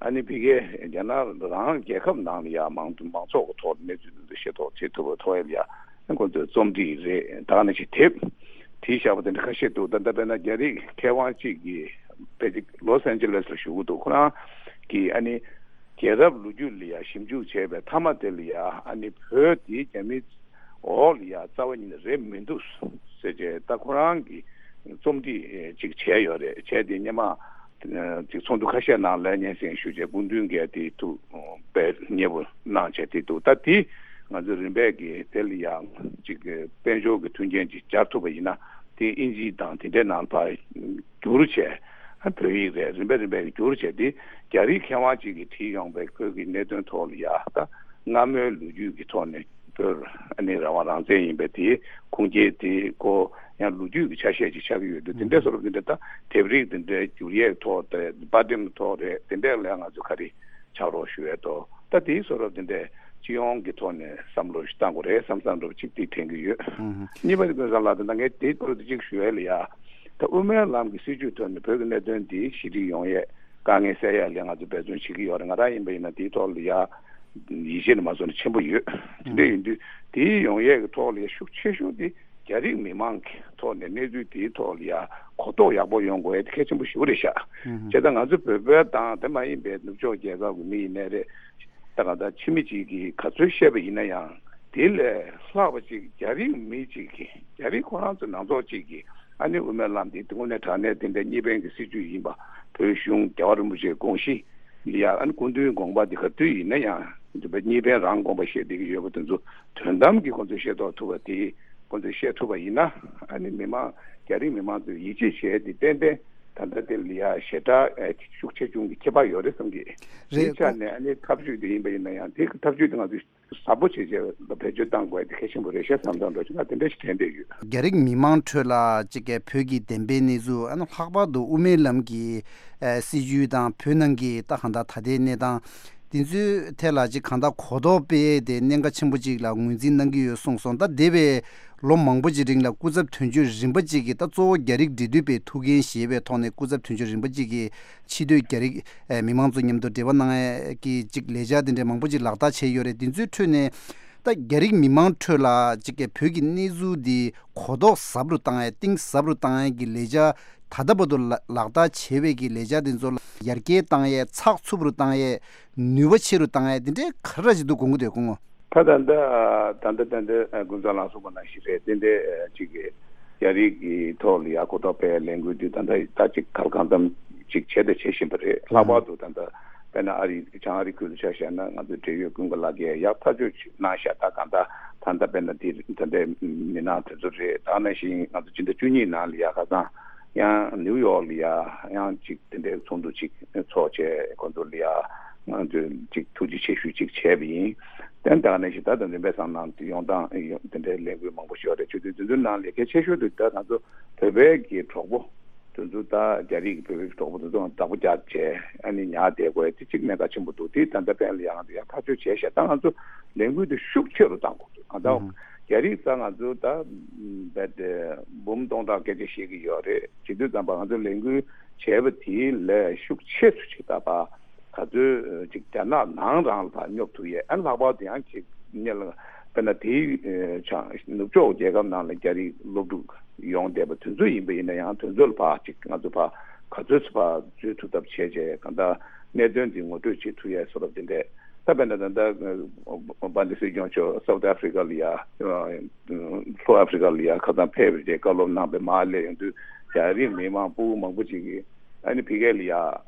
ཨ་ནི་ཕ་གིའི་རྒྱ་ནག་རང་རྒྱལ་ཁབ་ནང་ལ་ཡང་མང་མང་ཚོགས་ཀྱི་ཐོག་གནས་ཚུལ་འདི་ཤེས་རྟོགས་བྱེད་ཐུབ་པའི་ཐོག་ལ་ཡང་ཁོ་ཚོས་རྩོམ་སྒྲིག་རེད། ད་ག་ནང་བཞིན་དེབ་བྲིས་བཞག་པ་དེ་འདྲ་ཁ་ཤས་འདུག། ད་ལྟ་དཔེར་ན་རྒྱ་རིགས་མཁས་དབང་གཅིག་གིས་ཕལ་ཆེར་ལོས་ཨན་ཇེ་ལེས་ལ་བཞུགས་ཀྱི་འདུག། ཁོ་རང་གིས་ཨ་ནི་རྒྱལ་རབས་ལོ་རྒྱུས་ལ་ཡང་ཞིབ་འཇུག་བྱས་པའི་མཐའ་མ་དེ་ལ་ཡང་ཨ་ནི་བོད་དེ་རྒྱ་མིའི་འོག་ལ་ཡང་རྩ་བ་ཉིད་ནས་རེད་མི་འདུག་ཟེར་བྱས། ད་ཁོ་རང་གིས་རྩོམ་སྒྲིག་ཅིག་བྱས་ཡོད་རེད། བྱས་ཏེ་སྔོན་མ་ཅིག་ཚོགས་འདུ་ཁ་ཤས་ནང་ལ་སྙན་སེང་ཞུས་བྱས། སྐུ་མདུན་གྱིས་དེ་ཐུགས་དཔེ་མཉེས་པོ་གནང་བྱས་དེ་འདུག། ད་དེ་ང་ཚོ་རིམ་པས་ཀྱིས་དེ་ལ་ཡང་ཅིག་དཔལ་འབྱོར་གྱི་མཐུན་རྐྱེན་ཅིག་སྦྱར་ཐུབ་པ་ཡིན་ན། དེ་ཨིན་ཇི་དང་དེ་འདྲའི་ནང་ལ་ཕར་བསྒྱུར་བྱས། ཨ་བོད་ཡིག་རེད། རིམ་པས་རིམ་པས་བསྒྱུར་བྱས་ཏེ་རྒྱ་རིགས་མཁས་དབང་ཅིག་གིས་བྲིས་ཡོང་པའི་བོད་ཀྱི་གནད་དོན་ཐོག་ལ་ཡ་ད་སྔ་མོའི་ལོ་རྒྱུས་ཀྱི་ཐོག་ནས་བོད་ཨ་ནི་རང་དབང་རང་བཙན་ཡིན་པའི་དེའི་ཁུངས་སྐྱེལ་དེ་སྐོར་ཡང་ལོ་རྒྱུས་ཀྱི་ཆ་ཤས་ཅིག་ཆགས་ཀྱི་ཡོད་དུས། དེ་འདྲའི་བཟོ་འདྲ་དེ་འདྲ་ད་དེབ་རིགས་དེ་འདྲའི་བསྒྱུར་ཡས་ཐོག་དེ་དཔར་འགྲེམས་ཐོག་རེད། དེ་འདྲས་ལ་ང་ཚོས་ག་རེ་ཕྱག་རོགས་ཞུ་ཡས་ཐོག་ད་དེའི་བཟོ་འདྲ་དེ་འདྲས་སྤྱི་ཡོངས་ཀྱི་ཐོག་ནས་བསམ་བློ་ཞིག་བཏང་དགོས་རེད་བསམ་བསམ་འདྲ་པོ་ཅིག་དེ་དྲན་གྱི་ཡོད། ཨུ་ཧུ། གཉིས་པ་དེ་ཀུན་བཟང་ལགས། ད་ལྟ་ངས་དེའི་སྐོར་དུ་ཅིག་ཞུ་ཡས་ལ་ཡ། ད་དབུ་མའི་ལམ་གྱི་སྲིད་བྱུས་ཐོག་ནས་བོད་ཀྱི་གནད་དོན་འདི་ཞི་འགྲིག་ཡོང་ཡས་དཀའ་ངལ་སེལ་ཡས་ལ་ང་ཚོས་འབད་བརྩོན་བྱེད་ཀྱི་ཡོད་རེད། ང་རང་ཡིན་པ་ཡིན་ན་དེའི་ཐོག་ལ་ཡ་ཡིད་ཆེས་ནས་མ་བཟོད་ནས་ཆེན་པོ་ཡོད། དེ་འདྲ་ཡིན་དུས་དེའི་ཡོང་ཡས་ཀྱི་ཐོག་ལ་ཡ་ཤུགས་ཆེ་ཤོས་དེ་རྒྱ་རིགས་མི་མང་གི་ཐོག་ནས་གནས་ཚུལ་དེའི་ཐོག་ལ་ཡ་གོ་རྟོགས་ཡག་པོ་ཡོང་དགོས་ཡས་དེ་གལ་ཆེན་པོ་ཞེ་པོ་རེད་ཤག། བྱས་ཙང་ང་ཚོ་བོད་པ་དང་དེ་མ་ཡིན་པའི་ནུབ་ཕྱོགས་རྒྱལ་ཁབ་ཀྱི་མི་ཡིན་ནའི་རེད། ད་གང་ལྟར་ཕྱི་མི་གཅིག་གིས་ག་ཚོད་བཤད་པ་ཡིན་ན་ཡང་དེ་ལས་ལྷག་པ་ཅིག་རྒྱ་རིགས་མི་གཅིག་གིས། རྒྱ་རིགས་ཁོ་རང་ཚོ་ནང་ཚོགས་གཅིག་གིས་ཨ་ནི་དབུ་མའི་ལམ་འདི་དངོས་གནས་དྲང་གནས་དེ་འདྲའི་གཉིས་ཕན་གྱི་སྲིད་བྱུས་ཡིན་པ། བོད་གཞུང་རྒྱལ་བ་རིན་པོ་ཆེའི་དགོངས་གཞི་ལ་ཡ་ཨ་ནི་སྐུ་མདུན་དགོངས་པ་འདི་ག་དུས་ཡིན་ན་ཡང་འདི་བོད་གཉིས་ཕན་རང་དགོངས་པ་བཞེས་བསྡད་ཀྱི་ཡོད་པ་དེ་ཚོ་དོན་དམ་གྱིས་ཁོང་ཚོས་ཤེས་རྟོགས་ཐུབ་པ་དེ་ཁོང་ཚོས་བཤད་ཐུབ་པ་ཡིན་ན། ཨ་ནི་མི་མང་རྒྱ་རིགས་མི་མང་ཚོས་ཡིད་ཆེས་བྱས་ཏེ་ཏན་ཏན་ད་ལྟ་དེ་ལ་ཡ་ཞེ་དྲག་ཨེ་ཤུགས་ཆེ་ཆུང་གི་ཁྱད་པར་ཡོད་རེད་བསམ་གི། རེད། དེའི་ཆ་ནས་ཨ་ནི་ཐབས་ཇུས་དེ་ཡིན་པ་ཡིན་ན་ཡང་དེ་གི་ཐབས་ཇུས་དེ་ང་ཚོས་གསལ་པོ་བྱས་བྱས་ལ་བེད་སྤྱོད་གཏང་དགོས་དེ་གལ་ཆེན་པོ་རེད་ཤག་བསམ་བསམ་འདྲ་ཅིག་ང་དེ་འདྲ་ཞིག་དྲན་བསྡད་ཡོད། རྒྱ་རིགས་མི་མང་ཁྲོད་ལ་ཅིག་གི་བོད་ཀྱི་བདེན་པའི་གནས་ཚུལ། ཨ་ནི་ལྷག་པར་དུ་དབུ་མའི་ལམ་གྱི་ཨ་སྲིད་བྱུས་དང་བོད་ནང་གི་ད་གང་ལྟར་ད་ལྟའི་གནས་སྟངས་དེ་ཚོའི་ཐད་ལ་ཅིག་གང་ལྟར་གོ་རྟོགས་སྤེལ་ཡས་དེ་གནད་འགག་ཆེན་པོ་ཅིག་ལ་ངོས་འཛིན་གནང་གི་ཡོད་གསུངས་སོང་། ད་འདས་པའི་ལོ་མང་པོ་ཅིག་རིང་ལ་སྐུ་ཚབ་དོན་གཅོད་རིམ་པ་ཅིག་གིས་ད་གཙོ་བོ་རྒྱ་རིགས་འབྲེལ་མཐུད་པའི་ཐུགས་འགན་བཞེས་པའི་ཐོག་ནས་སྐུ་ཚབ་དོན་གཅོད་རིམ་པ་ཅིག་གིས་ཕྱི་སྡོད་རྒྱ་རིགས་ཨེ་མི་མང་ཚོ་མཉམ་དུ་འབྲེལ་བ་གནང་ཡས་ཀྱི་ཅིག་ལས་འཆར་དེ་འདྲའི་མང་པོ་ཅིག་ལག་བསྟར་བྱས་ཡོད་རེད། དེ་ཚོའི་ཁྲོད་ནས་ད་རྒྱ་རིགས་མི་མང་ཁྲོད་ལ་ཅིག་གི་བོད་ཀྱི་གནས་ཚུལ་འདི་གོ་རྟོགས་ཟབ་རུ་བཏང་ཡས་གཏིང་ཟབ་རུ་བཏང་ཡས་ཀྱི་ལས་འཆར་ད་ལྟ་བར་དུ་ལ་ལག་བསྟར་བྱས་པའི་གི་ལས་འཆར་དེ་ཚོ་ལ་ཡར་རྒྱས་བཏང་ཡས་ཚགས་ཚུད་རུ་བཏང་ཡས་ནུས་པ་ཆེ་རུ་བཏང་ཡས་དེ་འདྲའི་ག་རེ་ཅིག་འདུག་དགོངས་ཀྱི་འདུག་སྐུ་ངོ། ད་ད་ལྟ་ད་ལྟ་ད་ལྟ་ཀུན་བཟང་ལགས་གསུངས་པ་ནང་བཞིན་རེད། དེ་འདྲའི་ཅིག་གི་རྒྱ་རིགས་ཀྱི་ཐོག་ལ་ཡ་གོ་རྟོགས་སྤེལ་ལས་འགུལ་འདི་ད་ལྟ་ད་ཅིག་གང་ལ་གང་འཚམ་ཅིག་བྱས་དང་བྱེད་བཞིན་པ་རེད། ལྷག་པར་དུ་ད་ལྟ་དཔེར་ན་ཨ་རི་བྱང་ཨ་རི་ཁུལ་དུ་ཆ་བཞག་ན་ང་ཚོའི་འབྲེལ་ཡོད་ཀུན་དགའ་ལགས་ཀྱིས་ཡག་ཐག་ཆོད་ཅིག་གནང་ཤག། ད་གང་ལྟར་ད་ལྟ་དཔེར་ན་འདི་ད་ལྟའི་མི་སྣ་དེ་ཚོ་རེད། ད་ནང་བཞིན་ང་ཚོ་སྤྱི་ཟླ་བཅུ་གཉིས་ནང་ལ་ཡ་ཁ་སང་ཡང་ནིའུ་ཡོག་ལ་ཡ་ཡང་ཅིག་དེ་འདྲའི་ཚོགས་འདུ་ཅིག་ཚོགས་བྱས། ཁོང་ཚོ་ལ་ཡ་ང་ཚོས་ཅིག་ཐུགས་རྗེ་ཆེ་ཞུ་ཅིག་བྱས་པ་ཡིན། ཏན་ཏན་ནས་ཞིག་ད་དུང་རིམ་པས་སང་ནང་དུ་ཡོང་སྟངས་ཡོང་དེ་འདྲའི་ལས་འགུལ་མང་པོ་ཞིག་ཡོད་རེད། ཆུ་ཚོད་དེ་ཚོའི་ནང་ལས་གལ་ཆེ་ཤོས་དེ་ད་ང་ཚོ་བོད་པའི་གི་གྲོགས་པོ་དེ་ཚོ་ད་རྒྱ་རིགས་ཀྱི་བོད་པའི་གྲོགས་པོ་དེ་ཚོ་བདག་པོ་རྒྱག་བྱས་ཨ་ནི་ཉར་བསྡད་དགོས་དེ་གཅིག་གནད་འགག་ཆེན་པོ་འདུག་དེ་ད་ལྟ་པན་ལ་ཡང་ང་ཚོ་ཡང་ཐག་གཅོད་བྱས་ཤག་ད་ང་ཚོ་ལས་འགུལ་དེ་ཤུགས་ཆེ་རུ་བཏང་དགོས་འདུག་ང་ཚོ་རྒྱ་རིགས་ད་ང་ཚོ་ད་བད་འབུམ་སྟོང་ཕྲག་སྐད་ཆ་བཤད་ཀྱི་ཡོད་རེད། བྱེད་དུས་ཙམ་པ་ང་ཚོ་ལས་འགུལ་བྱས་པ་དེའི་ལས་ཤུགས་ཆེ་ཤོས་ཅིག་ད་པ། ག་ཚོད་ཅིག་རྒྱ་ནག་ནང་རང་ལ་ཕར་སྙོབ་ཐུབ་ཡས། ཨ་ནི་ལྷག་པར་དུ་ཡང་ཅིག་ཉེ་ལ་དཔེར་ན་དེའི་ཆ་ནུབ་ཕྱོགས་རྒྱལ་ཁབ་ནང་ལ་རྒྱ་རིགས་སློབ་ཕྲུག་ཡོང་བསྡད་པ་དེ་ཚོ་ཡིན་པ་ཡིན་ན་ཡང་དེ་ཚོ་ལ་ཕར་ཅིག་ང་ཚོ་ཕར་ག་ཚོད་ཚོད་ཕར་འཛུལ་ཐུབ་ཐབས་བྱས་བྱས་གང་ལྟར་གནད་དོན་འདི་ངོ་སྤྲོད་བྱེད་ཐུབ་ཡས་བཟོ་འདྲ་དེ་འདྲས། ད་དཔེར་ན་ད་ལྟ་བྷན་དི་སྲིད་སྐྱོང་མཆོག་སའུ་ཐི་ཨ་ཧྥི་རི་ཀ་ལ་ཡ་ལྷོ་ཨ་ཧྥི་རི་ཀ་ལ་ཡ་ཁ་སང་ཕེབས་པའི་རྗེས་བཀའ་སློབ་གནང་བའི་མར་སླེབས་ཡོང་དུས་རྒྱ་རིགས་མི་མང་ཕྲུ་གུ་མང་པོ་ཅིག་གིས་ཨ་ནི་ཕ་གི་ལ་ཡ་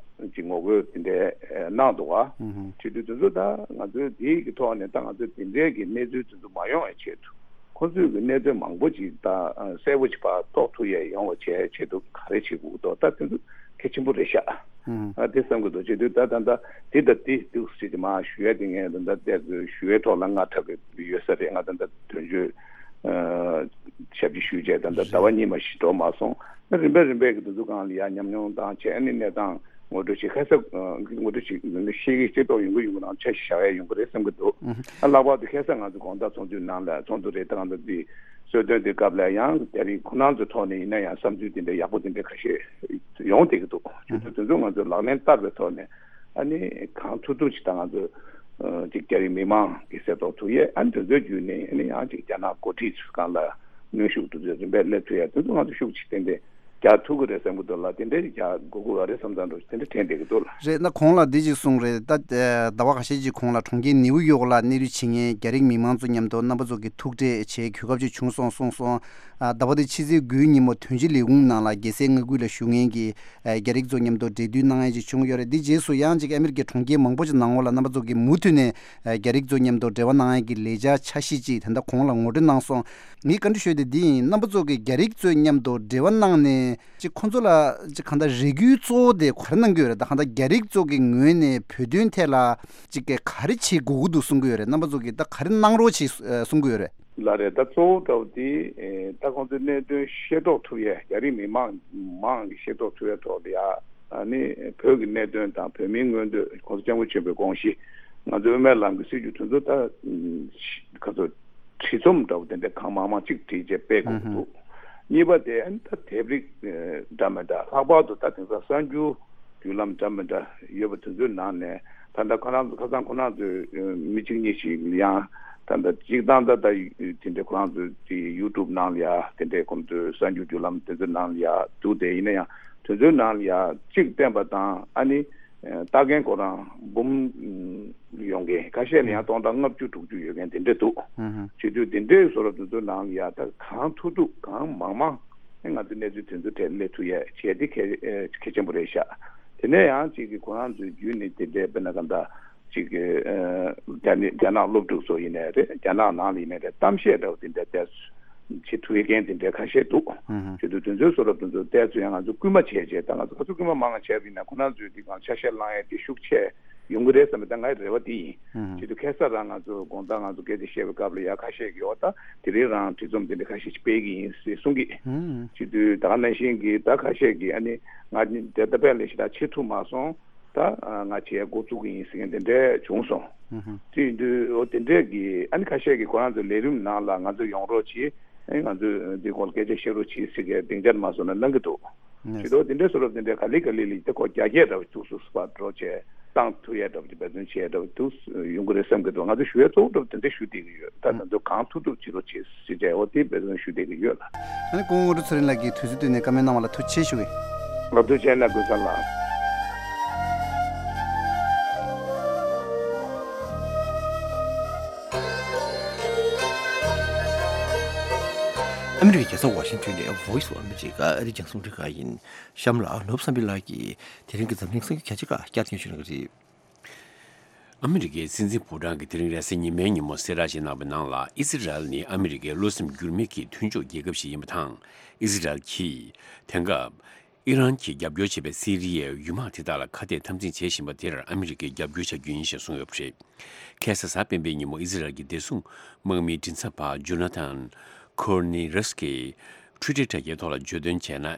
ཅིག་ངོ་རྒོལ་དེ་འདྲའི་གནང་འདུག་བ། ཨུ་ཧུ། བྱེད་དུས་དེ་ཚོ་ད་ང་ཚོའི་དེའི་གི་ཐོག་ནས་ད་ང་ཚོས་དེ་འདྲའི་གི་གནས་ཚུལ་དེ་ཚོ་མ་ཡོང་བའི་ཆེད་དུ་ཁོ་ཚོས་གི་གནད་དོན་མང་པོ་ཅིག་ད་གསལ་པོ་ཅིག་ཕར་རྟོགས་ཐུབ་ཡས་ཡོང་བ་བྱས་ཆེད་དུ་ག་རེ་བྱེད་དགོས་འདུག་ད་དེ་ཚོ་གལ་ཆེན་པོ་རེད་ཤག་ཨུ་ཧུ། ཨ་དེ་བསམ་གི་འདུག་བྱེད་དུས་ད་ད་ད་དེ་ད་དེ་འདུག་ཟེར་གྱི་མ་ཞུ་ཡས་དེ་ངས་ད་ད་ལྟ་ཞུ་ཡས་ཐོག་ལ་ང་འཁྲབ་གི་ཡོད་ས་རེད། ང་ད་ད་དོན་གཅོད་ཞབས་ཕྱི་ཞུས་བྱས་ད་ལྟ་ཟླ་བ་གཉིས་མ་ཞིག་འགྲོ་མ་སོང་། རིམ་པས་རིམ་པས་ཀྱི་དེ་ཚོ་སྒང་ལ་ཡར་ཉམས་མྱོང་བཏང་བྱས་ཨ་ནི་གནས་སྟངས་ངོ་སྤྲོད་བྱེད་ཁ་གསབ་ངོ་སྤྲོད་བྱེད་ཤེས་ཀྱི་ཤེས་རྟོགས་ཡོང་གི་ཡོང་གི་རང་ཆ་ཤས་བཞག་ཡས་ཡོང་གི་རེད་བསམ་གྱི་འདུག་ཨ་ལྷག་པར་དུ་ཁ་སང་ང་ཚོ་དགོང་དག་ཚོགས་འདུའི་ནང་ལ་ཚོགས་འདུ་རེད་ད་ང་ཚོ་འདི་གསོལ་སྟོན་དེ་སྐབས་ལ་ཡང་རྒྱ་རིགས་ཁོ་རང་ཚོའི་ཐོག་ནས་ཡིན་ན་ཡང་བསམ་ཚུལ་དེ་འདྲ་ཡག་པོ་དེ་འདྲ་ཁ་ཤས་ཡོང་བསྡད་ཀྱི་འདུག་ཁྱོད་ཚོ་དེ་ཚོ་ང་ཚོས་ལག་ལེན་བསྟར་བའི་ཐོག་ནས་ཨ་ནི་གང་ཐུབ་ཐུབ་ཅིག་ད་ང་ཚོ་ཅིག་རྒྱ་རིགས་མི་མང་གི་གསལ་རྟོགས་ཐུབ་ཡས་ཨ་ནི་དེ་ཚོའི་བརྒྱུད་ནས་ཨ་ནི་ཡང་ཅིག་རྒྱ་ནག་འགོ་ཁྲིད་ཚོའི་སྒང་ལ་གནོན་ཤུགས་དེ་ཚོ་རིམ་པས་སླེབས་ཐུབ་ཡས་དེ་ཚོ་ང་ཚོ་ཤུགས་ཆེ་ཏན་ཏན་རྒྱག་ཐུབ་ཀྱི་རེད་བསམ་གྱི་འདུག་ལ། དེ་འདྲའི་རྒྱག་དགོས་ཀྱི་ཡོད་རེད་བསམ་ཙང་འགྲོ་དེ་འདྲ་དྲན་བསྡད་ཀྱི་འདུག་ལ། རེད་ན་གོང་ལ་འདི་ཅིག་གསུངས་རེད་ད། ཟླ་བ་ཁ་ཤས་ཅིག་གོང་ལ་གྲོང་ཁྱེར་ནེའུ་ཡོག་ལ་གནས་སྡོད་བྱེད་མཁན་རྒྱ་རིགས་མི་མང་ཚོ་མཉམ་དུ་རྣམ་པ་ཚོ་གི་ཐུག་འཕྲད་བྱེད་གོ་སྐབས་ཅིག་བྱུང་སོང་གསུངས་སོང་། ཟླ་བ་འདི་ཕྱི་ཚེས་དགུའི་ཉིན་མོ་དོན་གཅོད་ལས་ཁུངས་ནང་ལ་རྒྱལ་སའི་མངའ་ཁུལ་ལ་བཞུགས་མཁན་གྱི་རྒྱ་རིགས་ཚོ་མཉམ་དུ་འབྲེལ་མཐུད་གནང་ཡས་ཅིག་བྱུང་ཡོད་རེད། འདི་རྗེས་སུ་ཡང་ཅིག་ཨ་མི་རི་ཀའི་གྲོང་ཁྱེར་མང་པོ་ཅིག་ནང་ལོགས་ལ་རྣམ་པ་ཚོ་གི་མུ་མཐུད་ནས་རྒྱ་རིགས་ཚོ་མཉམ་དུ་འབྲེལ་བ་གནང་ཡས་ཀྱི་ལས་འཆར་འཆར་གཞི་ཅིག་ད་ལྟ་གོང་ལ་ངོ་སྤྲོད་གནང་སོང་། ངའི་བཀའ་འདྲི་ཞུ་ཡས་དེ་འདི་ཡིན། རྣམ་པ་ཚོ་གིས་རྒྱ་རིགས་ཚོའི་མཉམ་དུ་འབྲེལ་བ་གནང་ནས་ཅིག་ཁོང་ཚོ་ལ་ཅིག་གང་ལྟར་རེ་སྐུལ་གཙོ་བོ་དེ་ག་རེ་གནང་གི་ཡོད་རེད། ད་གང་ལྟར་རྒྱ་རིགས་ཚོ་གི་ངོས་ནས་བོད་དོན་ཐད་ལ་ཅིག་ག་རེ་བྱེད་དགོས་ཀྱི་འདུག་གསུང་གི་ཡོད་རེད། རྣམ་པ་ཚོ་གིས་ད་ག་རེ་གནང་རོགས་བྱེད་གསུང་གི་ཡོད་རེད། ལགས་རེད། ད་གཙོ་བོ་འདྲ་བོ་དེ་ད་ཁོང་ཚོའི་གནད་དོན་ཤེས་རྟོགས་ཐུབ་ཡས་རྒྱ་རིགས་མི་མང་མང་གིས་ཤེས་རྟོགས་ཐུབ་ཡས་ཐོག་ལ་ཡ་ཨ་ནི་བོད་ཀྱི་གནད་དོན་དང་བོད་མིའི་མངོན་འདོད་༸གོང་ས་༸སྐྱབས་མགོན་ཆེན་པོའི་དགོངས་གཞི་ང་ཚོའི་སྨན་བླ་གི་སྲིད་བྱུས་དེ་ཚོ་ད་ག་ཚོད་བྲིས་རྩོམ་འདྲ་བོ་དེ་འདྲ་གང་མང་མང་གཅིག་བྲིས་བྱས་སྤེལ་དགོས་ཀྱི་འདུག་གཉིས་པ་དེ་ཨ་ནི་ད་དེབ་རིགས་འདྲ་མི་འདྲ་ལྷག་པར་དུ་ད་དེང་སང་གསར་འགྱུར་བརྒྱུད་ལམ་འདྲ་མི་འདྲ་ཡོད་པ་དེ་ཚོའི་ནང་ནས་ད་ལྟ་ཁོ་རང་ཚོ་ཁ་སང་ཁོ་རང་ཚོའི་མི་གཅིག་གཉིས་ཤིག་ཡང་ད་ལྟ་གཅིག་དང་ད་ལྟ་དེ་འདྲའི་ཁོ་རང་ཚོའི་དེ་ཡུ་ཊུབ་ནང་ལ་ཡ་དེ་འདྲའི་ཁོང་ཚོའི་གསར་འགྱུར་བརྒྱུད་ལམ་དེ་ཚོའི་ནང་ལ་ཡ་འདུག་དེ་ཡིན་ན་ཡང་དེ་ཚོའི་ནང་ལ་ཡ་གཅིག་བསྟན་པ་དང་ཨ་ནི། ལྟ་མཁན་ཁོ་རང་འབུམ་ཡོང་མཁན་ཁ་ཤས་ལ་ཡང་སྟོང་ཕྲག་ལྔ་བཅུ་དྲུག་ཅུ་ཡོད་མཁན་དེ་འདྲ་འདུག་ཨུ་ཧུ། བྱེད་དུས་དེ་འདྲའི་བཟོ་འདྲ་དེ་ཚོའི་ནང་ལ་ཡ་ད་གང་ཐུབ་ཐུབ་གང་མང་མང་ང་ཚོའི་གནས་ཚུལ་དེ་ཚོ་གྲས་སླེབས་ཐུབ་ཡས་བྱས་དེ་གལ་གལ་ཆེན་པོ་རེད་ཤག་དེ་ནས་ཡང་གཅིག་གི་ཁོ་རང་ཚོའི་བརྒྱུད་ནས་དེ་འདྲའི་དཔེར་ན་ག་འདྲ་གཅིག་གི་རྒྱ་ནི་རྒྱ་ནག་སློབ་ཕྲུག་ཚོ་ཡིན་ནའི་རེད། རྒྱ་ནག་ནང་ལ་ཡིན་ནའི་རེད། གཏམ་བཤད་འདྲ་བོ་དེ་འདྲ་བལྟས་བྱེད་ཐུབ་མཁན་དེ་འདྲའི་ཁ་ཤས་འདུག་ཨུ་ཧུ། བྱེད་དུས་དེ་ཚོའི་བཟོ་འདྲ་དེ་ཚོ་བལྟས་ཚོད་ཡང་ང་ཚོ་སྐུལ་མ་བྱས་བྱས་ད་ང་ཚོ་ཁ་ཚུར་སྐུལ་མ་མང་བ་བྱས་པ་ཡིན་ན་ཁོ་རང་ཚོའི་འདི་གང་ཆ་ཤས་བླང་ཡས་དེ་ཤུགས་ཆེ་ཡོང་གི་རེད་བསམ་པའི་ད་ངའི་རེ་བ་དེ་ཡིན། ཨུ་ཧུ། བྱེད་དུས་ཁ་སང་རང་ང་ཚོ་དགོང་དག་ང་ཚོ་སྐད་ཆ་བཤད་པའི་སྐབས་ལ་ཡ་ཁ་ཤས་ཀྱིས་འོ་ད་དེ་རིང་རང་བྲིས་རྩོམ་དེ་འདྲ་ཁ་ཤས་ཤིག་སྤེལ་གི་ཡིན་ཟེར་གསུང་གི་ཨུ་ཧུ། བྱེད་དུས་ད་ག་ནང་བཞིན་གྱི་ད་ཁ་ཤས་ཀྱིས་ཨ་ནི་ང་དེ་ད་དཔེ་ལས་ཞེ་དྲག་བྱེད་ཐུབ་མ་སོང་། ད་ང་བྱེད་འགོ་བཙུགས་ཀྱི་ཡིན་ཟེར་མཁན་དེ་འདྲས་བྱུང་སོང་། ཨུ་ཧུ། དེ་ཡིན་དུས་འོ་དེ་འདྲས་ཀྱི་ཨ་ནི་ཁ་ཤས་ཀྱིས་ཁོ་རང་ཚོའི་ལས་རིམ་ནང་ལ་ང་ཚོ་ཡོང་རོགས་གྱིས། ཨ་ནི་ང་ཚོས་འདི་སྐོར་ལ་སྐད་ཆ་བཤད་རོགས་གྱིས་ཟེར་མཁན་སྡིངས་ཆ་མ་བཟོ་ན་གནང་གི་འདུག་ཨུ་ཧུ། བྱེད་དུས་དེ་འདྲས་བཟོ་རོགས་དེ་འདྲས་ག་ལེ་ག་ལེ་ལ་དེ་ཁོ་རྒྱ་སྐད་འདྲ་བོ་བཅུག་སུ་བ་འགྲོ་བྱས་བཏང་ཐུབ་ཡས་འདྲ་བོ་དེ་འབད་བརྩོན་བྱས་འདྲ་བོ་འདུག་ཡོང་གི་རེད་བསམ་གི་འདུག་ང་ཚོ་ཞུ་ཡས་གཙོ་བོ་འདྲ་བོ་དེ་འདྲས་ཞུ་བསྡད་ཀྱི་ཡོད། ད་ང་ཚོ་གང་ཐུབ་ཐུབ་བྱེད་རོགས་བྱེད་ཟེར་བྱས་འོ་དེ་འབད་བརྩོན་ཞུ་བསྡད་ཀྱི་ཡོད་ལ། ཨ་ནི་སྐུ་ངོ་དངོས་གྲུབ་ཚེ་རིང་ལགས་ཀྱིས་དུས་ཚོད་བཏོན་ནས་བཀའ་མོལ་གནང་བ་ལ་ཐུགས་རྗེ་ཆེ་ཞུ་གི། ལགས་ཐུགས་རྗེ་གནང་། ཀུན་བཟང་ལགས། ཨ་མི་རི་ཀའི་རྒྱལ་ས་ཝ་ཤིང་ཊོན་ནས་Voice of America ཨ་རིའི་རྒྱང་སྲིང་རླུང་འཕྲིན་ཁང་ཡིན། གཤམ་ལ་ནོར་བུ་བསམ་འཕེལ་ལགས་ཀྱིས་དེ་རིང་གི་འཛམ་གླིང་གསར་འགྱུར་གལ་ཆེ་ཁག་བསྐྱར་སྙན་ཞུ་གནང་གི་རེད། ཨ་མི་རི་ཀའི་སྲིད་འཛིན་ཕོ་བྲང་གིས་དེ་རིང་རེས་གཟའ་ཉི་མའི་ཉིན་མོ་གསལ་བསྒྲགས་ཤིག་གནང་བའི་ནང་ལ་ཨི་སི་རལ་ནི་ཨ་མི་རི་ཀའི་བློ་སེམས་འགྱུར་མེད་ཀྱི་མཐུན་ཕྱོགས་རྒྱལ་ཁབ་ཞིག་ཡིན་པ་དང་། ཨི་སི་རལ་གྱིས་དེང་སྐབས་ ཨི་རན་གྱིས་རྒྱབ་སྐྱོར་བྱེད་པའི་སི་རི་ཡའི་ཡུལ་དམག་དེ་དག་ལ་ཁ་གཏད་འཐབ་འཛིང་བྱེད་བཞིན་པ་དེར་ཨ་མི་རི་ཀས་རྒྱབ་སྐྱོར་བྱ་རྒྱུ་ཡིན་ཞེས་གསུངས་ཡོད་པ་རེད། ཁ་སང་གཟའ་སྤེན་པའི་ཉིན་མོ་ཨི་ཟི་རལ་གྱི་བདེ་སྲུང་དམག་མིའི་མགྲིན་ཚབ་པ་ཇོ་ན་ཐན་ཁོར་ནི་རེས་ཀྱིས་ཊུའི་ཊར་དྲ་རྒྱའི་ཐོག་ལ་བརྗོད་དོན་བྱས་ན།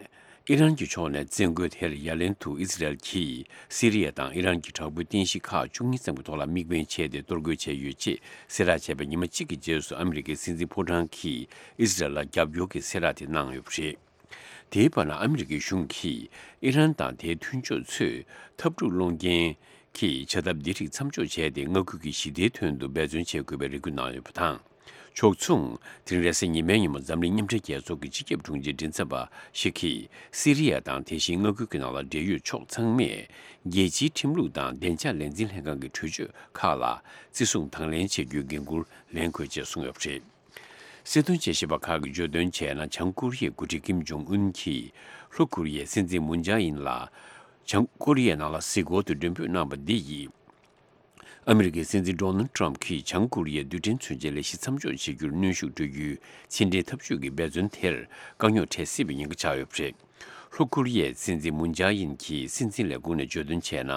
ཨི་རན་གྱི་ཕྱོགས་ནས་བཙན་རྒོལ་དེར་ཡ་ལན་དུ་ཨི་ཟི་རལ་གྱིས་སི་རི་ཡ་དང་ཨི་རན་གྱི་དྲག་པོའི་རྟེན་གཞི་ཁག་བཅུ་གཉིས་ཙམ་གྱི་ཐོག་ལ་དམིགས་འབེན་བྱས་ཏེ་གཏོར་རྒོལ་བྱས་ཡོད་ཅེས་གསལ་བསྒྲགས་བྱས་པའི་ཉི་མ་གཅིག་གི་རྗེས་སུ་ཨ་མི་རི་ཀའི་སྲིད་འཛིན་ཕོ་བྲང་གིས་ཨི་ཟི་རལ་ལ་རྒྱབ་སྐྱོར་གྱི་གསལ་བསྒྲགས་དེ་གནང་ཡོད་པ་རེད། དེའི་བར་ན་ཨ་མི་རི་ཀའི་གཞུང་གིས་ཨི་རན་དང་དེའི་མཐུན་ཕྱོགས་ཚོས་འཐབ་འཁྲུག་སློང་རྐྱེན་གྱི་བྱ་ཐབས་འདི་རིགས་མཚམས་འཇོག་བྱས་ཏེ་མངའ་ཁུལ་གྱི་ཞི་བདེའི་དོན་དུ་འབད་བརྩོན་བྱེད་དགོས་པའི་རེ་སྐུལ་གནང་ཡོད་པ་དང་། ཕྱོགས་མཚུངས། དེ་རིང་རེས་གཟའ་ཉི་མའི་ཉིན་མོ་འཛམ་གླིང་མཉམ་འབྲེལ་རྒྱལ་ཚོགས་ཀྱི་སྤྱི་ཁྱབ་དྲུང་ཆེ་མགྲིན་ཚབ་པ་ཞིག་གིས་སི་རི་ཡ་དང་དེ་བཞིན་མངའ་ཁུལ་གྱི་ནང་ལ་འབྲེལ་ཡོད་ཕྱོགས་ཚང་མས་རྒྱལ་སྤྱིའི་ཁྲིམས་ལུགས་དང་བདེ་འཇགས་ལས་འཛིན་ལྷན་ཁང་གི་གྲོས་ཆོད་ཁག་ལ་བརྩི་སྲུང་དང་ལེན་བྱེད་རྒྱུའི་འགན་འཁུར་ལེན་དགོས་ཅེས་གསུངས་ཡོད་པ་རེད། སྲིད་དོན་དཔྱད་ཞིབ་པ་ཁག་གིས་བརྗོད་དོན་བྱས་ན། བྱང་ཀོ་རི་ཡའི་འགོ་ཁྲིད་ཀིམ་ཇོང་ཨུན་གྱིས་ལྷོ་ཀོ་རི་ཡའི་སྲིད་འཛིན་མུན་ཇཱ་ཨིན་ལ་བྱང་ཀོ་རི་ཡའི་ནང་ལ་གཟིགས་སྐོར་དུ་མགྲོན་འབོད་གནང་བ་འདི་ཡིས། ཨ་མི་རི་ཀའི་སྲིད་འཛིན་ཌོ་ནལ་ཊམ་གྱིས་བྱང་ཀོ་རི་ཡའི་རྡུལ་ཕྲན་མཚོན་ཆའི་ལས་གཞི་མཚམས་འཇོག་བྱེད་རྒྱུར་གནོན་ཤུགས་སྤྲོད་རྒྱུའི་ཕྱི་འབྲེལ་འཐབ་ཇུས་ཀྱི་འབད་བརྩོན་དེར་དཀའ་རྙོག་འཕྲད་སྲིད་པའི་ཉེན་ཁ་ཆགས་ཡོད་པ་རེད། ལྷོ་ཀོ་རི་ཡའི་སྲིད་འཛིན་མུན་ཇཱ་ཡིན་གྱིས་སྲིད་འཛིན་ལས་ཁུངས་ནས་བརྗོད་དོན་བྱས་ན།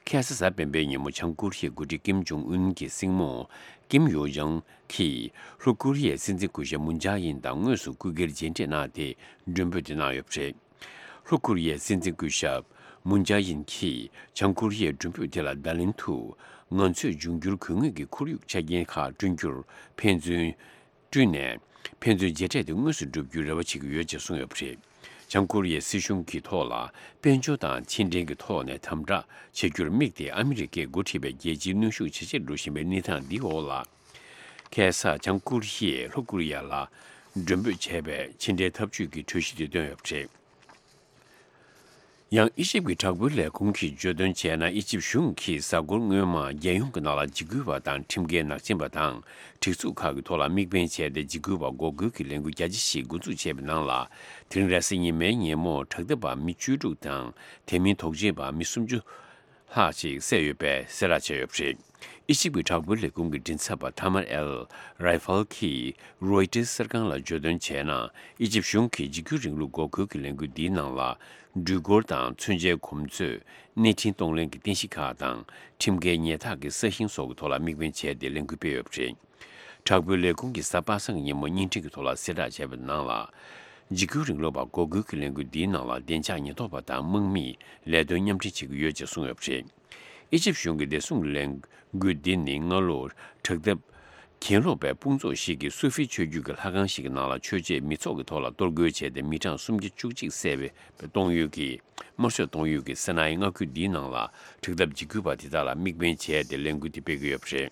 ཁ་སང་གཟའ་སྤེན་པའི་ཉིན་མོ་བྱང་ཀོ་རི་ཡའི་འགོ་ཁྲིད་ཀིམ་ཇོང་ཨུན་གྱི་སྲིང་མོ་ཀིམ་ཡོ་ཡང་གིས་ལྷོ་ཀོ་རི་ཡའི་སྲིད་འཛིན་སྐུ་ཞབས་མུན་ཇཱ་ཡིན་དང་དངོས་སུ་སྐུ་སྒེར་མཇལ་འཕྲད་གནང་སྟེ་མགྲོན་འབོད་དེ་གནང་ཡོད་པ་རེད། ལྷོ་ཀོ་རི་ཡའི་སྲིད་འཛིན་སྐུ་ཞབས་མུན་ཇཱ་ཡིན་གྱིས་བྱང་ཀོ་རི་ཡའི་མགྲོན་འབོད་དེ་ལ་བརྡ་ལན་དུ། ང་ཚོས་འབྱུང་འགྱུར་དགོས་ངེས་ཀྱི་ཁོར་ཡུག་ཆ་རྐྱེན་ཁག་བསྐྲུན་རྒྱུར་ཕན་ཚུན། བསྐྲུན་ནས། ཕན་ཚུན་མཇལ་འཕྲད་དེ་དངོས་སུ་བསྒྲུབ་རྒྱུའི་རེ་བ་བྱེད་ཀྱི་ཡོད་ཅེས་གསུངས་ཡོད་པ་རེད། བྱང་ཀོ་རི་ཡའི་སྲིད་གཞུང་གི་ཐོག་ལ་དཔལ་འབྱོར་དང་ཕྱི་འབྲེལ་གྱི་ཐོག་ནས་དམ་དྲག་བྱེད་རྒྱུར་དམིགས་ཏེ་ཨ་མི་རི་ཀས་འགོ་ཁྲིད་པའི་རྒྱལ་སྤྱིའི་གནོན་ཤུགས་ཇེ་ཆེར་འགྲོ་བཞིན་པའི་གནས་སྟངས་འདིའི་འོག་ལ། ཁ་སང་བྱང་ཀོ་རི་ཡས་ལྷོ་ཀོ་རི་ཡ་ལ་མགྲོན་འབོད་བྱས་པའི་ཕྱི་འབྲེལ་འཐབ་ཇུས་ཀྱི་གྲོས་གཞི་དེ་བཏོན་ཡོད་པ་རེད། ཡང་ཨི་ཇིབ་ཀྱི་དྲག་པོའི་ལས་ཁུངས་ཀྱིས་བརྗོད་དོན་བྱས་ན། ཨི་ཇིབ་གཞུང་གིས་གཟའ་འཁོར་སྔོན་མ་རྒྱལ་ཡོངས་ཀྱི་ནང་ལ་འཇིགས་སྐུལ་བ་དང་ཁྲིམས་འགལ་ནག་ཅན་པ་དང་སྒྲིག་འཛུགས་ཁག་གི་ཐོག་ལ་དམིགས་འབེན་བྱས་ཏེ་འཇིགས་སྐུལ་བ་འགོག་རྒོལ་གྱི་ལས་འགུལ་རྒྱ་ཆེ་ཞིག་འགོ་འཛུགས་བྱས་པའི་ནང་ལ། དེ་རིང་རེས་གཟའ་ཉི་མའི་ཉིན་མོ་དྲག་འཐབ་པ་མི་བཅུ་དྲུག་དང་དེ་མིན་དོགས་གཅོད་པ་མི་སུམ་ཅུ་ལྷག་ཅིག་བསད་ཡོད་པའི་གསལ་བསྒྲགས་བྱས་ཡོད་པ་རེད། ཨི་ཇིབ་ཀྱི་དྲག་པོའི་ལས་ཁུངས་ཀྱི་མགྲིན་ཚབ་པ་ཐ་མར་ཨེལ་རའི་ཧྥལ་གྱིས་རོའི་ཊར་གསར་ཁང་ལ་བརྗོད་དོན་བྱས་ན། ཨི་ཇིབ་གཞུང་གིས་འཇིགས་སྐུལ་རིང་ལུགས་འགོག་རྒོལ་གྱི་ལས་འགུལ་འདིའི་ནང་ལ། འགྲུལ་འཁོར་དང་མཚོན་ཆའི་གོམས་ཚོད། གནས་འཕྲིན་གཏོང་ལེན་གྱི་རྟེན་གཞི་ཁག་དང་། ཁྲིམས་འགལ་ཉལ་ཐག་གི་ས་ཞིང་སོགས་ཀྱི་ཐོག་ལ་དམིགས་འབེན་བྱས་ཏེ་ལས་འགུལ་སྤེལ་ཡོད་པ་རེད། དྲག་པོའི་ལས་ཁུངས་ཀྱིས་གཟའ་པ་སངས་ཀྱི་ཉིན་མོ་བརྙན་འཕྲིན་གྱི་ཐོག་ལ་གསལ་བསྒྲགས་བྱས་པའི་ནང་ལ། འཇིགས་སྐུལ་རིང་ལུགས་པ་འགོག་རྒོལ་གྱི་ལས་འགུལ་འདིའི་ནང་ལ་བདེ་འཇགས་ཉེན་རྟོག་པ་དང་དམག་མིས་ལས་དོན་མཉམ་འབྲེལ་བྱེད་ཀྱི་ཡོད་ཅེས་གསུངས་ཡོད་པ་རེད། ཨི་ཇིབ་གཞུང་གི་བདེ་སྲུང་ལས་འགུལ་འདི་ནི་སྔ་ལོར་དྲག་འཐབ་གྱེན་ལོག་པའི་དཔུང་ཚོགས་ཤིག་གིས་སུ་ཧྥི་ཆོས་བརྒྱུད་ཀྱི་ལྷ་ཁང་ཞིག་གི་ནང་ལ་ཆོས་བྱེད་མི་ཚོགས་ཀྱི་ཐོག་ལ་གཏོར་རྒོལ་བྱས་ཏེ་མི་གྲངས་སུམ་བརྒྱ་བཅུ་གཅིག་བསད་པའི་གཏོང་ཡུལ་གྱི། དམར་གསོད་གཏོང་ཡུལ་གྱི་ས་ནའི་མངའ་ཁུལ་འདིའི་ནང་ལ་དྲག་འཐབ་འཇིགས་སྐུལ་བ་དེ་དག་ལ་དམིགས་འབེན་བྱས་ཏེ་ལས་འགུལ་དེ་སྤེལ་གྱི་ཡོད་པ་རེད།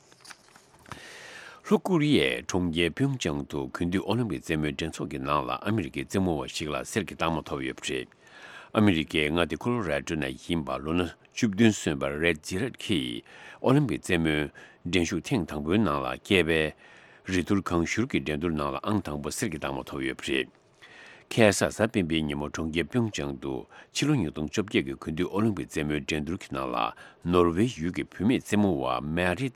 ལྷོ་ཀོ་རི་ཡའི་གྲོང་ཁྱེར་ཕིའུ་ཅང་དུ་དགུན་དུས་ཨོ་ལིམ་པིག་རྩེད་མོའི་འགྲན་ཚོགས་ཀྱི་ནང་ལ་ཨ་མི་རི་ཀའི་རྩེད་མོ་བ་ཞིག་ལ་གསེར་གྱི་རྟགས་མ་ཐོབ་ཡོད་པ་རེད། ཨ་མི་རི་ཀའི་མངའ་སྡེ་ཁོ་ལོ་ར་ཌོ་ནས་ཡིན་པ་ལོ་ན་བཅུ་བདུན་སོན་པ་རེད་ཇི་རེད་ཀྱིས་ཨོ་ལིམ་པིག་རྩེད་མོའི་འགྲན་ཞུགས་ཐེངས་དང་པོའི་ནང་ལ་སྐྱེས་པའི་རི་ཐུར་གང་ཞུར་གྱི་འགྲན་བསྡུར་ནང་ལ་ཨང་དང་པོ་གསེར་གྱི་རྟགས་མ་ཐོབ་ཡོད་པ་རེད། ཁ་སང་གཟའ་སྤེན་པའི་ཉིན་མོ་གྲོང་ཁྱེར་ཕིའུ་ཅང་དུ་ཕྱི་ལོ་ཉིས་སྟོང་བཅོ་བརྒྱད་ཀྱི་དགུན་དུས་ཨོ་ལིམ་པིག་རྩེད་མོའི་འགྲན་བསྡུར་གྱི་ནང་ལ་ནོར་ཝེ་ཡུལ་གྱི་བུད་མེད་རྩེད་མོ་བ་མེ་རིད་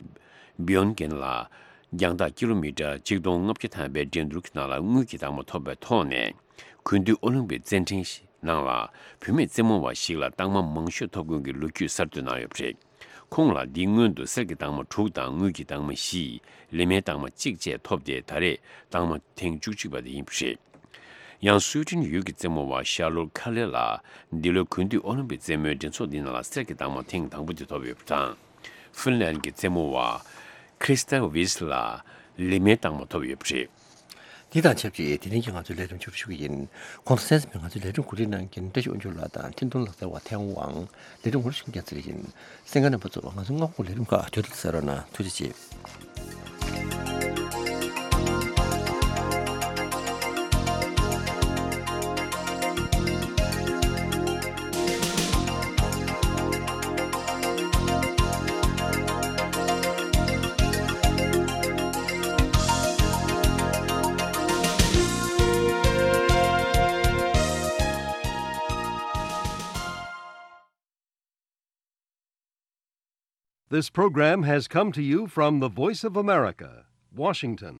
བྷིའོན་གྷེན་ལ་རྒྱང་ཐག་ཀི་ལོ་མི་ཊར་ཆིག་སྟོང་ལྔ་བརྒྱ་ཐམ་པའི་འགྲན་བསྡུར་གྱི་ནང་ལ་དངུལ་གྱི་རྟགས་མ་ཐོབ་པའི་ཐོག་ནས། དགུན་དུས་ཨོ་ལིམ་པིག་རྩེད་འགྲན་ནང་ལ་བུད་མེད་རྩེད་མོ་བ་ཞིག་ལ་རྟགས་མ་མང་ཤོས་ཐོབ་མཁན་གྱི་ལོ་རྒྱུས་གསར་གཏོད་གནང་ཡོད་པ་རེད། ཁོང་ལ་འདིའི་སྔོན་དུ་གསེར་གྱི་རྟགས་མ་དྲུག་དང་དངུལ་གྱི་རྟགས་མ་བཞི། ལི་མའི་རྟགས་མ་གཅིག་བཅས་ཐོབ་སྟེ་ད་རེས་རྟགས་མ་ཐེངས་བཅུ་གཅིག་པ་དེ་ཡིན་པ་རེད། ཡང་སུའེ་ཏེན་ཡུལ་གྱི་རྩེད་མོ་བ་ཤར་ལོར་ཁ་ལེ་ལ་འདི་ལོའི་དགུན་དུས་ཨོ་ལིམ་པིག་རྩེད་མོའི་འགྲན་ཚོགས་འདི་ནང་ལ་གསེར་གྱི་རྟགས་མ་ཐེངས་དང་པོ་དེ་ཐོབ་ཡོད་པ་དང་། ཧྥིན་ལན་གྱི་རྩེད་མོ་བ་ཁྲི་སྟ་ཝིས་ལ་ལི་མའི་རྟགས་མ་ཐོབ་ཡོད་པ་རེད། འདི་དང་ཆབས་ཅིག་དེ་རིང་གི་ང་ཚོའི་ལས་རིམ་མཇུག་སྒྲིལ་ཞུ་གི་ཡིན། གོང་དུ་གསན་གཟིགས་པའི་ང་ཚོའི་ལས་རིམ་གོ་སྒྲིག་གནང་མཁན་བཀྲ་ཤིས་དབང་ཕྱུག་ལགས་དང་འཕྲིན་གཏོང་ལག་རྩལ་བ་ཐན་ཝང་། ལས་རིམ་ངོ་སྤྲོད་ཞུ་མཁན་རྒྱལ་ཚེ་རིང་ཡིན། གསན་མཁན་རྣམ་པ་ཚོ་ང་ཚོའི་སྔ་དགོང་ལས་རིམ་ཁག་བརྒྱུད་དུ་གསན་རོགས་གནང་། ཐུགས་རྗེ་ཆེ། This program has come to you from the Voice of America, Washington.